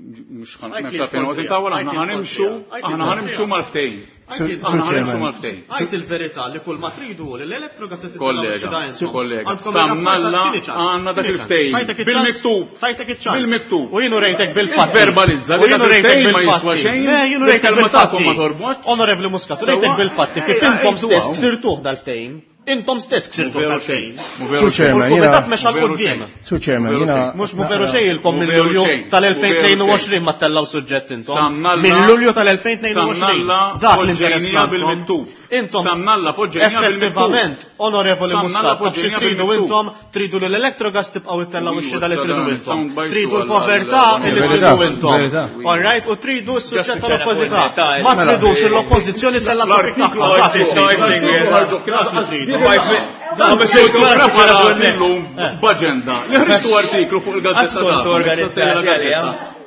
mhux ħan Għajt li m'hemmx għalfejn noqgħod l-kontrija, intawwal, għajt aħna li ħanimxu, l-kontrija, għajt li aħna ħanimxu l-kontrija. mal-ftehim. Għajt Aħna ħanimxu Chairman. mal-ftehim. Għajt il-verità li kull ma tridu li l-Electrogas se tittella Kollega, kollega, samnalla għandna dak il-ftehim. Bil-miktub. Tajtek iċ-ċans. Bil-miktub. U jienu rejtek bil-fatti. Verbalizza U li jienu dak rejtek il-ftehim ma bil-fatti. jiswa xejn, Le, jienu rejtek il-kelma tagħkom bil-fatti. ma torbotx. Onorevoli Muscat, Sewwa? rejtek bil-fatti kif Ejja, intom ejdu stess hawn. ksirtuh dal-ftehim. Intom stess ksirtuh Veru dal-ftehim. xejn. Mu veru Sur xejn. U Chairman, l-Kumitat jiena- mexa Veru l-qudiem. xejn. Sur Chairman, Veru jiena. xejn. Mhux mu veru xejn ilkom Mu minn veru Lulju xejn. Mu veru tal-2022 xejn. ma tellaw suġġett intom. Samnalla- Minn Lulju tal-2022. Samnalla Dak l-interess poġġejnija tagħkom. bil-miktub. Intom Samnalla poġġejnija bil-miktub. effettivament, onorevoli Samnalla Muscat, taf xi poġġejnija tridu bil-miktub. intom, tridu li l-Electrogas tibqgħu ittellaw ix-xhieda li tridu Sound intom. bites Tridu għal- l-povertà għal- li Verità, tridu intom. verità. All right, u tridu s-suġġett tal-oppożità. Mela. Ma tridux l-oppożizzjoni tella topic L-artiklu tagħha. Dak li ħarġu- tridu. ħarġu- Dak li tridu. Dan biex jgħidu preparati llum b'aġenda. Li ħriġtu artiklu fuq il-gazzetta Ascolto tagħkom, organizzati il-gazzetta għalija.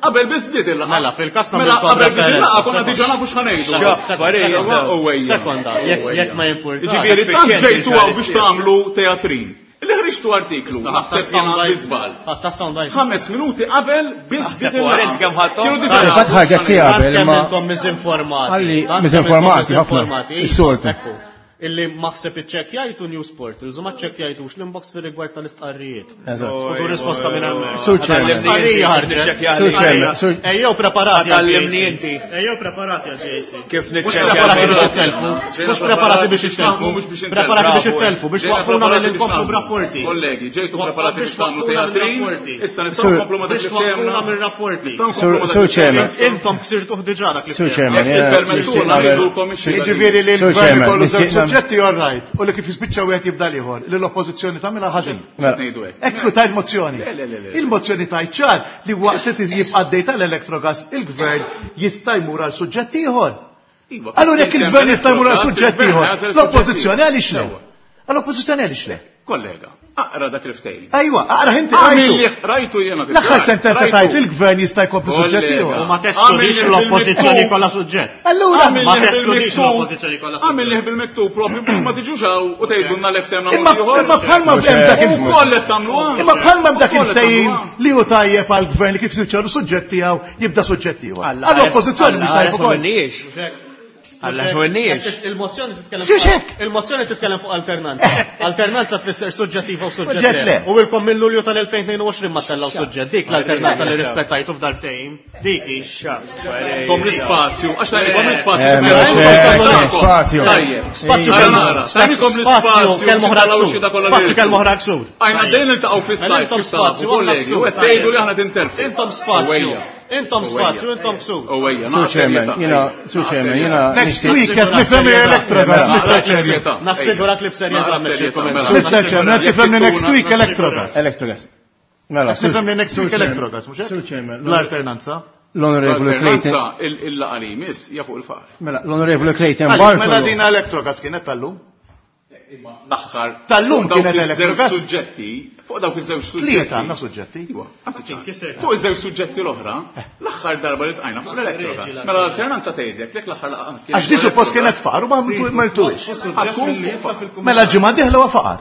Qabel biss bdiet il-laqgħa. Mela, fil-każ Mela, nagħmilkom qabel bdiet referenza. il-laqgħa konna diġà nafu x'ħanejdu. X'affarijiet. Sekonda, jekk ma jimpurtax. Ġifieri tant Effiċjenti ġejtu hawn biex ġurnalisti. tagħmlu teatrin. Li ħriġtu artiklu, naħseb jiena bi żball. Ħatta sound bites. 5 minuti qabel biss bdiet Naħseb wara int kemm ħadthom. Kienu diġà Fatt nafu ħarġet x'ħanejdu. tiegħek. Tant kemm ma- intom miżinformati. Għalli Tant kemm miżinformati intom ħafna. miżinformati. Is-soltu. Ekku. Illi maħseb iċċekkjajtu news portals u ma ċċekkjajtux l-inbox fir-rigward tal-istqarrijiet. Eżatt. U risposta minn hemmhekk. Sur Chairman. Istqarrija ħarġet. Sur Chairman, Sur- Ejjew preparati għal Għallimni JC. inti. Ejjew preparati għal JC. Kif Mhux niċċekkja preparati biex l-mailbox. ittelfu. Ġejna Mhux preparati biex biex ittelfu. naħdmu, mhux biex intelfu. Preparati biex Bravo. ittelfu, biex Ġejna waqfuna preparati mill biex inkomplu naħdmu. b'rapporti. Kollegi, ġejtu Waqf- preparati biex tagħmlu waqfuna teatrin, mir-rapporti. issa nistgħu Sur- nkomplu ma dak Biex li waqfuna ftehemna. mir-rapporti. Nistgħu nkomplu ma dak Sur li Chairman. ftehemna. Intom ksirtuh diġà dak li Sur ftehemna. Chairman, Jekk jiena tippermettulna nixtieq nagħmel- ngħidulkom ix-xhieda. Jiġifieri li Sur l-gvern Chairman, ikollu żewġ nixtieq nagħmel- suġġetti all right, u li kif jispiċċa wieħed jibda l-ieħor, li l-oppożizzjoni tagħmilha ħażin. Mela, Ngħidu hekk. Ekku tajt mozzjoni. Le, le, le, le. Il-mozzjoni tajt ċar li waqt li jibqa' dej tal-Electrogas il-gvern jista' jmur għal suġġett ieħor. Iva, Allura jekk il-gvern jista' jmur għal suġġett il-gvern ieħor, jagħżel l-oppożizzjoni suġġett għaliex le? ieħor. Għall-oppożizzjoni għaliex le? Kollega, aqra dak il-ftehim. Ejwa, aqra inti Għamil rajtu. li rajtu jiena. L-aħħar sentenza tajt il-gvern jista' jkompli suġġett Kollega. ieħor. U ma teskludix Għamil l-oppożizzjoni bil-miktub. kollha suġġett. Allura Ma teskludix l-oppożizzjoni kollha suġġett. Għamil liħ bil-miktub propju biex ma tiġux hawn u tgħidulna l-ftehemna Imma imma bħalma Mhux hemm dak hekk. il U koll qed tagħmluha. Imma bħalma dak U koll qed il-ftehim tagħmluha. li hu tajjeb għall-gvern li kif jispiċċalu suġġett tiegħu jibda suġġett ieħor. Alla Għall-oppożizzjoni mhux tajjeb ma ukoll. minniex. Alla xwenniex. Il-mozzjoni titkellem Xiex hekk? Il-mozzjoni titkellem fuq alternanza. Alternanza tfisser suġġettiva u Suġġett suġġett le. U ilkom minn Lulju tal-2022 ma tellaw suġġett. Dik l-alternanza li rispettajtu f'dal ftehim. Dik hi. Kom l-ispazju, għax tajnikom l-ispazju. Eh, mela, xek, spazju. Tajjeb. Spazju Ara kelma nara, tajnikom Spazju l-ispazju. kelma oħra taraw ksur. xi da kollha Spazju li kelma oħra ksur. Għajna dejn niltaqgħu fis-sajf. Intom kif tafu, spazju, kollegi, u qed tgħidu li aħna tintelfu. Intom spazju. Uwejja. Intom spazju, intom ksur. Uwejja, Sur Chairman, jiena, Sur Chairman, jiena Next nixtieq- week qed nifhem Electrogas, Mr. Chairman. Nassigurak li b'serjetà mexxi Mela. Mr. Chairman, qed nifhem li next week Electrogas. Electrogas. Mela, Qed nifhem li next week Sur Chairman. Electrogas, mhux hekk? Sur Chairman, L-alternanza. l-Onorevoli Clayton. L-alternanza il-laqa li jmiss hija fuq il-faqar. Mela, l-Onorevoli Clayton Għaliex mela Bartolo. din Electrogas kienet tal-lum? L-aħħar. Tal-lum fuq dawk kienet iż-żewġ Electrogas? suġġetti, fuq dawk iż-żewġ suġġetti. Tlieta għandna suġġetti. Iwa, għandi Fuq iż-żewġ suġġetti l-oħra, l-aħħar darba li tqajna fuq l-Electrogas. Mela l-alternanza tgħidlek lek l-aħħar laqgħa kienet Għax di suppost kienet faqar u ma mertux. Mela ġimgħa dieħla huwa faqar.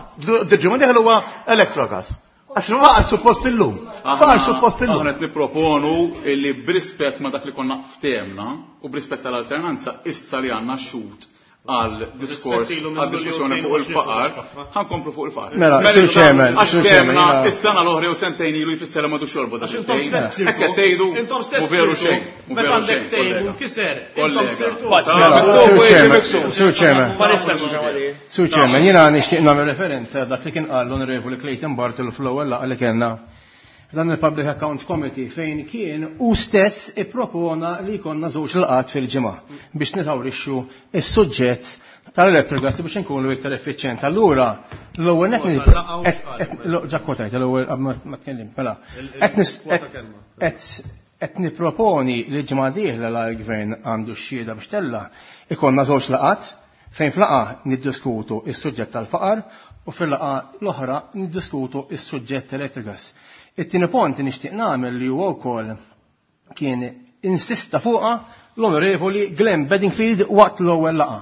Ġimgħa dieħla huwa Electrogas. Għax faqar suppost illum. Faqar suppost illum. Aħna qed nipproponu li b'rispett ma dak li konna ftehemna u b'rispett tal-alternanza issa li għandna xut għal diskors Rispett ilu minn għal diskussjoni Lulju fuq il-faqar, 2022 ħankomplu fuq il-faqar. Mela, Sur Chairman, Għax Sur Chairman, ftehemna jiena- is-sena l-oħra u sentejn ilu jfisser li m'għadux jolbu dak Għax intom il-ftehim. stess ksirtu. Hekk qed tgħidu Intom stess mhu veru ksirtu. xejn. mhu Meta veru għandek xejn, ftehim kollega. u nkiser, intom Kollega. ksirtu. Mela, Sur Chairman, Sur Chairman. Ma nistax nagħmel. Sur Chairman, jiena nixtieq nagħmel referenza għal dak li kien qal l-Onorevoli Clayton Bartolo fl-ewwel laqgħa li kellna f'dan il-Public Accounts Committee fejn kien u stess ippropona li jkollna żewġ laqat fil-ġimgħa biex niżawrixxu is-suġġett tal-electrogas biex inkunu iktar effiċjent. Allura, l-ewwel net ġa kwotajt, l-ewwel qabel ma tkellim, mela. Qed nis- Il-kwota kelma. qed qed niproponi li ġimgħa dieħla la l-gvern għandu x-xhieda biex tella ikonna żewġ laqat fejn flaqa niddiskutu is-suġġett tal-faqar u fil-laqa l-oħra niddiskutu is-suġġett elettrigas. It-tieni punt li nixtieq nagħmel li huwa wkoll kien insista fuqha l-Onorevoli Glenn Bedingfield waqt l-ewwel laqa.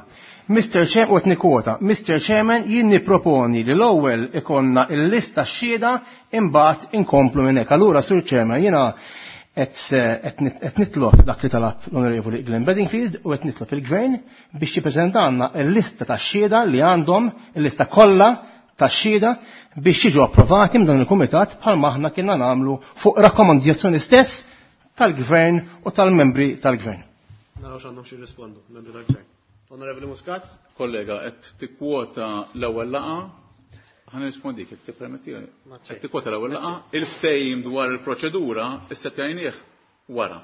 Mr. Chairman, u qed nikkwota, Mr. Chairman jien nipproponi li l-ewwel ikonna l-lista x-xhieda imbagħad inkomplu minn hekk. Allura Sur Chairman jiena qed nitlob dak li talab l-Onorevoli Glenn Bedingfield u qed nitlob il-Gvern biex jippreżentanna l-lista tax-xhieda li għandhom, il-lista kollha tax-xhieda biex jiġu approvati minn dan il-kumitat bħalma aħna kienna nagħmlu fuq rakkomandazzjoni stess tal-Gvern u tal-membri tal-Gvern. Naraw x'għandhom xi jirrispondu, membri tal-Gvern. Onorevoli Muscat? Kollega, qed tikkwota l-ewwel laqgħa, ħa nirrispondik jekk tippermetti. Qed tikkwota l-ewwel laqgħa, il-ftehim dwar il-proċedura issa tgħinih wara.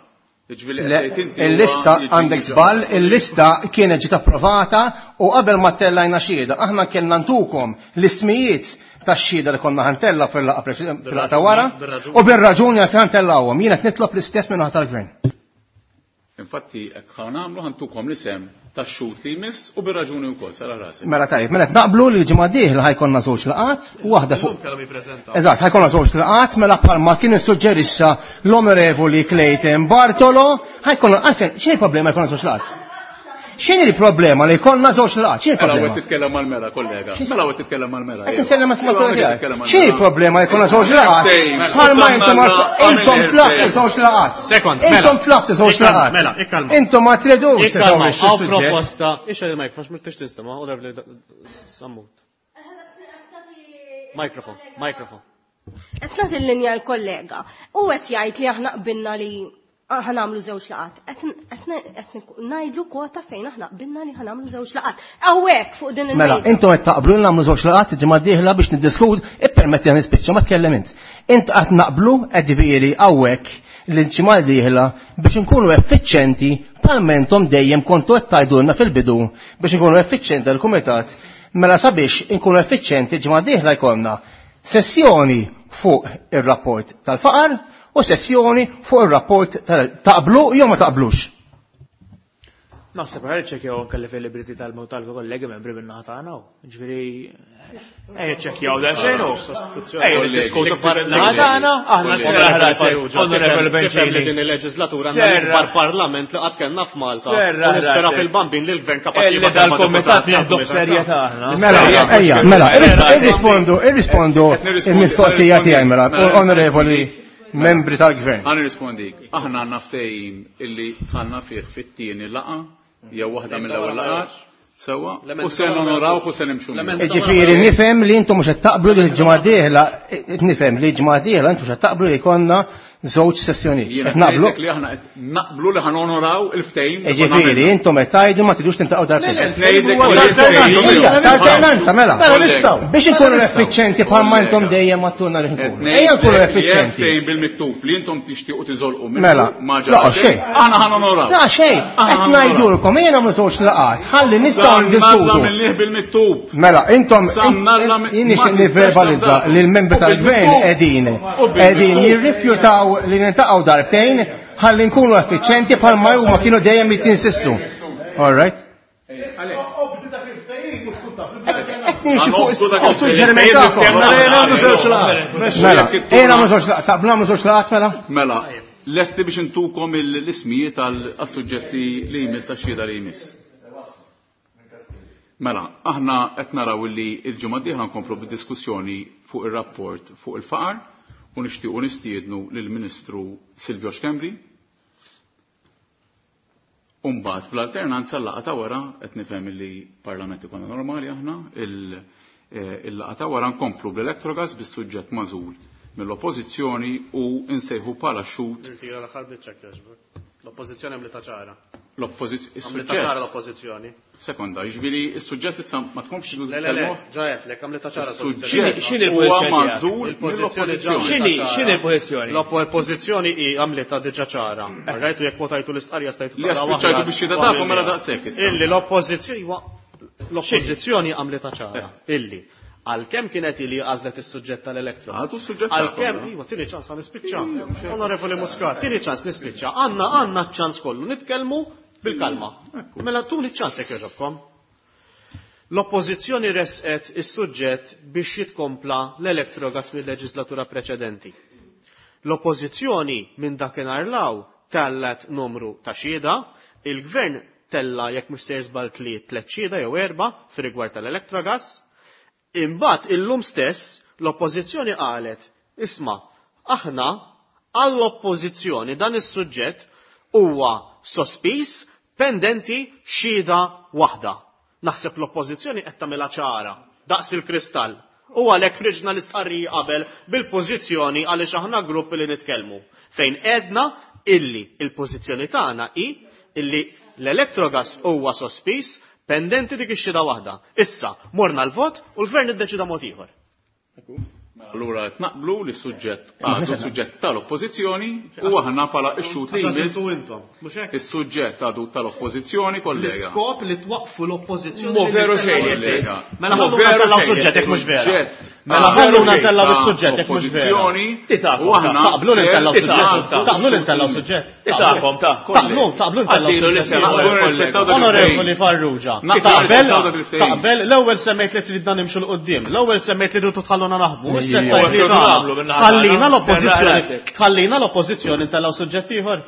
Jiġifieri Le, qed tgħid inti huwa Il-lista jiġi għandek diġà. żball, il-lista kienet ġiet approvata u qabel ma tellajna xhieda, aħna kellna ntukom l-ismijiet tax-xhieda li konna ħantella fil-laqgħa fil-laqgħa ta' wara Bir-raġuni. u bir-raġuni qed ħantellawhom. Jiena qed nitlob l-istess minn naħa tal-gvern. Infatti, hekk ħa nagħmlu ħantukom l-isem tax-xut li jmiss u bir-raġuni wkoll sara rasi. Mela tajjeb, mela qed naqblu li l-ġimgħa d-dieħla ħajkonna żewġ laqat, waħda fuq Illum kellhom jippreżentaw. Eżatt, ħajkonna żewġ laqat mela bħalma kien issuġġerixxa l-Onorevoli Clayton Bartolo, ħajkonna għalfejn xejn problema jkollna żewġ laqat. X'inhi l-problema li jkollna żewġ laqgħat? X'inhi Mela l-problema? qed titkellem mal-mera, kollega. Mela qed titkellem mal-mera. Qed insellem ma' tiegħek. X'inhi l-problema li jkollna żewġ laqgħat? Mela. Bħalma intom intom tlaqtu żewġ laqgħat. Sekond, mela. Intom tlaqtu żewġ Ikkalma, laqgħat. mela, ikkalma. Intom ma tridux Ikkalma, teżawrixxu għaw s-suġġett. proposta. Ixha il-mikrofon, mux tix tinstema, onorevoli Sammut. Mikrofon, mikrofon. Qed nagħti l-linja l-kollega. U qed jgħid li aħna qbilna li ħanamlu żewġ laqat. Qed ngħidlu kwota fejn aħna qbilna li ħanamlu żewġ laqat. Hawnhekk fuq din Mela, il-mejda. intom qed taqblu li nagħmlu żewġ laqgħat il-ġimgħa d-dieħla biex niddiskut, ippermetti għan nispiċċa ma tkellem int. Int qatt naqblu qed ġifieri hawnhekk li l-ġimgħa d-dieħla biex inkunu effiċjenti bħalma intom dejjem kontu qed tgħidulna fil-bidu biex inkunu effiċjenti għall-kumitat. Mela sabiex inkunu effiċjenti l-ġimgħa d-dieħla jkollna sessjoni fuq ir-rapport tal-faqar u sessjoni fuq ir-rapport tal-taqblu jew ma taqblux. Naħseb ħar ċekjaw anke l-availability tal-kollegi membri minn naħa tagħna. Ġifieri ejja ċekjaw da xejn hu. Ejja niddiskutu ftit min-naħa tagħna, aħna serra ħrasek, Onorevoli Tifhem li Benċini. din il-leġislatura għandna Serra. l-ikbar parlament li qatt kellna f'Malta. Serra U nispera ħrasek. fil-bambin li l-gvern kapaċi Illi jibgħat erba' dal-komitat deputati nieħdu għal-kumitat. f'serjetà aħna. Mela, ejja, mela, irrispondu, irrispondu il-mistoqsija tiegħi mela, onorevoli membri tal-gvern. Għan nirrispondik. Aħna għandna ftehim illi dħalna fih fit-tieni laqa jew waħda mill-ewwel laqgħat. Sewwa, u se nonoraw u se nimxu. miegħu. Ġifieri nifhem li intom mhux qed taqblu li l-ġimgħa dieħla, nifhem li l-ġimgħa dieħla intom mhux qed taqblu li jkollna żewġ sessjonijiet. Jiena Qed naqblu? ngħidlek li aħna qed naqblu li ħanonoraw il-ftehim. li konna Ġifieri għamilna. intom qed tgħidu ma tridux tintaqgħu darbtejn. Ngħidlek li l-ftehim- Ejja, tal-alternanza mela. Mela, nistgħu. Biex inkunu effiċjenti bħalma intom dejjem għattuna li nkunu. Ejja nkunu Ngħidlek li hemm effiċjenti. ftehim bil-miktub li intom tixtiequ tiżolqu minnu Mela, ma la, ġara xejn. Aħna ħanonoraw. La xejn, qed ngħidulkom ejja nagħmlu żewġ laqgħat, ħalli nistgħu Samnalla ndiskutu. mill-liħ bil-miktub. Mela, intom, Samnalla mi- jien ma nixtieq tistax nivverbalizza tafda. li l-membri U tal-gvern bil-miktub. qegħdin U bil-miktub. qegħdin jirrifjutaw li nintaqgħu darbtejn ħalli nkunu effiċjenti bħalma huma kienu dejjem jittinsistu. All right? Qed nimxi fuq fuq suġġeriment tagħkom. Mela, ejja nagħmlu żewġ laqgħat, taqblu nagħmlu żewġ laqgħat mela? Mela, lesti biex intukom l-ismijiet għal-suġġetti li jmiss għax-xhieda li jmiss. Mela, aħna qed naraw li l-ġimgħa d-dieħla nkomplu bid-diskussjoni fuq ir-rapport fuq il-faqar u nixtiequ nistiednu lill-Ministru Silvio Schembri. Umbagħad bl-alternanza l-laqgħa ta' wara qed nifhem li parlament ikonna normali aħna il-laqgħa ta' wara nkomplu bl-Electrogas bis-suġġett magħżul mill-Oppożizzjoni u nsejħu bħala xhud Irtira l-aħħar biċċa jogħġbok. L-oppożizzjoni għamlitha ċara. l-oppożizzjoni. Għamlitha ċara l-oppożizzjoni. Sekonda, jiġifieri is-suġġett issa ma tkomx Le, le, le, ġajetlek, għamlitha ċara Is-suġġett X'inhi huwa l-pożizzjoni magħżul Il-pożizzjoni ġa mill-oppożizzjoni. X'inhi l-pożizzjoni? L-oppożizzjoni hi għamlitha diġà ċara. Rajtu jekk kwotajtu l-istqarrija stajtu Li taqra spiċċajtu waħda. biex xhieda tagħkom mela daqshekk issa. Illi l-oppożizzjoni iwa, l-oppożizzjoni għamlitha ċara. Illi għalkemm kienet ili għażlet is-suġġett tal-elektro. Għadu s-suġġett Għalkemm, tagħkom, iwa, tieni ċans għan nispiċċa. Onorevoli Muscat, tieni ċans nispiċċa. Għandna għandna ċans kollu nitkellmu bil-kalma. Mela tuni ċans jekk jogħġobkom. L-oppożizzjoni resqet is-suġġett biex jitkompla l-elektrogas mill-leġislatura preċedenti. L-oppożizzjoni minn dakinhar law tellet numru ta' xhieda, il-gvern tella jekk mhux sejjer żball tliet tliet xhieda jew erba' fir-rigward tal-elektrogas. Imbagħad illum stess l-oppożizzjoni qalet, isma' aħna għall-oppożizzjoni dan is-suġġett huwa sospiż pendenti xhieda waħda. Naħseb l-oppożizzjoni qed tagħmilha ċara daqs il-kristall. U għalhekk ħriġna l-istqarrija qabel bil-pożizzjoni għaliex aħna grupp li nitkellmu. Fejn edna illi il-pożizzjoni tagħna hi illi l-elektrogas huwa sospiż pendenti dik ix-xhieda waħda. Issa morna l-vot u l-gvern iddeċida mod ieħor. Allura qed naqblu li s-suġġett għadu suġġett tal-oppożizzjoni u aħna bħala x-xhud li jmiss intom, mhux hekk? is-suġġett għadu tal-oppożizzjoni kollega. L-iskop li twaqfu l-oppożizzjoni. Mo veru xejn, Kollega. Mela Mo ħallu veru ntellaw xejn, suġġett jekk mhux vera. Suġġett. Mela Għadu ħallu ntellaw ta' is-suġġett jekk mhux vera. Oppożizzjoni Titakom, u aħna Taqblu li ntellaw ser suġġett. nagħżlu Taqblu li ntellaw suġġett. Titakom, ta' Taqblu, taqblu ntellaw Għaddilu suġġett. l-isem, Naqblu nirrispettaw dak Onorevoli il-ftehim. Farrugia, Naqblu taqbel, nirrispettaw dak il-ftehim. taqbel, l-ewwel semmejt li tridna nimxu l-qoddim, l-ewwel semmejt li rridu tħalluna naħdmu, issa Ejja. tgħid li Naqblu tagħna. min-naħa Ħallina tagħna. l-oppożizzjoni, Serra rasek. tħallina l-oppożizzjoni ntellgħu suġġett ieħor.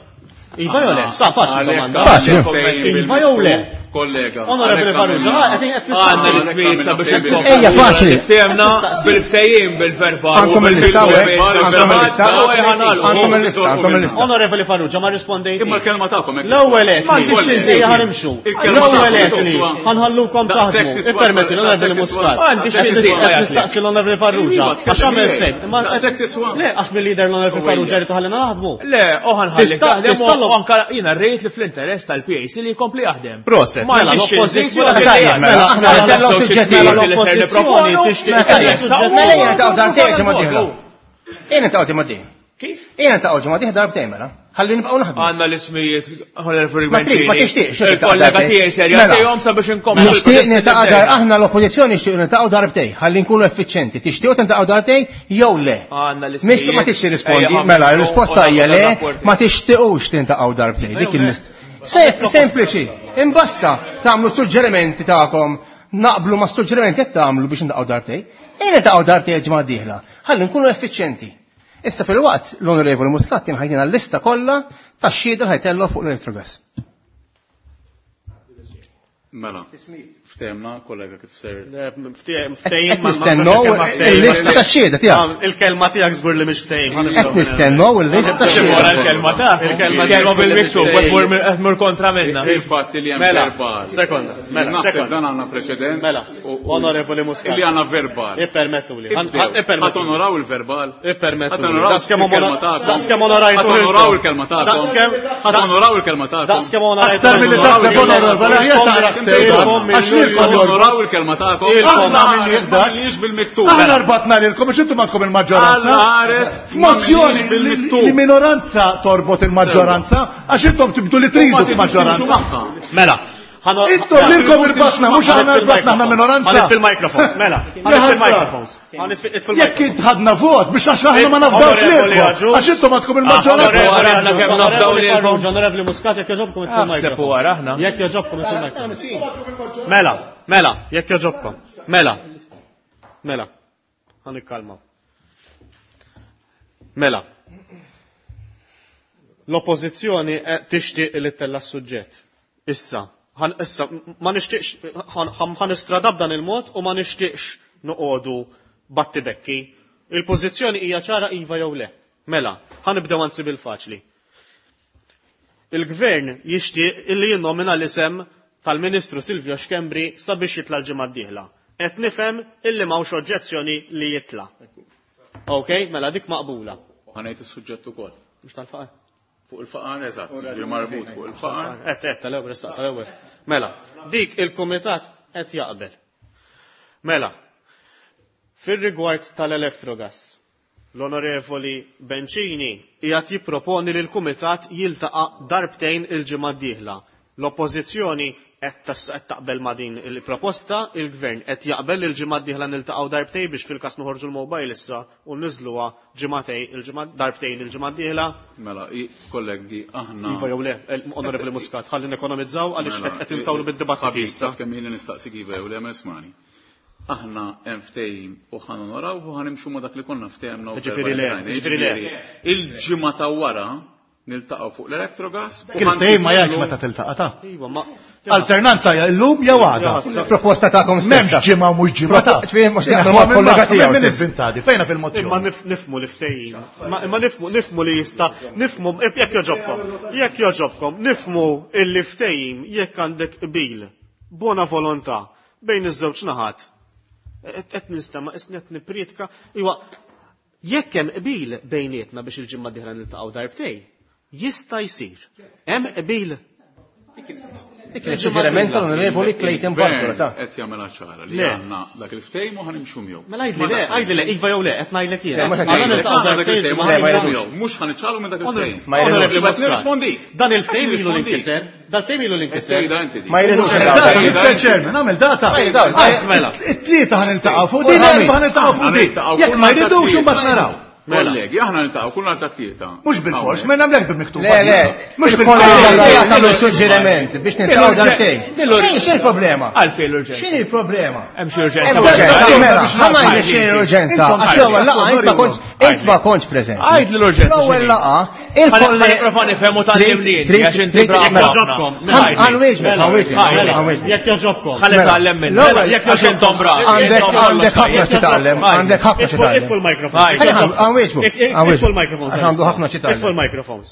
Iva jew le? Sa faċli Għalhekk domanda. Faċli. għandek ftehim Iva jew le? bil-miktub. Kollega. Onorevoli Farrugia, qed Għandna l-ismijiet sabiex Ejja, faċli. Ftehemna bil-ftehim bil-verbal. Għandkom il-lista, għandkom il-lista. Għandkom il-lista, għandkom il-lista. Onorevoli Farrugia, ma rispondejt. Imma l-kelma tagħkom hekk. L-ewwel qed. M'għandix xi nżid. Ejja ħanimxu. L-ewwel qed li ħanħallukom taħdmu. Ippermetti l-Onorevoli Muscat. M'għandix xi nżid. Qed nistaqsi l-Onorevoli Farrugia. Għax għamel stejn. Daqshekk tiswa. Le, għax mill-lider l-Onorevoli Farrugia rid ħallina naħdmu. Le, u ħanħallik Tista' taħdem tista' u anka jiena rejt li fl-interess tal-PAC li jkompli jaħdem. Proset, Ma mela għandix xi nżid, l-oppożizzjoni. wara Tajjeb, mela, aħna ntellgħu suġġetti Mela li ser l-oppożizzjoni nipproponu, tixtieq mela tella' jessa- suġġett. Mela jiena taqgħu darbtejn ġimgħa dieħla. Jiena taqgħu ġimgħa dieħla. Kif? Jiena taqgħu ġimgħa dieħla darbtejn mela. Ħalli nibqgħu naħdmu. Għandna l-ismijiet Onorevoli Ma trid, ma tixtieqx. Il-kollega tiegħi ser Mela. jagħtihom sabiex inkomplu. Nixtieq niltaqa' dar aħna l-oppożizzjoni nixtieq niltaqgħu darbtej, ħalli nkunu effiċjenti. Tixtiequ tiltaqgħu darbtej jew le. Għandna l-ismijiet. Mistu ma tixtieq rispondi, Ejja, mela ħamsu, r-risposta u hija le, rapporti. ma tixtiequx tintaqgħu darbtej. Dik il-mist. Sempliċi, imbasta tagħmlu suġġerimenti tagħkom naqblu ma' suġġerimenti qed tagħmlu biex niltaqgħu darbtej. Ejja niltaqgħu darbtej ġimgħa dieħla. Ħalli nkunu effiċjenti. Issa fil-waqt l-Onorevoli Muscat kien ħajtina l-lista kollha tax-xhieda li ħajtellu fuq l-Electrogas. Mela, ftehemna kollega kif ser. Ftehim Qed nistennew il-lista tax-xhieda tiegħek. Il-kelma tiegħek żgur li mhix ftehim. Qed nistennew il-lista Wara tax-xhieda. l-kelma ta' Il-kelma il-kelma tiegħek bil-miktub, qed mur kontra minna. Il-fatt li hemm Mela, verbal. sekonda, mela, Naħseb sekonda. dan għandna preċedent. Mela, onorevoli Muscat. Illi għandna verbal. Ippermettuli. Ippermettuli. Ħa tonoraw il-verbal. Ippermettuli. Ħa tonoraw Daqskemm il-kelma tagħkom. daqskemm onorajtu. Ħa tonoraw il-kelma tagħkom. Daqskemm Ħa tonoraw il-kelma tagħkom. Daqskemm onorajtu. Aktar milli taħseb onorevoli, aħjar taqra sejda. Għax lilkom Onoraw il-kelma tagħkom. Ilkom. Aħna minniex bil-miktub. Aħna rbatna lilkom biex intom għandkom il-maġġoranza. Alla ħares, F'mozzjoni ma minniex li minoranza torbot il-maġġoranza għax intom tibdu li tridu f'maġġoranza. Mela. Intom lilkom irbatna, mhux aħna rbatna aħna minoranza. Ħanif il-microphones, mela. Ħanif il-microphones. Ħanif Jekk int ħadna vot biex għax aħna ma nafdawx lilkom. Għax intom għandkom il-maġġoranza. Onorevoli kemm nafdaw lilkom. Onorevoli Muscat, jekk joġobkom itfil Aħseb il-microphones. wara aħna. Jekk joġobkom itfil il-microphones. Mela, mela, jekk joġobkom. Mela. Mela. Ħanikkalmaw. Mela. L-oppożizzjoni tixtieq li ttella' s-suġġett. Issa, ħan issa ma nixtieqx ħan istrada b'dan il-mod u ma nixtieqx noqogħdu battibekki. Il-pożizzjoni hija ċara iva jew le. Mela, ħanibdew anzi bil-faċli. Il-gvern jixtieq illi jinnomina l-isem tal-Ministru Silvio Schembri sabiex jitla l-ġimgħa d-dieħla. Qed nifhem illi m'hawnx oġġezzjoni li jitla. Ok, mela dik maqbula. Ħanejt is-suġġett ukoll. Mhux tal-faqar. Fuq il-faqar, eżatt, ġi marbut fuq il-faqar. Qed qed tal-ewwel issa tal-ewwel. Mela, dik il-kumitat qed jaqbel. Mela, fir-rigward tal-Electrogas, l-Onorevoli Bencini qiegħed jipproponi li l-kumitat jiltaqa' darbtejn il-ġimgħa d-dieħla. L-Oppożizzjoni qed taqbel ma' din il-proposta, il-Gvern qed jaqbel li l-ġimgħa d-dieħla niltaqgħu darbtejn biex fil-każ noħorġu l-mobile issa u niżluha ġimgħatej il-ġimgħa darbtejn il-ġimgħa d-dieħla. Mela, kollegi, aħna. Iva jew le, Onorevoli Muscat, ħalli nekonomizzaw għaliex Mela, qed intawlu bid-dibattiti Ħabib, issa. taf kemm ili nistaqsik iva jew le ma ismani. Aħna hemm ftehim u ħa nonoraw u ħanimxu ma dak li konna ftehemna u Ġifieri le, verbalizzajna. ġifieri le. Ġifieri, Il-ġimgħa ta' wara niltaqgħu fuq l-Electrogas. u Kif ftehim ma jgħidx ħantilu- meta tiltaqa' ta' Iva, ma Alternanza hija llum jew għada. Proposta tagħkom stess. M'hemmx ġimgħa u mhux ġimgħa ta' Ġifieri mhux jaqblu mal-kollega tiegħu Min stess. inventati, fejna Imma fil-mozzjoni. nifmu li ftehim. Imma nifmu nifmu li jista' nifmu jekk joġobkom. Jekk joġobkom, nifmu illi ftehim jekk għandek qbil, bona volontà bejn iż-żewġ naħat. Qed nistema' isni qed nippriedka, iwa jekk hemm qbil bejnietna biex il-ġimgħa d-dieħla niltaqgħu darbtej, jista' jsir. Hemm qbil. Dik kienet suġġeriment tal-Onorevoli Clayton Bartolo ta' Qed jagħmilha ċara li Le. għandna dak il-ftehim u ħanimxu miegħu. Mela għidli le, għidli le, iva jew le, qed ngħidlek jiena. Le, ma Għandna niltaqgħu Dak darbtejn il-ftehim u il-ġimgħa Le, ma d-dieħla. ħanimxu miegħu. Mhux ħaniċċalu minn dak il-ftehim. Ma jridux. Onorevoli Bas Muscat, nirrispondik. Dan il-ftehim ilu Nirrispondik. l-inkiser, dan il-ftehim ilu l-inkiser. Tgħidha inti dik. Ma jridux Data, niltaqgħu. Mr. Chairman, għamel data. Ma jridux. Mela. It-tlieta ħaniltaqgħu fuq din, l-erba' ħaniltaqgħu fuq din. Ħaniltaqgħu Jekk kull ma nhar ta' jridux tlieta. imbagħad naraw. Mela. Kollegi, aħna niltaqgħu kull nhar ta' tlieta. Mhux bil-fors, ma nagħmlek bil-miktub. Le, le. Mhux Il-kollega bil-fors. tagħmlu suġġeriment biex niltaqgħu darbtejn. X'in il-problema? Għalfejn l-urġenza. X'in il-problema? Hemm xi urġenza. Hemm urġenza, mela, ħa ngħidlek x'inhi l-urġenza. Intom Għax l-ewwel laqgħa int ma kontx Int ma kontx preżenti. Għajd l-urġenza. L-ewwel laqgħa, il-kollega. Ħa nipprova nifhem u tgħallimni għax inti Jogħġobkom. Ħanwieġbek, Jekk jogħġobkom. Ħalli tgħallem minna. Jekk għax intom bravi. Għandek ħafna xi tgħallem, għandek ħafna xi tgħallem. Itfu l-microphone. Għanwieġbu. Itfu l-microphones. Għax għandu ħafna xi tgħallem. Itfu l-microphones.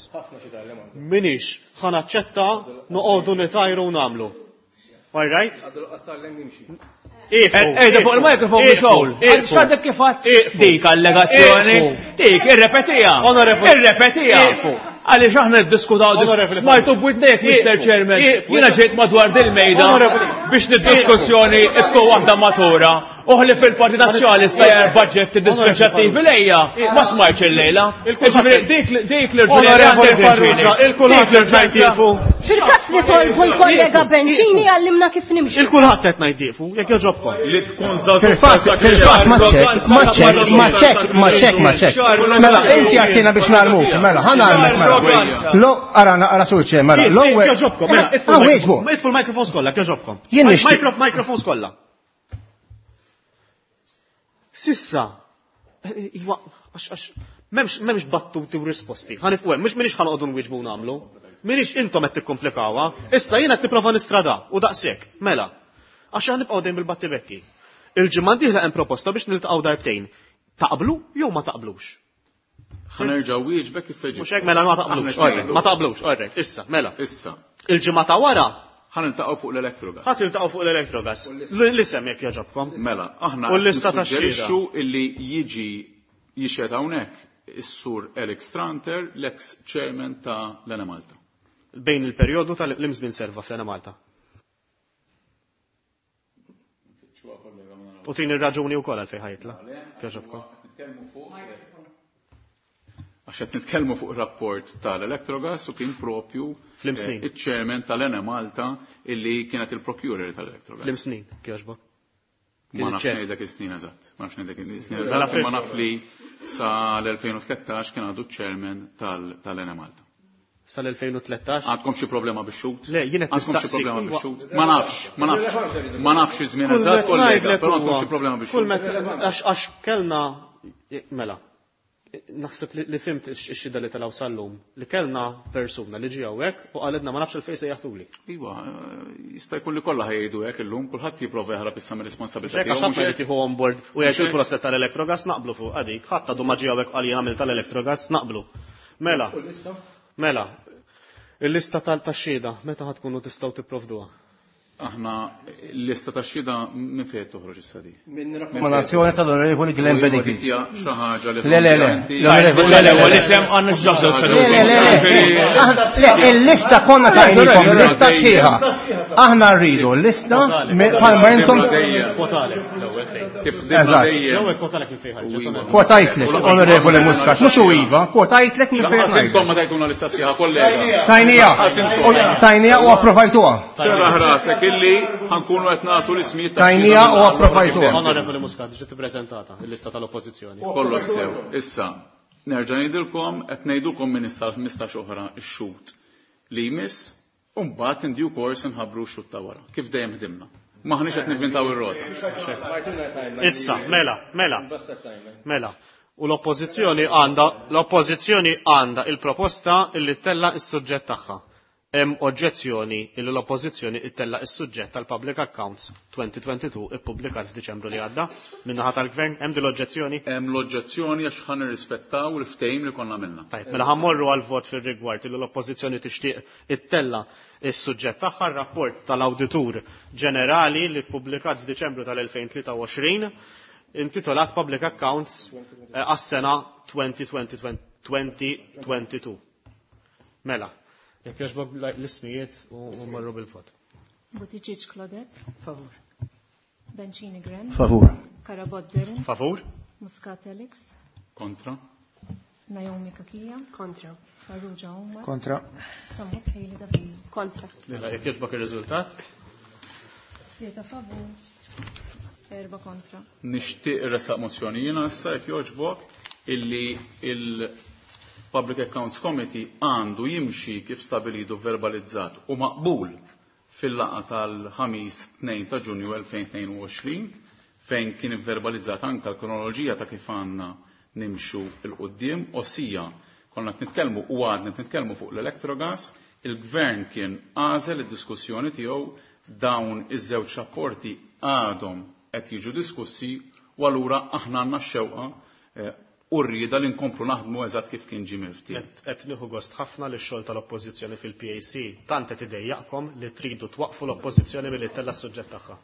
Minix ħa naċċetta noqogħdu nitajru u nagħmlu. All right? Ejda fuq il-mikrofon biex hawn. X'għadek kif għadt dik allegazzjoni? Dik, irrepetija. Irrepetija. Għaliex aħna niddiskutaw smajtu b'widnejk, Mr. Chairman. Jiena ġejt madwar dil-mejda biex nid-diskussjoni tkun waħda matura. Uħli fil-Partit Nazzjonalista jar budget dispreċattivi lejja, ma smajtx il-lejla. Dik l-Onorevoli Farrugia, il-kulħadd qed ngħid Fil-każ li tolbu l-kollega Bencini għallimna kif nimxu. Il-kulħadd qed ngħid jekk jogħġobkom. Li tkun żagħżugħ. Fil-fatt, ma ċek, ma ċek, ma ċek, ma ċek, ma ċek. Mela, inti għattina biex narmuk, mela, ħa narmuk, mela. Lo, ara, ara surċe, mela, l-ewwel. Jogħġobkom, mela, itfu l-microphones kollha, jogħġobkom. Jien nixtieq. Microphones kollha. Sissa, iwa, għax, memx battuti u risposti. Ħanifqu hemm, mhux minix ħanoqogħdu nwieġbu nagħmlu. Minix intom qed tikkomplikawha. Issa jiena qed nipprova nistrada u daqshekk, mela. Għax aħna nibqgħu dejjem bil-battibekki. Il-ġimgħa d-dieħla hemm proposta biex niltaqgħu darbtejn. Taqblu jew ma taqblux? Ħa nerġa' wieġbek kif feġib. Mhux hekk mela ma taqblux, ma taqblux, orrek, issa, mela. Issa. Il-ġimgħa ta' wara Ħa niltaqgħu fuq l-Electrogas. Ħa tiltaqgħu fuq l-Electrogas. L-isem jekk jogħġobkom. Mela, aħna U l-lista ta' nissuġġerixxu illi jiġi jixhed hawnhekk is-sur Alex Tranter, l-ex chairman ta' l-Enemalta. Bejn il-perjodu tal-imżmin serva fl-Enemalta. U tini r-raġuni wkoll għalfejn ħajtla. Jogħġobkom. Għax qed nitkellmu fuq rapport tal-Electrogas u kien propju Fl-imsnin. iċ-chairman tal-Enemalta illi kienet il-procurer tal-Electrogas. Fl-imsnin, kjoġbok. Ma nafx ngħidlek is-snin eżatt. Ma nafx ngħidlek is-snin eżatt, ma naf li sa l-2013 kien għadu chairman tal-Enemalta. Sal-2013? Għandkom xi problema bix-xut? Le, jien qed Għandkom xi nistaqsi. problema bix-xut? Ma nafx, ma nafx. Ma nafx iż-żmien eżatt, kollega, però għandkom xi problema Kull bix-xut. Għax kellna, mela, naħseb li fimt ix-xida li telgħu sal-lum, li kellna persuna li ġie hawnhekk u qalilna ma nafx il-fejn se jaħtuli. Iva, jista' jkun li kollha ħajdu hekk illum, kulħadd jipprova jaħrab issa mir-responsabilità Xek għax tiegħu. ħadd irid jieħu on board u jgħid il-proset tal-Electrogas naqblu fuq għadik, ħadd għadu ma ġie hawnhekk qal jien għamil tal-Electrogas naqblu. Mela, mela, il-lista tal-taxxida, meta ħad tkunu tistgħu tipprovduha? Aħna l-lista tax-xhieda minn fejn toħroġ issa di? Minn rakkomandazzjoni tal-Onorevoli Glenn Bedingfield. Hija xi ħaġa li Le, le, le. Le, le, u l-isem għandna ġażel Le, le, le, le. Le, il-lista konna tajnikom, lista sħiħa. Aħna rridu l-lista bħalma intom. Kwotalek l-ewwel fejn. Kif ħdimna Eżatt. dejjem. L-ewwel kwotalek minn fejn ħarġet. Kwotajtlek, Onorevoli Muscat, mhux u iva, kwotajtlek minn fejn Lanqas ħarġet. intom ma tajtuna l-lista sħiħa, kollega. Tajnija, Lanqas intom. tajnija u approvajtuha. Serraħ rasek illi ħankunu qed nagħtu l-ismijiet ta' Tajnija u approvajtuha. Onorevoli Muscat, ġiet ippreżentata l-lista tal-Oppożizzjoni. Kollox sew. Issa, nerġa' ngħidilkom qed ngħidulkom minn issa l-15 oħra x-xut li jmiss u mbagħad in due course nħabbru x-xut ta' wara. Kif dejjem ħdimna. Maħniex qed nivvintaw ir-rota. Issa, mela, mela. Mela. U l-oppożizzjoni għandha l-oppożizzjoni għandha il-proposta illi tella is-suġġett tagħha. Hemm oġġezzjoni illi l-oppożizzjoni ittella is-suġġett tal-Public Accounts 2022 ippubblikat f'Diċembru li għadda min-naħa tal-Gvern, hemm din l-oġġezzjoni? Hemm l-oġġezzjoni għax ħa nirrispettaw il-ftehim li konna għamilna. Tajb, mela ħammorru għal vot fir-rigward illi l-oppożizzjoni tixtieq ittella is-suġġett tagħha r-rapport tal-Awditur Ġenerali li ppubblikat f'Diċembru tal-2023 intitolat Public Accounts għas-sena 2022. Mela, jekk jogħġbok l-ismijiet u marru bil-vot. Buttigieg Claudette. Favur. Bencini Gren. Favur. Carabott Darren. Favur. Muscat Alex. Kontra. Naomi Cachia. Kontra. Farrugia Omar. Kontra. Sammut Haley David. Kontra. Mela, jekk jogħġbok ir-riżultat. 3 favur. 4 kontra. Nixtieq irresaq mozzjoni jiena issa jekk jogħġbok illi il-Public Accounts Committee għandu jimxi kif stabilitu verbalizzat u maqbul fil-laqgħa tal-ħamis 2 ta' Ġunju 2022 fejn kien verbalizzat anka l-kronoloġija ta' kif għandna nimxu 'l quddiem, ossia konna qed nitkellmu u għadna qed nitkellmu fuq l-Electrogas, il-Gvern kien għażel id-diskussjoni tiegħu, dawn iż-żewġ rapporti għadhom qed jiġu diskussi u allura aħna għandna x-xewqa u r-rieda li nkomplu naħdmu eżatt kif kien ġie miftiehem. Qed nieħu gost ħafna li x-xogħol tal-Oppożizzjoni fil-PAC tant qed idejjaqkom li tridu twaqqfu l-Oppożizzjoni milli ttella' s-suġġett tagħha.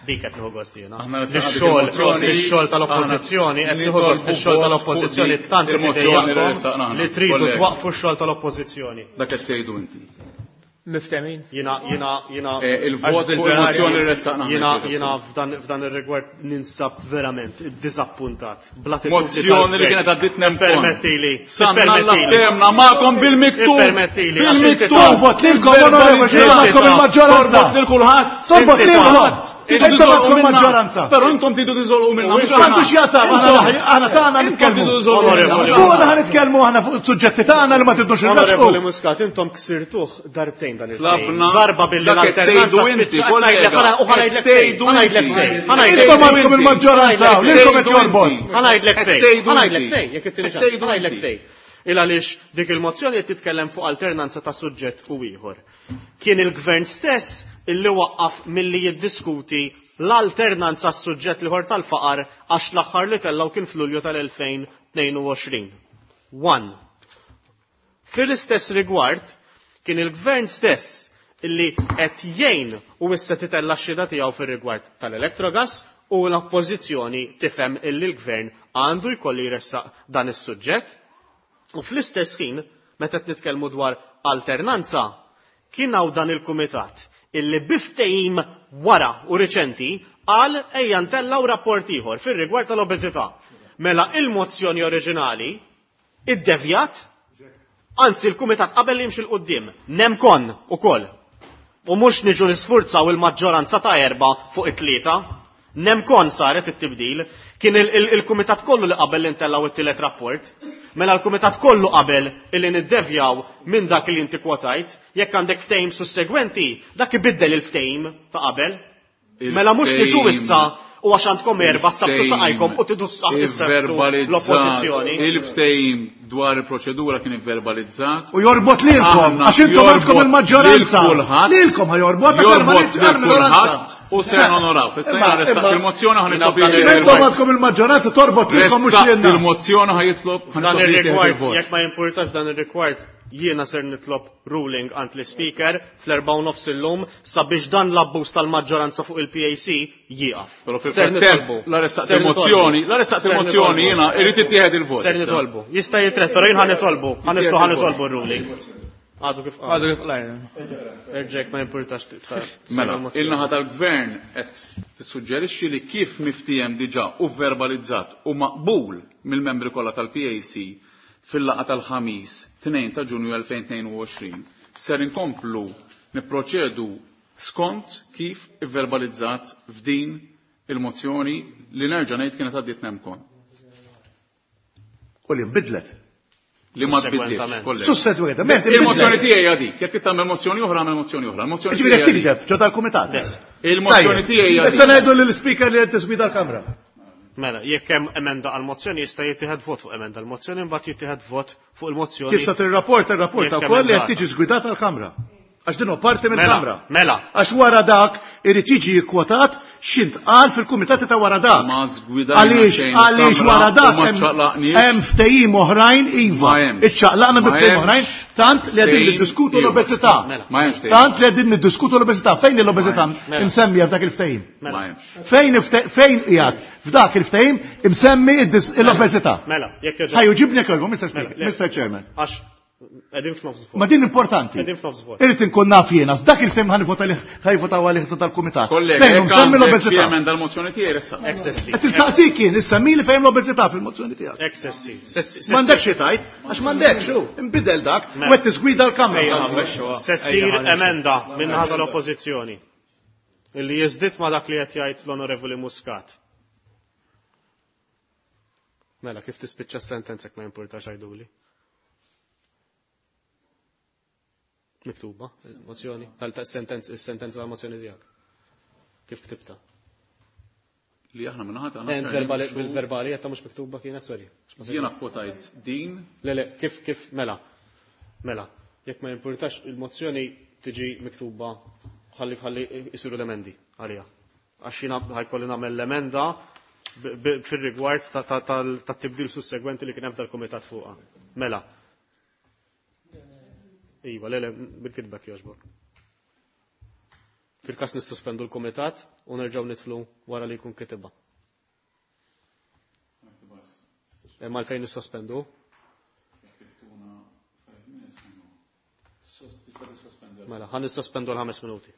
Dik qed nieħu gost jiena. Ix-xogħol tal-Oppożizzjoni qed nieħu gost ix-xogħol tal-Oppożizzjoni tant qed idejjaqkom li tridu twaqqfu x-xogħol tal-Oppożizzjoni. Dak qed tgħidu inti. Miftemin? Jina, jina, jina. Eh, il-vot fuq il-mozzjoni restaqna. Jina, jina f'dan ir-rigward ninsab verament dizappuntat. Mozzjoni li kienet għaddit nemmen. Permettili. Sanna l-temna ma'kom bil-miktub. Permettili. Bil-miktub. Torbot lilkom, onorevoli, xejn il-maġġoranza. Torbot lil kulħadd. Torbot lilkom. Intom għandkom maġġoranza. Però intom tridu tiżolqu minna. Għandu x'jasam, aħna tagħna nitkellmu. Fuqna ħa nitkellmu aħna fuq suġġetti tagħna li ma tidux Onorevoli Muscat, intom ksirtuh darbtejn dan il Darba billi l-alternanza inti, kollega. U ħanajdlek tgħidu, ħanajdlek fejn. Intom għandkom il-maġġoranza, lilkom qed jorbot. Ħanajdlek fejn. Ħanajdlek fejn, jekk ittini ċans. Ħanajdlek fejn. Il għaliex dik il-mozzjoni qed titkellem fuq alternanza ta' suġġett u ieħor. Kien il-gvern stess illi waqqaf milli jiddiskuti l-alternanza għas-suġġett l-ieħor tal-faqar għax l-aħħar li tellgħu kien f'Lulju tal-2022. One. Fil-istess rigward, kien il-gvern stess illi qed jgħin u issa titella' x-xhieda tiegħu fir-rigward tal-Electrogas u l-Oppożizzjoni tifhem illi l-gvern għandu jkollu jressaq dan is-suġġett. U fl-istess ħin, meta qed nitkellmu dwar alternanza, kien hawn dan il-kumitat illi bi ftehim wara u riċenti qal ejja ntellgħu rapport ieħor fir-rigward tal-obeżità. Mela il-mozzjoni oriġinali iddevjat, anzi l-kumitat qabel li jimxi 'l quddiem, nemkon ukoll. U mhux niġu nisfurzaw il-maġġoranza ta' erbgħa fuq it-tlieta. Nemkon saret it-tibdil. Kien il-kumitat kollu li qabel li ntellgħu it-tielet rapport. Mela l-kumitat kollu qabel illi niddevjaw minn dak li inti kwotajt. Jekk għandek ftehim sussegwenti, dak ibiddel il-ftehim ta' qabel. Mela mhux niġu issa u għax għandkom erbgħa ssabtu saqajkom u tidu ssabtu l-oppożizzjoni. Il-ftehim dwar il-proċedura kien ivverbalizzat. U jorbot lilkom, għax intom għandkom il-maġġoranza. Lilkom ħa jorbot jorbot lil kulħadd u se nonoraw. Issa jiena ressaqt il-mozzjoni ħa nitlob Intom għandkom il-maġġoranza torbot lilkom mhux lilna. Il-mozzjoni ħa jitlob Dan ir-rigward, jekk ma jimpurtax dan ir-rigward, jiena ser nitlob ruling għand l-Ispeaker fl-4:30 illum sabiex dan l-abbuż tal-maġġoranza fuq il-PAC jieqaf. Però fil-frattemp la ressaqt il-mozzjoni, la ressaqt il-mozzjoni jiena irid ittieħed il-vot. Ser nitolbu. Jista' jitret, però jien ħa nitolbu, ħa nitolbu r-ruling. Għadu kif qal. Għadu kif qal. Erġek ma jimpurtax titfa'. Mela, il-naħa tal-gvern qed tissuġġerixxi li kif miftiehem diġà u verbalizzat u maqbul mill-membri kollha tal-PAC fil-laqgħa tal-Ħamis 2 ta' Ġunju 2022, ser inkomplu nipproċedu skont kif ivverbalizzat f'din il-mozzjoni li nerġa' ngħid kienet għaddiet nemkon. U li nbidlet. Li ma tbidlitx, kollega. Sussegwentament. Il-mozzjoni tiegħi hija dik. Jekk trid tagħmel mozzjoni oħra, agħmel mozzjoni oħra. Il-mozzjoni Ġifieri qed tigdeb ġo tal-kumitat. Il-mozzjoni tiegħi hija dik. Issa ngħidu lill-ispeaker li qed tiswida l-Kamra. Mela, jekk hemm emenda għall-mozzjoni jista' jittieħed vot fuq emenda għall-mozzjoni mbagħad jittieħed vot fuq il-mozzjoni. Kif sa tirrapporta rrapporta wkoll li qed tiġi żgwidata l-Kamra. Għax din hu parti mill-Kamra. Mela. Għax wara dak irid jiġi kkwotat x'intqal fil-kumitati ta' wara dak. Ma żgwidajna Għaliex xejn għaliex il-Kamra wara u dak ma ċċaqlaqniex. hemm ftehim oħrajn iva. Ma hemmx. Iċċaqlaqna bi Ma ftehim hemmx oħrajn tant li qegħdin ftehim niddiskutu ieħor. l-obeżità. Mela. Ma hemmx ftehim. Tant li qegħdin niddiskutu l-obeżità. Fejn l-obeżità Mela. imsemmija f'dak il-ftehim? Ma hemmx. Fejn fejn qiegħed f'dak il-ftehim imsemmi l-obeżità? Mela, jekk jogħġobek. Ħa juġibni jekk jogħġbok, Mr. Speaker, Mela, le. Mr. Chairman. Għax qegħdin f'nofs vot. Ma din importanti. Qegħdin f'nofs vot. Irrid inkun naf jiena, dak il-ftehim ħa nivvota għalih, ħa jivvotaw għalih tal-kumitat. Kollega, Fejn jekk msemmi għandek xi l-obeżità? emenda l-mozzjoni tiegħi ressaq. Eccessi. Qed insaqsik jien, issa min li fejn l-obeżità fil-mozzjoni tiegħek? Eccessi. Sessi. M'għandekx xi tgħid, għax m'għandekx, hu, inbidel dak, u Mela. qed tiżgwida l-Kamra. Ejja, ħammexxuha. Se ssir Ejja, ħammexxuha. emenda min-naħa tal-Oppożizzjoni illi jiżdied ma' dak li qed jgħid l-Onorevoli Muscat. Mela, kif tispiċċa s-sentenza jekk ma jimpurtax għiduli. Miktuba, il-mozzjoni, tal-sentenza, il-sentenza tal-mozzjoni tiegħek. Kif ktibta? li aħna min-naħa tagħna Ent ser verbali nimxu- bil-verbali qed mhux miktuba kienet, sorry. Jiena kwotajt din. Le, le, kif, kif, mela. Mela, jekk ma jimpurtax il-mozzjoni tiġi miktuba ħalli ħalli jisiru l-emendi għalija. Għax jiena ħajkolli nagħmel l-emenda fir-rigward tat-tibdil sussegwenti li kien hemm tal-kumitat fuqha. Mela. Iva, le, le, bil-kitbek jogħġbok. Fil-każ nissospendu l-kumitat u nerġgħu nidħlu wara li jkun kitibha. Imma għalfejn nissospendu? Mela, ħa nissospendu l-5 minuti.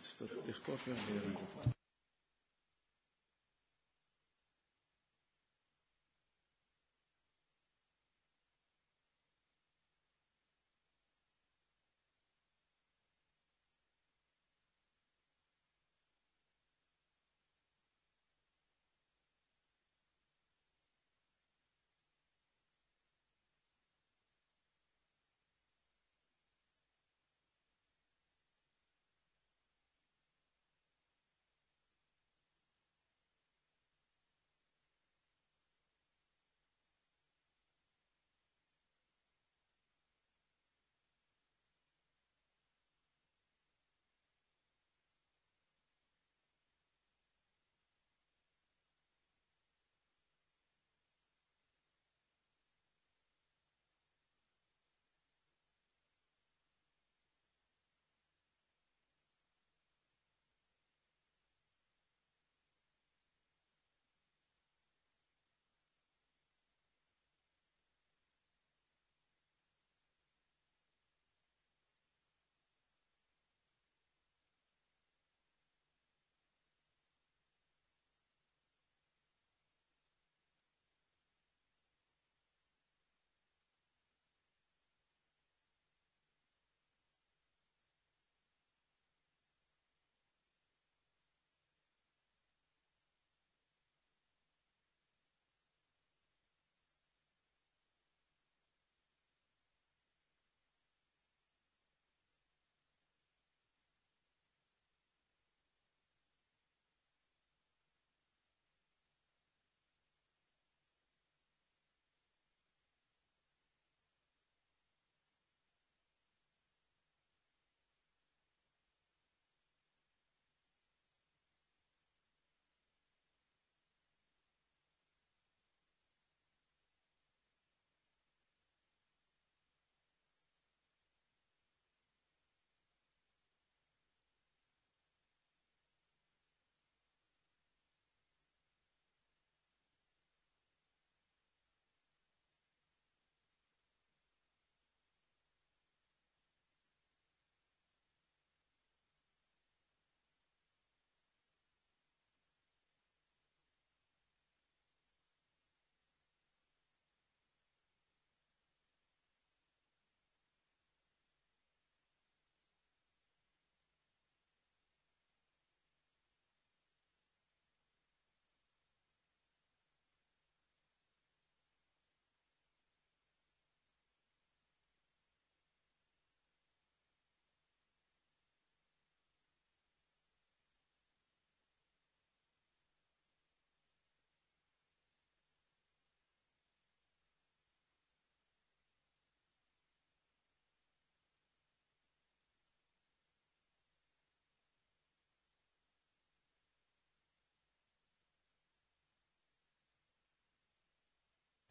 Tista' tieħ kopja?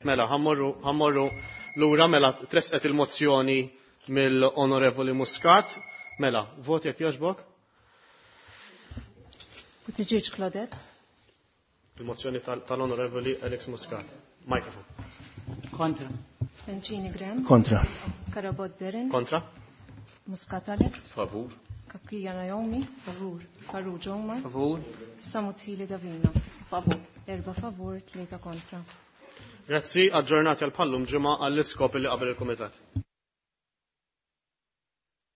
Mela, ħammorru lura mela tresqet il-mozzjoni mill-Onorevoli Muscat. Mela, voti jekk jogħġbok? Buttigieg Claudette. Il-mozzjoni tal-Onorevoli Alex Muscat. Mikrofon. Kontra. Bencini Graham. Kontra. Karabot Derin. Kontra. Muscat Alex. Favur. Kakija Naomi. Favur. Farrugia Omar. Favur. Samutili Davina. Favur. Erba favur, tlieta kontra. Grazzi, aġġornati għal pallum ġimgħa għall-iskop li qabel il-Kumitat.